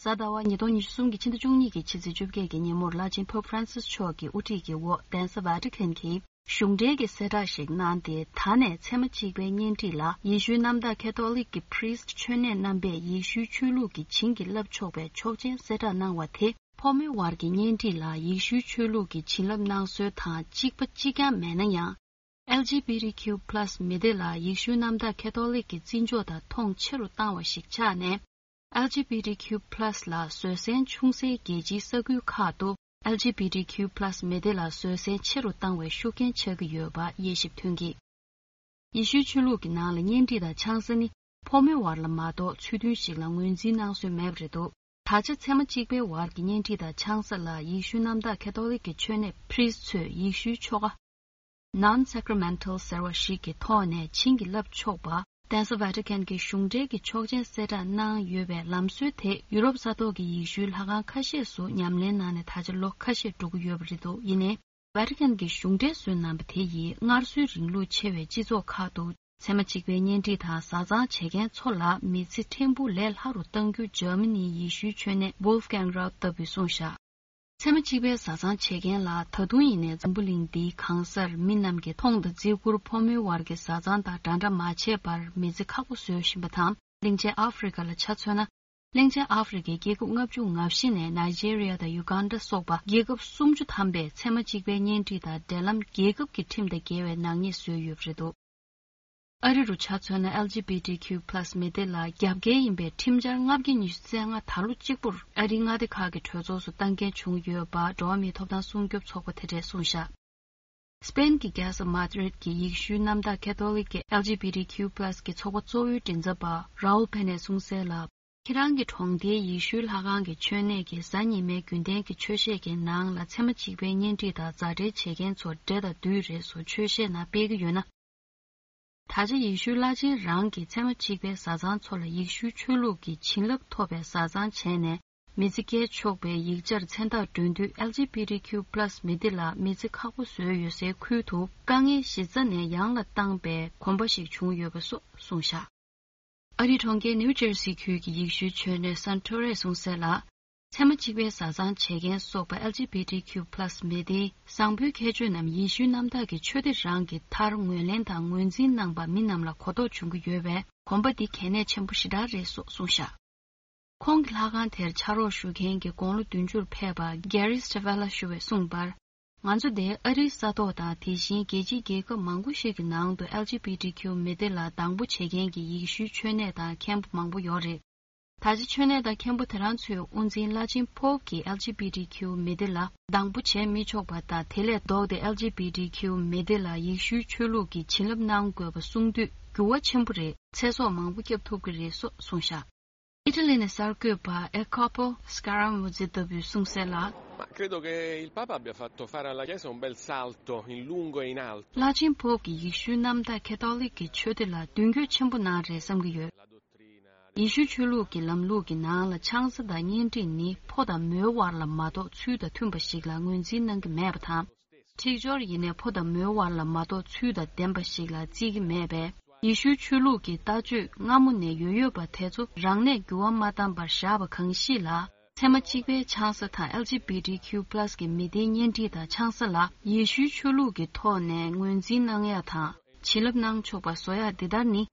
གཟའ་ཟླ་བ་ཉིས་སྟོང་ཉི་ཤུ་གསུམ་གྱི་ཕྱི་ཟླ་བཅུ་གཉིས་ཀྱི་ཕྱི་ཚེས་བཅོ་བརྒྱད་ཀྱི་ཉིན་མོར་བླ་ཆེན་པོབ་ཧྥ་རན་སིས་མཆོག་གི་དབུ་ཁྲིད་ཀྱི་འོག་གདན་ས་ཝ་ཊི་ཁན་གྱིས་གཞུང་འབྲེལ་གྱི་གསལ་བསྒྲགས་ཤིག་གནང་སྟེ། ད་ནས་ཚད་མ་གཅིག་པའི་གཉེན་སྒྲིག་ལ་ཡེ་ཤུའི་གནམ་བདག་ཁེ་ཐོ་ལིག་གི་པྲིས་མཆོད་གནས་རྣམ་པས་ཡེ་ཤུའི་ཆོས་ལུགས་ཀྱི་བྱིན་གྱིས་བརླབས་ཆོག་པའི་ཆོག་མཆན་གསལ་བསྒྲགས་གནང་བ་དེ། ཕོ་མོའི་བར་གྱི་གཉེན་སྒྲིག་ལ་ཡེ་ཤུའི་ཆོས་ལུགས་ཀྱི་བྱིན་རླབས་གནང་སྲོལ་དང་གཅིག་པ་གཅིག་རྐྱང་མེད་ན་ཡང་། ཨེལ་ཇི་བི་ཊི་ཁིའུ་པ་ལ་སི་མི་སྡེ་ལ་ཡེ་ཤུའི་གནམ་བདག་ཁེ་ཐོ་ལིག་གི་བརྩི་འཇོག་དང་མཐོང་ཆེ་རུ་བཏང་བ་ཞིག་ཆགས་ནས། ཨེལ་ཇི་བི་ཊི་ཁིའུ་པ་ལ་སི་ལ་བཟོད་བསྲན་ཆུང་སའི་རྒྱལ་སྤྱིའི་ས་ཁུལ་ཁག་ཏུ་ཨེལ་ཇི་བི་ཊི་ཁིའུ་པ་ལ་སི་མི་སྡེ་ལ་བཟོད་བསྲན་ཆེ་རུ་བཏང་བའི་ཤུགས་རྐྱེན་ཆགས་ཀྱི་ཡོད་པ་དབྱེ་ཞིབ་ཐོན་གྱིས། ཡེ་ཤུའི་ཆོས་ལུགས་ཀྱི་ནང་ལ་གཉེན་སྒྲིག་དང་ཆང་ས་ནི་ཕོ་མོའི་བར་ལ་མ་གཏོགས་ཚུལ་མཐུན་ཞིག་ལ་ངོས་འཛིན་གནང་སྲོལ་མེད་པ་རེད་འདུག་ད་ཆ་ཚད་མ་གཅིག་པའི་བར་གྱི་གཉེན་སྒྲིག་དང་ཆང་ས་ལ་ཡེ་ཤུའི་གནམ་བདག་ཁེ་ཐོ་ལིག་གི་ཆོས་གནས་པྲིས་ཚོས་ཡེ་ཤུའི་ཆོ་ག Non-sacramental ཟེར་བ་ཞིག་གི་ཐོག་ནས་བྱིན་གྱིས་བརླབས་ཆོག་པ། གདན་ས་ཝ་ཊི་ཁན་གྱི་གཞུང་འབྲེལ་གྱི་ཆོག་མཆན་གསལ་བསྒྲགས་གནང་ཡོད་པའི་ལམ་སྲོལ་དེ་ཡུ་རོབ་ས་ཐོག་གི་ཡེ་ཤུའི་ལྷ་ཁང་ཁ་ཤས་སུ་ཉམས་ལེན་གནང་ནས་ད་ཆ་ལོ་ཁ་ཤས་འགྲོ་གི་ཡོད་པ་རེད་འདུག་ཡིན་ནའི། ཝ་ཊི་ཁན་གྱི་གཞུང་འབྲེལ་བཟོས་གནང་པ་དེ་ཡིས་སྔར་སྲོལ་རིང་ལུགས་ཆེ་བའི་སྤྱི་ཚོགས་ཁག་ཏུ་ཚད་མ་གཅིག་པའི་གཉེན་སྒྲིག་དང་བཟའ་ཚང་བྱེད་མཁན་ཚོ་ལ་མི་ཚེ་ཕྲན་བུ་ལས་སླ་རུ་གཏང་རྒྱུ་འཇར་མ་ནིའི་ཡེ་ཤུའི་ཆོས་གནས་Wolfgang Raab ལྟ་བུས་གསུངས་བཞག་ཚད་མ་གཅིག་པའི་བཟའ་ཚང་བྱེད་མཁན་ལ་ད་དུང་ཡིན་ནའི་འཛམ་བུ་གླིང་འདིའི་གང་སར་མི་རྣམས་ཀྱིས་མཐོང་དང་བརྩི་བཀུར་ཕོ་མོའི་བར་གྱི་བཟའ་ཚང་དང་འདྲ་འདྲ་མ་བྱས་པར་མི་ཚེ་ཁག་པོ་བཟོས་བཞིན་པ་དང་། གླིང་ཆེན་ཨ་ཧྥེ་རི་ཀ་ལ་ཆ་མཚོན་ན། གླིང་ཆེན་ཨ་ཧྥེ་རི་ཀའི་རྒྱལ་ཁབ་ལྔ་བཅུ་ང་བཞི་ནས་ནཱི་ཇེ་རི་ཡ་དང་ཡུ་གན་ཌ་སོགས་པ་རྒྱལ་ཁབ་སུམ་ཅུ་ཐམ་པས་ཚད་མ་གཅིག་པའི་གཉེན་སྒྲིག་དང་འབྲེལ་ལམ་རྒྱལ་ཁབ་ཀྱི་ཁྲིམས་དང་འགལ་བའི་ནག་ཉེས་བཟོས་ཡོད་པ་རེད་འདུག་ཨ་རི་རུ་ཆ་མཚོན་ན། ཨེལ་ཇི་བི་ཌི་ཁྱུ་པ་ལ་སི་མི་སྡེ་ལ་རྒྱབ་འགལ་ཡིན་པའི་ཁྲིམས་འཆར་ལྔ་བརྒྱ་ཉི་ཤུ་རྩ་ལྔ་ད་ལོ་གཅིག་པུར་ཨ་རིའི་མངའ་སྡེ་ཁག་གི་གྲོས་ཚོགས་སུ་གཏན་འཁེལ་བྱུང་ཡོད་པ། འགྲོ་བ་མིའི་ཐོབ་ཐང་སྲུང་སྐྱོབ་ཚོགས་པ་དེ་གྲས་གསུངས་བཞག་སྤེན་གྱི་རྒྱལ་ས་མཱ་ཏྲིད་ཀྱི་ཡེ་ཤུའི་གནམ་བདག་ཁེ་ཐོ་ལིག་གི་ཨེལ་ཇི་བི་ཌི་ཁྱུ་པ་ལ་སི་གི་ཚོགས་པ་གཙོ་བོའི་མགྲིན་ཚབ་པ་རའུལ་ཕེ་ནས་གསུངས་གསལ་ལ། ཁྱེད་རང་གི་གྲོང་སྡེའི་ཡེ་ཤུའི་ལྷ་ཁང་གི་མཆོད་གནས་ཀྱི་གཟའ་ཉི་མའི་རྒྱུན་ལྡན་གྱི་ཆོས་བཤད་ཀྱི་ནང་ལ་ཚད་མ་གཅིག་པའི་གཉེན་སྒྲིག་དང་མཛའ་འབྲེལ་བྱེད་མཁན་ཚོར་འདྲེ་དང་བདུད་རེད་སོགས་ཆོས་བཤད་ནང་སྤེལ་གྱི་ཡོད་ན། ད་ཆ་ཡེ་ཤུའི་བླ་ཆེན་རང་གིས་ཚད་མ་གཅིག་པའི་བཟའ་ཚང་ཚོ་ལ་ཡེ་ཤུའི་ཆོས་ལུགས་ཀྱི་བྱིན་རླབས་ཐོབ་པའི་བཟའ་ཚང་བྱས་ནས། མི་ཚེ་སྐྱེལ་ཆོག་པའི་ཡིག་ཆར་མཚན་རྟགས་སྒྲོན་དུས། ཨེལ་ཇི་བི་ཌི་ཁྱུ་པ་ལ་སི་མི་སྡེ་ལ་མི་ཚེ་ཁག་པོ་བཟོས་ཡོད་སའི་ཁུལ་དུ། དཀའ་ངལ་གཞི་རྩ་ནས་ཡང་ལ་བཏང་པའི་གོམ་པ་ཞིག་བྱུང་ཡོད་པ་སོགས་གསུངས་བཞག་ཨ་རིའི་གྲོང་ཁྱེར་ནིའུ་ཇར་སི་ཁུལ་གྱི་ཡེ་ཤུའི་མཆོད་གནས་སན་ཏོ་རེས་གསུངས་གསལ་ལ། ཚད་མ་གཅིག་པའི་བཟའ་ཚང་བྱེད་མཁན་སོགས་པ་ཨེལ་ཇི་བི་ཌི་ཁྱུ་པ་ལ་སི་མི་སྡེའི་བཟང་པོའི་ཁྱད་ཆོས་རྣམས་ཡེ་ཤུའི་གནམ་བདག་གི་ཆོས་སྡེ་རང་གི་མཐར་ངོས་ལེན་དང་ངོས་འཛིན་གནང་པ་མི་རྣམས་ལ་གོ་རྟོགས་བྱུང་གི་ཡོད་པས། གོམ་པ་འདི་གལ་གནད་ཆེན་པོ་ཞེ་དྲག་རེད་སོགས་གསུངས་བཞག་ཁོང་གི་ལྷ་ཁང་དེར་ཕྱག་རོགས་ཞུ་མཁན་གྱི་དགུང་ལོ་བདུན་ཅུར་ཕེབས་པ་གེ་རི་སི་ཊི་ཝེ་ལ་ཞུ་བས་གསུངས་པར། ང་ཚོ་འདིར་ཨ་རིའི་ས་ཐོག་དང་། དེ་བཞིན་རྒྱལ་སྤྱིའི་རྒྱལ་ཁབ་མང་པོ་ཞིག་གི་ནང་དུ་ཨེལ་ཇི་བི་ཌི་ཁྱུ་མི་སྡེ་ལ་སྡང་པོ་བྱེད་མཁན་གྱི་ཡེ་ཤུའི་མཆོད་གནས་དང་མཁན་པོ་མང་པོ་ཡོད་རེད། ད་ཆ་མཆོད་གནས་དང་མཁན་པོ་དེ་རང་ཚོའི་དབུ་འཛིན་བླ་ཆེན་པོབ་ཀྱིས་ཨེལ་ཇི་བི་ཌི་ཁྱུ་མི་སྡེ་ལ་སྡང་པོ་བྱེད་མི་ཆོག་པ་དང་། དེ་ལས་ལྡོག་སྟེ་ཨེལ་ཇི་བི་ཌི་ཁྱུ་མི་སྡེ་ལ་ཡེ་ཤུའི་ཆོས་ལུགས་ཀྱི་བྱིན་རླབས་གནང་དགོས་པ་གསུངས་དུས། འགྱུར་བ་ཆེན་པོ་རེད། ཚེ་སྲོག་མང་པོ་སྐྱབས་ཐུབ་ཀྱི་རེད་སོགས་གསུངས་བཞག་ཨི་ཊ་ལི་ནས་གསར་འགོད་པ་ཨེ་ཁོ་པོ་སྐ་ར་མུ་ཛི་ལྟ་བུས་གསུངས་གསལ་ལ། Ma credo che il Papa abbia fatto fare alla Chiesa un bel salto in lungo e in alto. བླ་ཆེན་པོབ་ཀྱིས་ཡེ་ཤུའི་གནམ་བདག་ཁེ་ཐོ་ལིག་གི་ཆོས་སྡེ་ལ་མདུན་སྐྱོད་ཆེན་པོ་གནང་རེད་བསམ་གྱི་ཡོད། ཡེ་ཤུའི་ཆོས་ལུགས་ཀྱི་ལམ་ལུགས་ཀྱི་ནང་ལ་ཆང་ས་དང་གཉེན་སྒྲིག་ནི་ཕོ་དང་མོའི་དབར་ལ་མ་གཏོགས་ཚུལ་དང་མཐུན་པ་ཞིག་ལ་ངོས་འཛིན་གནང་གི་མེད་པ་དང་། འཁྲིག་སྦྱོར་ཡིན་ནའི་ཕོ་དང་མོའི་དབར་ལ་མ་གཏོགས་ཚུལ་དང་ལྡན་པ་ཞིག་ལ་བརྩི་གི་མེད་པས། ཡེ་ཤུའི་ཆོས་ལུགས་ཀྱི་ལྟ་སྤྱོད་སྔ་མོ་ནས་ཡོད་ཡོད་པ་དེ་ཚོ་རང་ནས་འགྱུར་བ་མ་བཏང་པར་བཞག་པ་གང་ཞིག་ལ། ཚད་མ་གཅིག་པའི་ཆང་ས་དང་ཨེལ་ཇི་བི་ཌི་ཁྱུ་པ་ལ་སི་གི་མི་སྡེའི་གཉེན་སྒྲིག་དང་ཆང་ས་ལ་ཡེ་ཤུའི་ཆོས་ལུགས་ཀྱི་ཐོག་ནས་ངོས་འཛིན་གནང་ཡག་དང་། བྱིན་རླབས་གནང་ཆོག་པ་བཟོ་ཡག་འདི་ལྟར་ནི།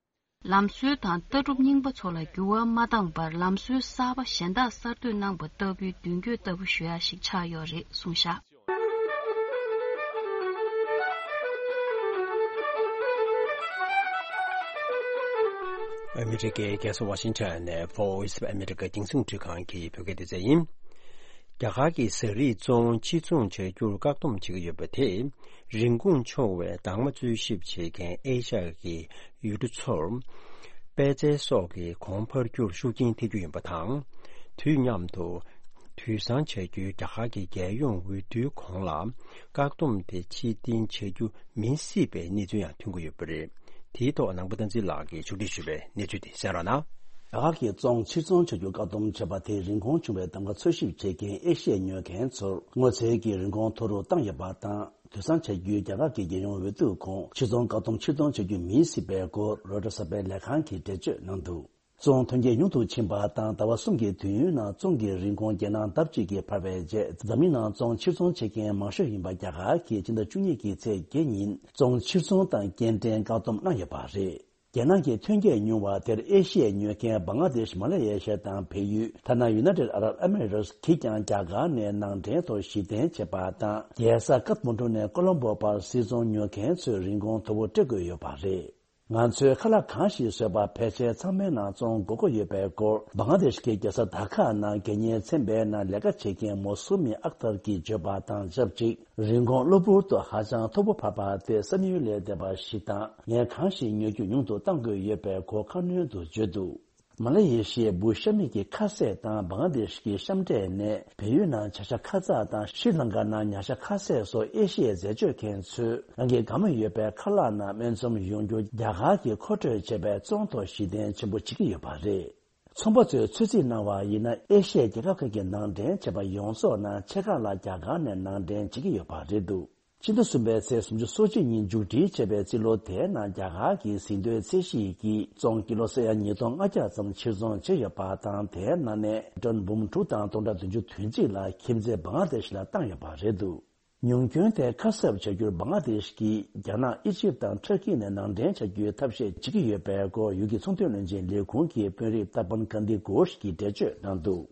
ལམ་སྲོལ་དང་ལྟ་གྲུབ་རྙིང་པ་ཚོ་ལ་འགྱུར་བ་མ་བཏང་པར། ལམ་སྲོལ་གསར་པ་གཞན་དག་གསར་གཏོད་གནང་པ་ལྟ་བུའི་མདུན་སྐྱོད་ལྟ་བུ་ཞུ་ཡག་ཞིག་ཆགས་ཡོད་རེད་གསུངས་བཞག་ཨ་མི་རི་ཀའི་རྒྱལ་ས་ཝ་ཤིང་ཊོན་ནས་Voice of America རྒྱང་སྲིང་འཕྲུལ་ཁང་གི་བོད་སྐད་སྡེ་ཚན་ཡིན། རྒྱ་གར་གྱི་ཟས་རིགས་བཙོང་ཕྱིར་ཚོང་བྱ་རྒྱུར་བཀག་སྡོམ་བྱེད་ཀྱི་ཡོད་པ་དེས། རིན་གོང་ཆུང་བའི་དྭངས་མ་འཚོལ་ཞིབ་བྱེད་མཁན་ཨེ་ཤ་ཡ་གི་ཡུལ་གྲུ་ཚོར། པད་ཚལ་སོགས་ཀྱི་གོང་འཕར་རྒྱུར་ཤུགས་རྐྱེན་ཐེབས་རྒྱུ་ཡིན་པ་དང་། དུས་མཉམ་དུ། དུད་ཚང་བྱ་རྒྱུའི་རྒྱ་གར་གྱི་རྒྱལ་ཡོངས་འོས་བསྡུའི་གོང་ལ། བཀག་སྡོམ་དེ་ཕྱིར་འཐེན་བྱ་རྒྱུ་མིན་སྲིད་པའི་གནས་ཚུལ་ཡང་ཐོན་གྱི་ཡོད་པ་རེད། དེའི་ཐོག་ནང་པ་བསྟན་འཛིན་ལགས་ཀྱིས་ཕྱོགས་སྒྲིག་ཞུས་པའི་གནས་ཚུལ་དེ་གསན་རོགས་གནང་། རྒྱ་གར་གྱིས་བཙོང་ཕྱིར་ཚོང་བྱ་རྒྱུ་བཀག་སྡོམ་བྱས་པ་དེས་རིན་གོང་ཆུང་བའི་གདམ་ག་འཚོལ་ཞིབ་བྱེད་མཁན་ཨེ་ཤི་ཡའི་ཉོ་མཁན་ཚོར་སྔོ་ཚལ་གྱི་རིན་གོང་མཐོ་རུ་བཏང་ཡོད་པ་དང་། དུད་ཚང་བྱ་རྒྱུའི་རྒྱ་གར་གྱི་རྒྱལ་ཡོངས་འོས་བསྡུ་ཁོངས་ཕྱིར་ཚོང་བཀག་སྡོམ་ཕྱིར་གཏོང་བྱ་རྒྱུ་མིན་སྲིད་པའི་སྐོར་རོའི་ཊར་གསར་པའི་ལས་ཁང་གིས་འགྲེལ་བརྗོད་གནང་འདུག་བཙོང་ཐོན་སྐྱེད་ཉུང་དུ་ཕྱིན་པ་དང་ཟླ་བ་གསུམ་གྱི་དུས་ཡུན་ནང་བཙོང་གི་རིན་གོང་རྒྱལ་ནང་ལྡབ་གཅིག་གིས་འཕར་བའི་རྗེས། འཛམ་གླིང་ནང་བཙོང་ཕྱིར་ཚོང་བྱེད་མཁན་མང་ཤོས་ཡིན་པ་རྒྱ་གར་གྱིས་སྤྱི་ཟླ་བཅུ་གཉིས་ཀྱི་ཚེས་བརྒྱད་ཉིན་བཙོང་ཕྱིར་ཚོང་དང་སྐྱེལ་འདྲེན་བཀག་སྡོམ་གནང་ཡོད་པ་རེད། རྒྱལ་ནང་གི་ཐོན་སྐྱེད་ཉུང་བ་དེར་ཨེ་ཤི་ཡའི་ཉོ་མཁན་བང་ལ་དེཤ། མ་ལེ་ཡ་ཤི་ཡ་དང་བལ་ཡུལ། ཐ་ན་ཡུ་ནའི་ཊེཌ་ཨ་རབ་ཨེ་མི་རེ་ཊི་གིས་ཀྱང་རྒྱ་གར་ནས་ནང་འདྲེན་ཐོག་གཞི་རྟེན་བྱས་པ་དང་། རྒྱལ་ས་ཀཏ་མན་ཌུ་ནས་ཀོ་ལོམ་བྷོ་བར་སིལ་ཚོང་ཉོ་མཁན་ཚོས་རིན་གོང་མཐོ་པོ་སྤྲད་དགོས་ཡོད་པ་རེད། ང་ཚོས་ཁ་ལག་གང་ཞིག་བཟོས་པ་ཕལ་ཆེར་ཚང་མའི་ནང་བཙོང་དགོས་ཀྱི་ཡོད་པའི་སྐོར་བང་ལ་དེཤ་གི་རྒྱལ་ས་ད་ཁ་ནང་དགེ་བསྙེན་ཚན་པའི་ནང་ལས་ཀ་བྱེད་མཁན་མོ་སུ་མི་ཨག་ཏར་གྱིས་བརྗོད་པ་དང་ཆབས་ཅིག་རིན་གོང་གློ་བུར་དུ་ཧ་ཅང་མཐོ་པོ་འཕར་བ་དེ་བསམ་ཡུལ་ལས་འདས་པ་ཞིག་དང་། ངས་གང་ཞིག་ཉོ་རྒྱུ་ཉུང་དུ་གཏང་དགོས་ཡོད་པའི་སྐོར་ཁ་སྣོན་དུ་བརྗོད་འདུག་མ་ལེ་ཡེ་ཤི་ཡའི་འབུ་གཤམ་མིག་གི་ཁ་ཟས་དང་བང་ལ་དེཤ་གི་གཤམ་འབྲས་ནས་བལ་ཡུལ་ནང་བྱ་ཤ་ཁ་ཚ་དང་ཤྲི་ལང་ཀ་ནང་ཉ་ཤ་ཁ་ཟས་སོགས་ཨེ་ཤི་ཡའི་འཛད་སྤྱོད་མཁན་ཚོས་རང་གི་དགའ་མོས་ཡོད་པའི་ཁ་ལག་ནང་སྨད་འཚོང་ཡོང་རྒྱུ་རྒྱ་གར་གྱིས་མཁོ་སྤྲོད་བྱས་པའི་བཙོང་ཐོག་གཞི་རྟེན་ཆེན་པོ་བྱེད་ཀྱི་ཡོད་པ་རེད། ཚོང་པ་ཚོས་ཚོད་རྩིས་གནང་བ་ཡིན་ན། ཨེ་ཤི་ཡའི་རྒྱལ་ཁབ་ཁག་གི་ནང་འདྲེན་བྱས་པ་ཡོངས་རྫོགས་ནང་ཆེ་ཁག་ལ་རྒྱ་གར་ནས་ནང་འདྲེན་བྱེད་ཀྱི་ཡོད་པ་རེད་འདུག་ཕྱི་ཟླ་གསུམ་པའི་ཚེས་སུམ་ཅུ་སོ་གཅིག་ཉིན་མཇུག་སྒྲིལ་བྱས་པའི་རྩིས་ལོ་དེའི་ནང་རྒྱ་གར་གྱི་ཟིན་ཐོའི་ཚད་གཞི་ཡི་བཙོང་ཀི་ལོ་ས་ཡ་ཉིས་སྟོང་ལྔ་བརྒྱ་ཙམ་ཕྱིར་ཚོང་བྱས་ཡོད་པ་དང་། དེའི་ནང་ནས་ཊོན་འབུམ་དྲུག་དང་སྟོང་ཕྲག་བདུན་ཅུ་དོན་གཅིག་ལ་ཁྱིམ་མཚེས་བང་ལ་དེཤ་ལ་བཏང་ཡོད་པ་རེད་འདུག་ཉུང་སྐྱོན་དེ་ཁ་གསབ་བྱ་རྒྱུར་བང་ལ་དེཤ་གིས་རྒྱ་ནག་ཨི་ཇིབ་དང་ཊར་ཀི་ནས་ནང་འདྲེན་བྱ་རྒྱུའི་ཐབས་ཤེས་བྱེད་ཀྱི་ཡོད་པའི་སྐོར་ཡུལ་གྱི་ཚོང་དོན་བློན་ཆེན་ལས་ཁུངས་ཀྱི་དཔོན་རིགས་ཏར་པན་ཀན་དི་གྷོཤ་གིས་འགྲེལ་བརྗོད་གནང་འདུག་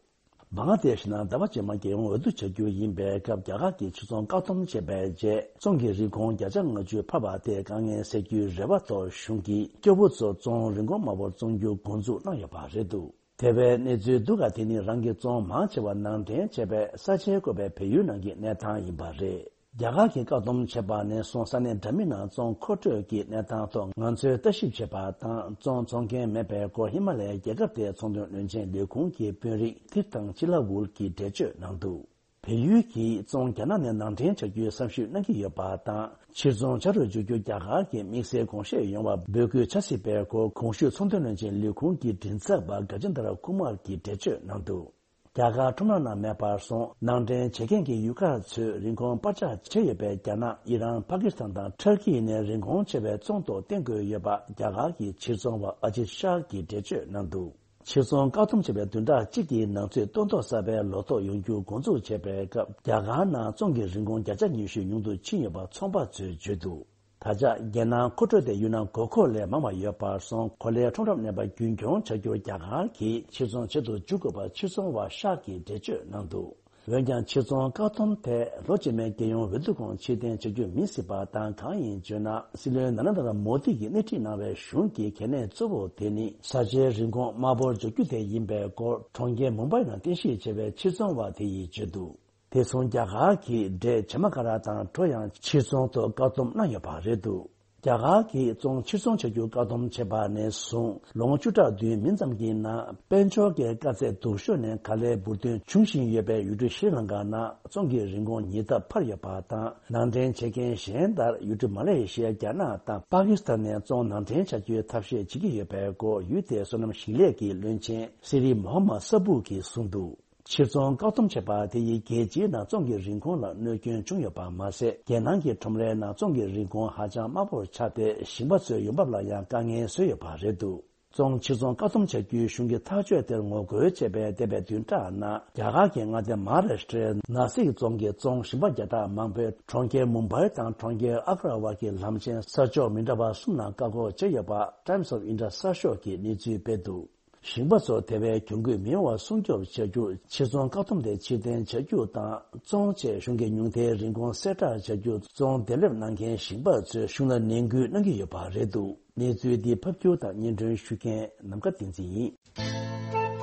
མང་བ་དེ་བཞིན་ཟླ་བ་རྗེས་མ་རྒྱལ་ཡོངས་འོས་བསྡུ་བྱ་རྒྱུ་ཡིན་པའི་སྐབས། རྒྱ་གར་གྱིས་ཕྱིར་ཚོང་བཀག་སྡོམ་བྱས་པའི་རྗེས། བཙོང་གི་རིན་གོང་བརྒྱ་ཆ་ལྔ་བཅུ་འཕར་བ་དེ་དཀའ་ངལ་སེལ་རྒྱུའི་རེ་བ་ཐོག་གཞུང་གིས་སྐྱོ་བོ་ཚོ་བཙོང་རིན་གོང་དམའ་པོར་བཙོང་རྒྱུ་འགོ་འཛུགས་གནང་ཡོད་པ་རེད་འདུག་དེ་བས་གནས་ཚུལ་སྡུག་ག་དེ་ནི་རང་གི་བཙོང་མང་ཆེ་བ་ནང་འདྲེན་བྱས་པའི་ས་ཆའི་བཀོད་པའི་བལ་ཡུལ་ནང་གི་གནས་སྟངས་ཡིན་པ་རེད། རྒྱ་གར་གྱིས་བཀག་སྡོམ་བྱས་པ་ནས་བཟུང་ས་གནས་འདྲ་མིན་ནང་བཙོང་མཁོ་སྤྲོད་ཀྱི་གནས་སྟངས་ཐོག་ང་ཚོས་ལྟ་ཞིབ་བྱས་པ་དང་། བཙོང་བཙོང་མཁན་མེད་པའི་སྐོར་ཧི་མ་ལ་ཡའི་རྒྱལ་ཁབ་དེའི་ཚོང་དོན་བློན་ཆེན་ལས་ཁུངས་ཀྱི་དཔོན་རིགས་ཐིར་ཐང་ཅི་ལ་ཝུལ་གྱིས་འགྲེལ་བརྗོད་གནང་འདུག་བལ་ཡུལ་གྱིས་བཙོང་རྒྱ་ནག་ནས་ནང་འདྲེན་བྱ་རྒྱུའི་བསམ་ཞིབ་གནང་གི་ཡོད་པ་དང་། ཕྱིར་ཚོང་བྱ་རུ་འཇུག་རྒྱུ་རྒྱ་གར་གྱི་དམིགས་བསལ་དགོངས་བཞེས་ཡོང་བར་འབོད་སྐུལ་བྱ་སྲིད་པའི་སྐོར་གོང་ཞུས་ཚོང་དོན་བློན་ཆེན་ལས་ཁུངས་ཀྱི་མགྲིན་ཚབ་པ་ག་ཇེན་དར་ཀུ་མར་གྱིས་འགྲེལ་བརྗོད་གནང་འདུག་རྒྱ་གར་ཁྲོམ་ར་ནང་མེད་པར་སོང་། ནང་འདྲེན་བྱེད་མཁན་གྱི་ཡུལ་ཁག་ཚོས་རིན་གོང་སྤར་ཆག་བྱས་ཡོད་པའི་རྒྱ་ནག་ཨི་རན། པ་ཀི་སི་ཐན་དང་ཊར་ཀི་ནས་རིན་གོང་ཆེ་བའི་བཙོང་ཐོག་བརྟེན་དགོས་ཡོད་པ་རྒྱ་གར་གྱི་ཕྱིར་ཚོང་བ་ཨ་ཇིད་ཤཱ་གིས་འགྲེལ་བརྗོད་གནང་འདུག་ཕྱིར་ཚོང་བཀག་སྡོམ་བྱས་པའི་བདུན་ཕྲག་གཅིག་གི་ནང་ཚུད་སྟོན་ཐོག་གསར་པའི་ལོ་ཐོ་ཡོང་རྒྱུ་འགོ་འཛུགས་བྱས་པའི་སྐབས། རྒྱ་གར་ནང་བཙོང་གི་རིན་གོང་བརྒྱ་ཆ་ཉི་ཤུ་ཉུང་དུ་ཕྱིན་ཡོད་པ་ཚོང་པ་ཚོས་བརྗོད་འདུག་ད་ཆ་རྒྱལ་ནང་མཁོ་སྤྲོད་དེ་ཡུལ་ནང་དགོས་མཁོ་ལས་མང་བ་ཡོད་པར་སོང་། གོ་ལའི་ཁྲོམ་རར་གནས་པ་རྒྱུན་འཁྱོངས་བྱ་རྒྱུར་རྒྱ་གར་གྱིས་ཕྱིར་ཚོང་བྱེད་དུ་འཇུག་དགོས་པ་ཕྱིར་ཚོང་བ་ཤཱ་གིས་འགྲེལ་བརྗོད་གནང་འདུག་འོན་ཀྱང་ཕྱིར་ཚོང་བཀག་སྡོམ་དེ་ལོ་རྗེས་མའི་རྒྱལ་ཡོངས་འོས་བསྡུ་གོང་ཕྱིར་འཐེན་བྱ་རྒྱུ་མིན་སྲིད་པ་དང་། གང་ཡིན་བརྗོད་ན། སྲིད་བློན་ན་རེན་དྲ་མོ་དི་གིས་སྣེ་ཁྲིད་གནང་བའི་གཞུང་གི་གལ་གནད་གཙོ་བོ་དེ་ནི་བཟའ་བཅའི་རིན་གོང་དམའ་པོར་འཇོག་རྒྱུ་དེ་ཡིན་པའི་སྐོར་གྲོང་ཁྱེར་མུམ་བྷའི་ནང་རྟེན་གཞི་བྱས་པའི་ཕྱིར་ཚོང་བ་དེ་ཡིས་བརྗོད་འདུག་དེ་མཚུངས་རྒྱ་གར་གྱིས་འབྲས་བྱེ་མ་ཀ་ར་དང་གྲོ་ཡང་ཕྱིར་ཚོང་ཐོག་བཀག་སྡོམ་གནང་ཡོད་པ་རེད་འདུག་རྒྱ་གར་གྱིས་བཙོང་ཕྱིར་ཚོང་བྱ་རྒྱུ་བཀག་སྡོམ་བྱས་པ་ནས་བཟུང་ལོ་ངོ་བཅུ་ཕྲག་བདུན་མིན་ཙམ་གྱི་ནང་དཔལ་འབྱོར་གྱི་དཀའ་ཚེགས་སྡུག་ཤོས་ནས་ག་ལེར་འབུར་ཐོན་འབྱུང་བཞིན་ཡོད་པའི་ཡུལ་གྲུ་ཤྲི་ལང་ཀ་ནང་བཙོང་གི་རིན་གོང་ཉིས་ལྡབ་འཕར་ཡོད་པ་དང་། ནང་འདྲེན་བྱེད་མཁན་གཞན་ལྟར་ཡུལ་གྲུ་མ་ལེ་ཤི་ཡ། རྒྱ་ནག་དང་པ་ཀི་སི་ཐན་ནས་བཙོང་ནང་འདྲེན་བྱ་རྒྱུའི་ཐབས་ཤེས་བྱེད་ཀྱི་ཡོད་པའི་སྐོར་ཡུལ་དེའི་སོ་ནམ་ཞིང་ལས་ཀྱི་བློན་ཆེན་སི་རི་མོ་ཧམ་མད་ས་བུ་གིས་གསུངས་འདུག་ཕྱིར་ཚོང་བཀག་སྡོམ་བྱས་པ་དེ་ཡིས་རྒྱལ་སྤྱིའི་ནང་བཙོང་གི་རིན་གོང་ལ་གནོད་སྐྱོན་བྱུང་ཡོད་པ་མ་ཟད། རྒྱལ་ནང་གི་ཁྲོམ་རའི་ནང་བཙོང་གི་རིན་གོང་ཧ་ཅང་དམའ་པོར་ཆགས་ཏེ། ཞིང་པ་ཚོའི་ཡོང་འབབ་ལ་ཡང་དཀའ་ངལ་བཟོས་ཡོད་པ་རེད་འདུག་བཙོང་ཕྱིར་ཚོང་བཀག་སྡོམ་བྱ་རྒྱུའི་གཞུང་གི་ཐག་གཅོད་དེར་ངོ་རྒོལ་བྱས་པའི་འདས་པའི་བདུན་ཕྲག་ནང་རྒྱ་གར་གྱི་མངའ་སྡེ་མ་ཧཱ་རཱ་ཤི་ཏྲའི་ན་སིག་རྫོང་གི་བཙོང་ཞིང་པ་བརྒྱ་ཕྲག་མང་པོས་གྲོང་ཁྱེར་མུམ་བྷའི་དང་གྲོང་ཁྱེར་ཨག་ར་བར་གྱི་ལམ་ཆེན་ས་ཕྱོགས་མི་འདྲ་བ་གསུམ་ནང་བཀག་འགོག་བྱས་ཡོད་པ་Times of India གསར་ཤོག་གིས་གནས་ཚུལ་སྤེལ་འདུག་ཞིང་པ་ཚོ་དེ་བས་གྱོང་གུད་མི་ཡོང་བ་སྲུང་སྐྱོབ་བྱ་རྒྱུར་ཕྱིར་ཚོང་བཀག་སྡོམ་དེ་ཕྱིར་འཐེན་བྱ་རྒྱུ་དང་། བཙོང་ཆེད་གཞུང་གི་ཉུང་མཐའི་རིན་གོང་གསལ་བསྒྲགས་བྱ་རྒྱུ། བཙོང་བདེ་ལེགས་གནང་མཁན་ཞིང་པ་ཚོས་གཞུང་ལ་ནན་སྐུལ་གནང་གི་ཡོད་པ་རེད་འདུག་གནས་ཚུལ་འདི་ཕབ་སྒྱུར་དང་སྙན་སྒྲོན་ཞུ་མཁན་ནམ་མཁའ་བསྟན་འཛིན་ཡིན།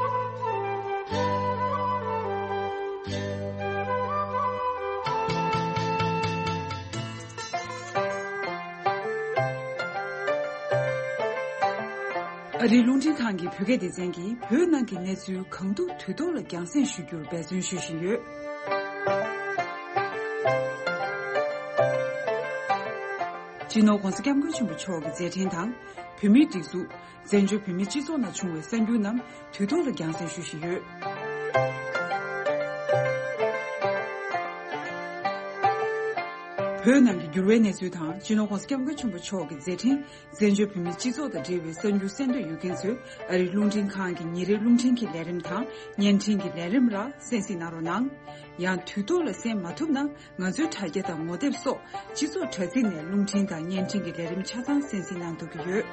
ཨ་རིའི་རླུང་འཕྲིན་ཁང་གི་བོད་སྐད་སྡེ་ཚན་གྱིས་བོད་ནང་གི་གནས་ཚུལ་གང་ཐུབ་དུས་ཐོག་ལ་རྒྱང་སྲིང་ཞུ་རྒྱུར་འབད་བརྩོན་ཞུ་བཞིན་ཡོད། སྤྱི་ནོར་༧གོང་ས་༧སྐྱབས་མགོན་ཆེན་པོ་མཆོག་གི་མཛད་འཕྲིན་དང་། བོད་མིའི་སྒྲིག་འཛུགས། བཙན་བྱོལ་བོད་མིའི་སྤྱི་ཚོགས་ནང་བྱུང་བའི་གསར་འགྱུར་རྣམས་དུས་ཐོག་ལ་རྒྱང་སྲིང་ཞུ་བཞིན་ཡོད། བོད་ནང་གི་འགྱུར་བའི་གནས་ཚུལ་དང་། སྤྱི་ནོར་༧གོང་ས་༧སྐྱབས་མགོན་ཆེན་པོ་མཆོག་གི་མཛད་འཕྲིན། བཙན་བྱོལ་བོད་མིའི་སྤྱི་ཚོགས་དང་འབྲེལ་བའི་གསར་འགྱུར་གསན་འདོད་ཡོད་མཁན་ཚོས་ཨ་རིའི་རླུང་འཕྲིན་ཁང་གི་ཉིན་རེའི་རླུང་འཕྲིན་གྱི་ལས་རིམ་དང་། བརྙན་འཕྲིན་གྱི་ལས་རིམ་ལ་གསན་གཟིགས་གནང་རོགས་གནང་། ཡང་དུས་ཐོག་ལ་གསན་མ་ཐུབ་ན། ང་ཚོའི་དྲ་རྒྱ་དང་ངོ་དེབ་སོགས་སྤྱི་ཚོགས་དྲ་ཚིགས་ནས་རླུང་འཕྲིན་དང་བརྙན་འཕྲིན་གྱི་ལས་རིམ་ཆ་ཚང་གསན་གཟིགས་གནང་ཐུབ་ཀྱི་ཡོད།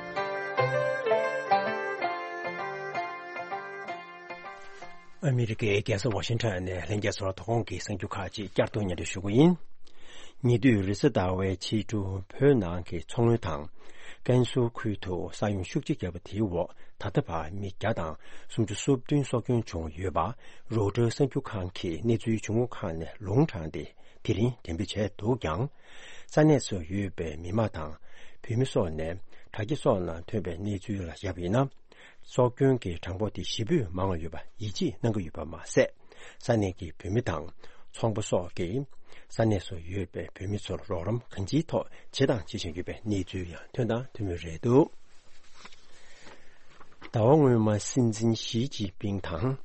ཨ་མི་རི་ཀའི་རྒྱལ་ས་ཝ་ཤིང་ཊོན་ནས་ལྷན་རྒྱས་ཚོར་དོ་དགོང་གི་གསར་འགྱུར་ཁག་ཅིག་བསྐྱར་དུ་སྙན་སྒྲོན་ཞུ་གི་ཡིན། ཉེ་དུས་རེས་གཟའ་ཟླ་བའི་ཕྱི་དྲོ་བོད་ནང་གི་མཚོ་སྔོན་དང་། ཀན་སུའུ་ཁུལ་དུ་ས་ཡོམ་ཤུགས་ཆེ་བརྒྱབ་པ་དེའི་འོག་ད་ལྟ་བར་མི་བརྒྱ་དང་སུམ་ཅུ་སོ་བདུན་སྲོག་སྐྱོན་བྱུང་ཡོད་པ་རོའི་ཊར་གསར་འགྱུར་ཁང་གིས་གནས་ཚུལ་བྱུང་ཁུངས་ཁག་ནས་ལུང་དྲངས་ཏེ། དེ་རིང་འགྲེམས་སྤེལ་བྱས་འདུག་ཀྱང་། ས་གནས་སུ་ཡོད་པའི་མི་མང་དང་བོད་མི་སོགས་ནས་དྲ་རྒྱ་སོགས་ནང་ཐོན་པའི་གནས་ཚུལ་ལ་བཞག་པ་ཡིན་ན། སྲོག་སྐྱོན་གྱི་གྲངས་འབོར་དེ་ཞེ་པོས་མང་བ་ཡོད་པ་ཡིད་ཆེས་གནང་གི་ཡོད་པ་མ་ཟད། ས་གནས་ཀྱི་བོད་མི་དང་ཚོང་པ་སོགས་ཀྱིས་ས་གནས་སུ་ཡོད་པའི་བོད་མི་ཚོར་རོགས་རམ་གང་ཅིའི་ཐོག་བྱེད་དང་བྱེད་བཞིན་ཡོད་པའི་གནས་ཚུལ་ཡང་ཐོན་དང་ཐོན་མུས་རེད་འདུག་ཟླ་བ་སྔོན་མ་སྲིད་འཛིན་ཞི་ཅིན་ཕིང་དང་།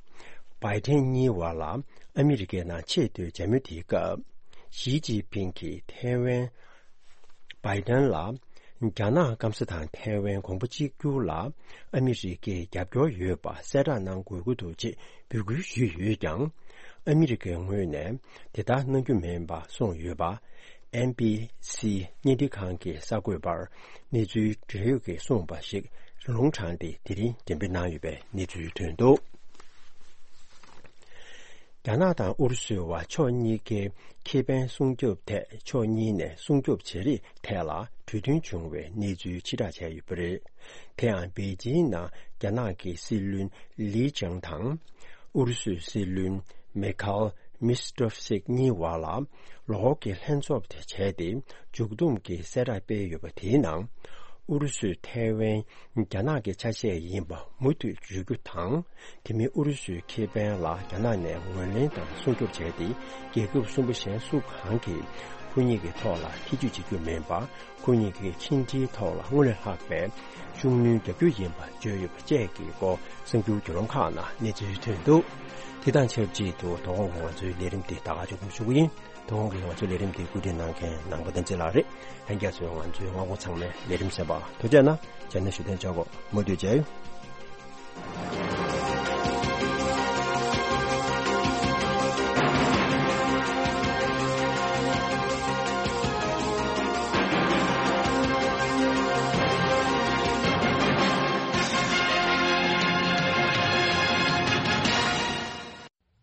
བྷའི་ཏན་གཉིས་བར་ལ་ཨ་མི་རི་ཀའི་ནང་ཆེས་མཐོའི་མཇལ་མོལ་དེའི་སྐབས། ཞི་ཅིན་ཕིང་གིས་ཐའེ་ཝན། བྷའི་ཏན་ལ། རྒྱ་ནག་སྐམ་ས་དང་ཐའེ་ཝན་དགོངས་པ་གཅིག་གྱུར་ལ་ཨ་མི་རི་ཀའི་རྒྱབ་སྐྱོར་ཡོད་པ་གསལ་བསྒྲགས་གནང་དགོས་ཀྱི་འདུག་ཅེས་འབོད་སྐུལ་ཞུས་ཡོད་ཀྱང་། ཨ་མི་རི་ཀའི་ངོས་ནས་དེ་ལྟར་གནང་རྒྱུ་མིན་པ་གསུངས་ཡོད་པ། ཨེན་བྷི་སི་བརྙན་འཕྲིན་ཁང་གི་གསར་འགོད་པར་གནས་ཚུལ་འབྲེལ་ཡོད་ཀྱིས་གསུངས་པ་ཞིག་ལུང་དྲངས་ཏེ། དེ་རིང་འགྲེམས་སྤེལ་གནང་ཡོད་པའི་གནས་ཚུལ་ཐོན་འདུག་རྒྱ་ནག་དང་ཨུ་རུ་སུའི་བར་ཕྱོགས་གཉིས་ཀའི་ཁེ་ཕན་སྲུང་སྐྱོབ་ཐད་ཕྱོགས་གཉིས་ནས་སྲུང་སྐྱོབ་བྱེད་རིགས་ཐད་ལ་གྲོས་མཐུན་བྱུང་བའི་གནས་ཚུལ་ཕྱིར་བསྒྲགས་བྱས་ཡོད་པ་རེད། དེ་ཡང་པེ་ཅིང་ནང་རྒྱ་ནག་གི་སྲིད་བློན་ལི་ཅང་དང་ཨུ་རུ་སུའི་སྲིད་བློན་མེ་ཁལ་མིས་ཏྲོབ་སིག་གཉིས་བར་ལ་ལོ་འཁོར་གྱི་ལྷན་ཚོགས་དེ་བྱས་ཏེ། མཇུག་བསྡོམས་ཀྱི་གསལ་བསྒྲགས་སྤེལ་ཡོད་པ་དེའི་ནང་། ཨུ་རུ་སུས་ཐའེ་ཝན་རྒྱ་ནག་གི་ཆ་ཤས་ཡིན་པ་མུ་མཐུད་བརྗོད་རྒྱུ་དང་། དེ་མིན་ཨུ་རུ་སུའི་ཁེ་ཕན་ལ་རྒྱ་ནག་ནས་ངོས་ལེན་དང་སྲུང་སྐྱོབ་བྱས་ཏེ། རྒྱལ་ཁབ་གསུམ་པོ་གཞན་སུ་གང་གིས་ཁོ་གཉིས་ཀྱི་ཐོག་ལ་ཐེ་ཇུས་བྱེད་རྒྱུ་མིན་པ། ཁོ་གཉིས་ཀྱི་ཕྱི་འབྲེལ་ཐོག་ལ་སྔོན་ལས་ལྷག་པའི་ཤུགས་སྣོན་རྒྱག་རྒྱུ་ཡིན་པ་བརྗོད་ཡོད་པ་བཅས་ཀྱི་སྐོར་གསར་འགྱུར་བརྒྱུད་ལམ་ཁག་ནང་གནས་ཚུལ་ཐོན་འདུག་དེ་དང་ཆབས་ཅིག་ཏུ་དོ་དགོང་གི་ང་ཚོའི་ལས་རིམ་འདི་ད་ག་མཇུག་སྒྲིལ་ཞུ་གི་ཡིན། དོ་དགོང་གི་ང་ཚོའི་ལས་རིམ་འདི་བཀོད་སྒྲིག་གནང་མཁན་ནང་པ་བསྟན་འཛིན་ལགས་རེད། ལྷན་རྒྱས་ཚོས་ང་ཚོའི་མངའ་ཁོངས་ཚང་མའི་ལས་རིམ་གསན་པར་ཐུགས་རྗེ་གནང་། རྗེས་ནས་ཞུ་དོན་ཆག་གོ་མུ་མཐུད་མཇལ་ཡོང་།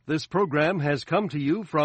This program has come to you from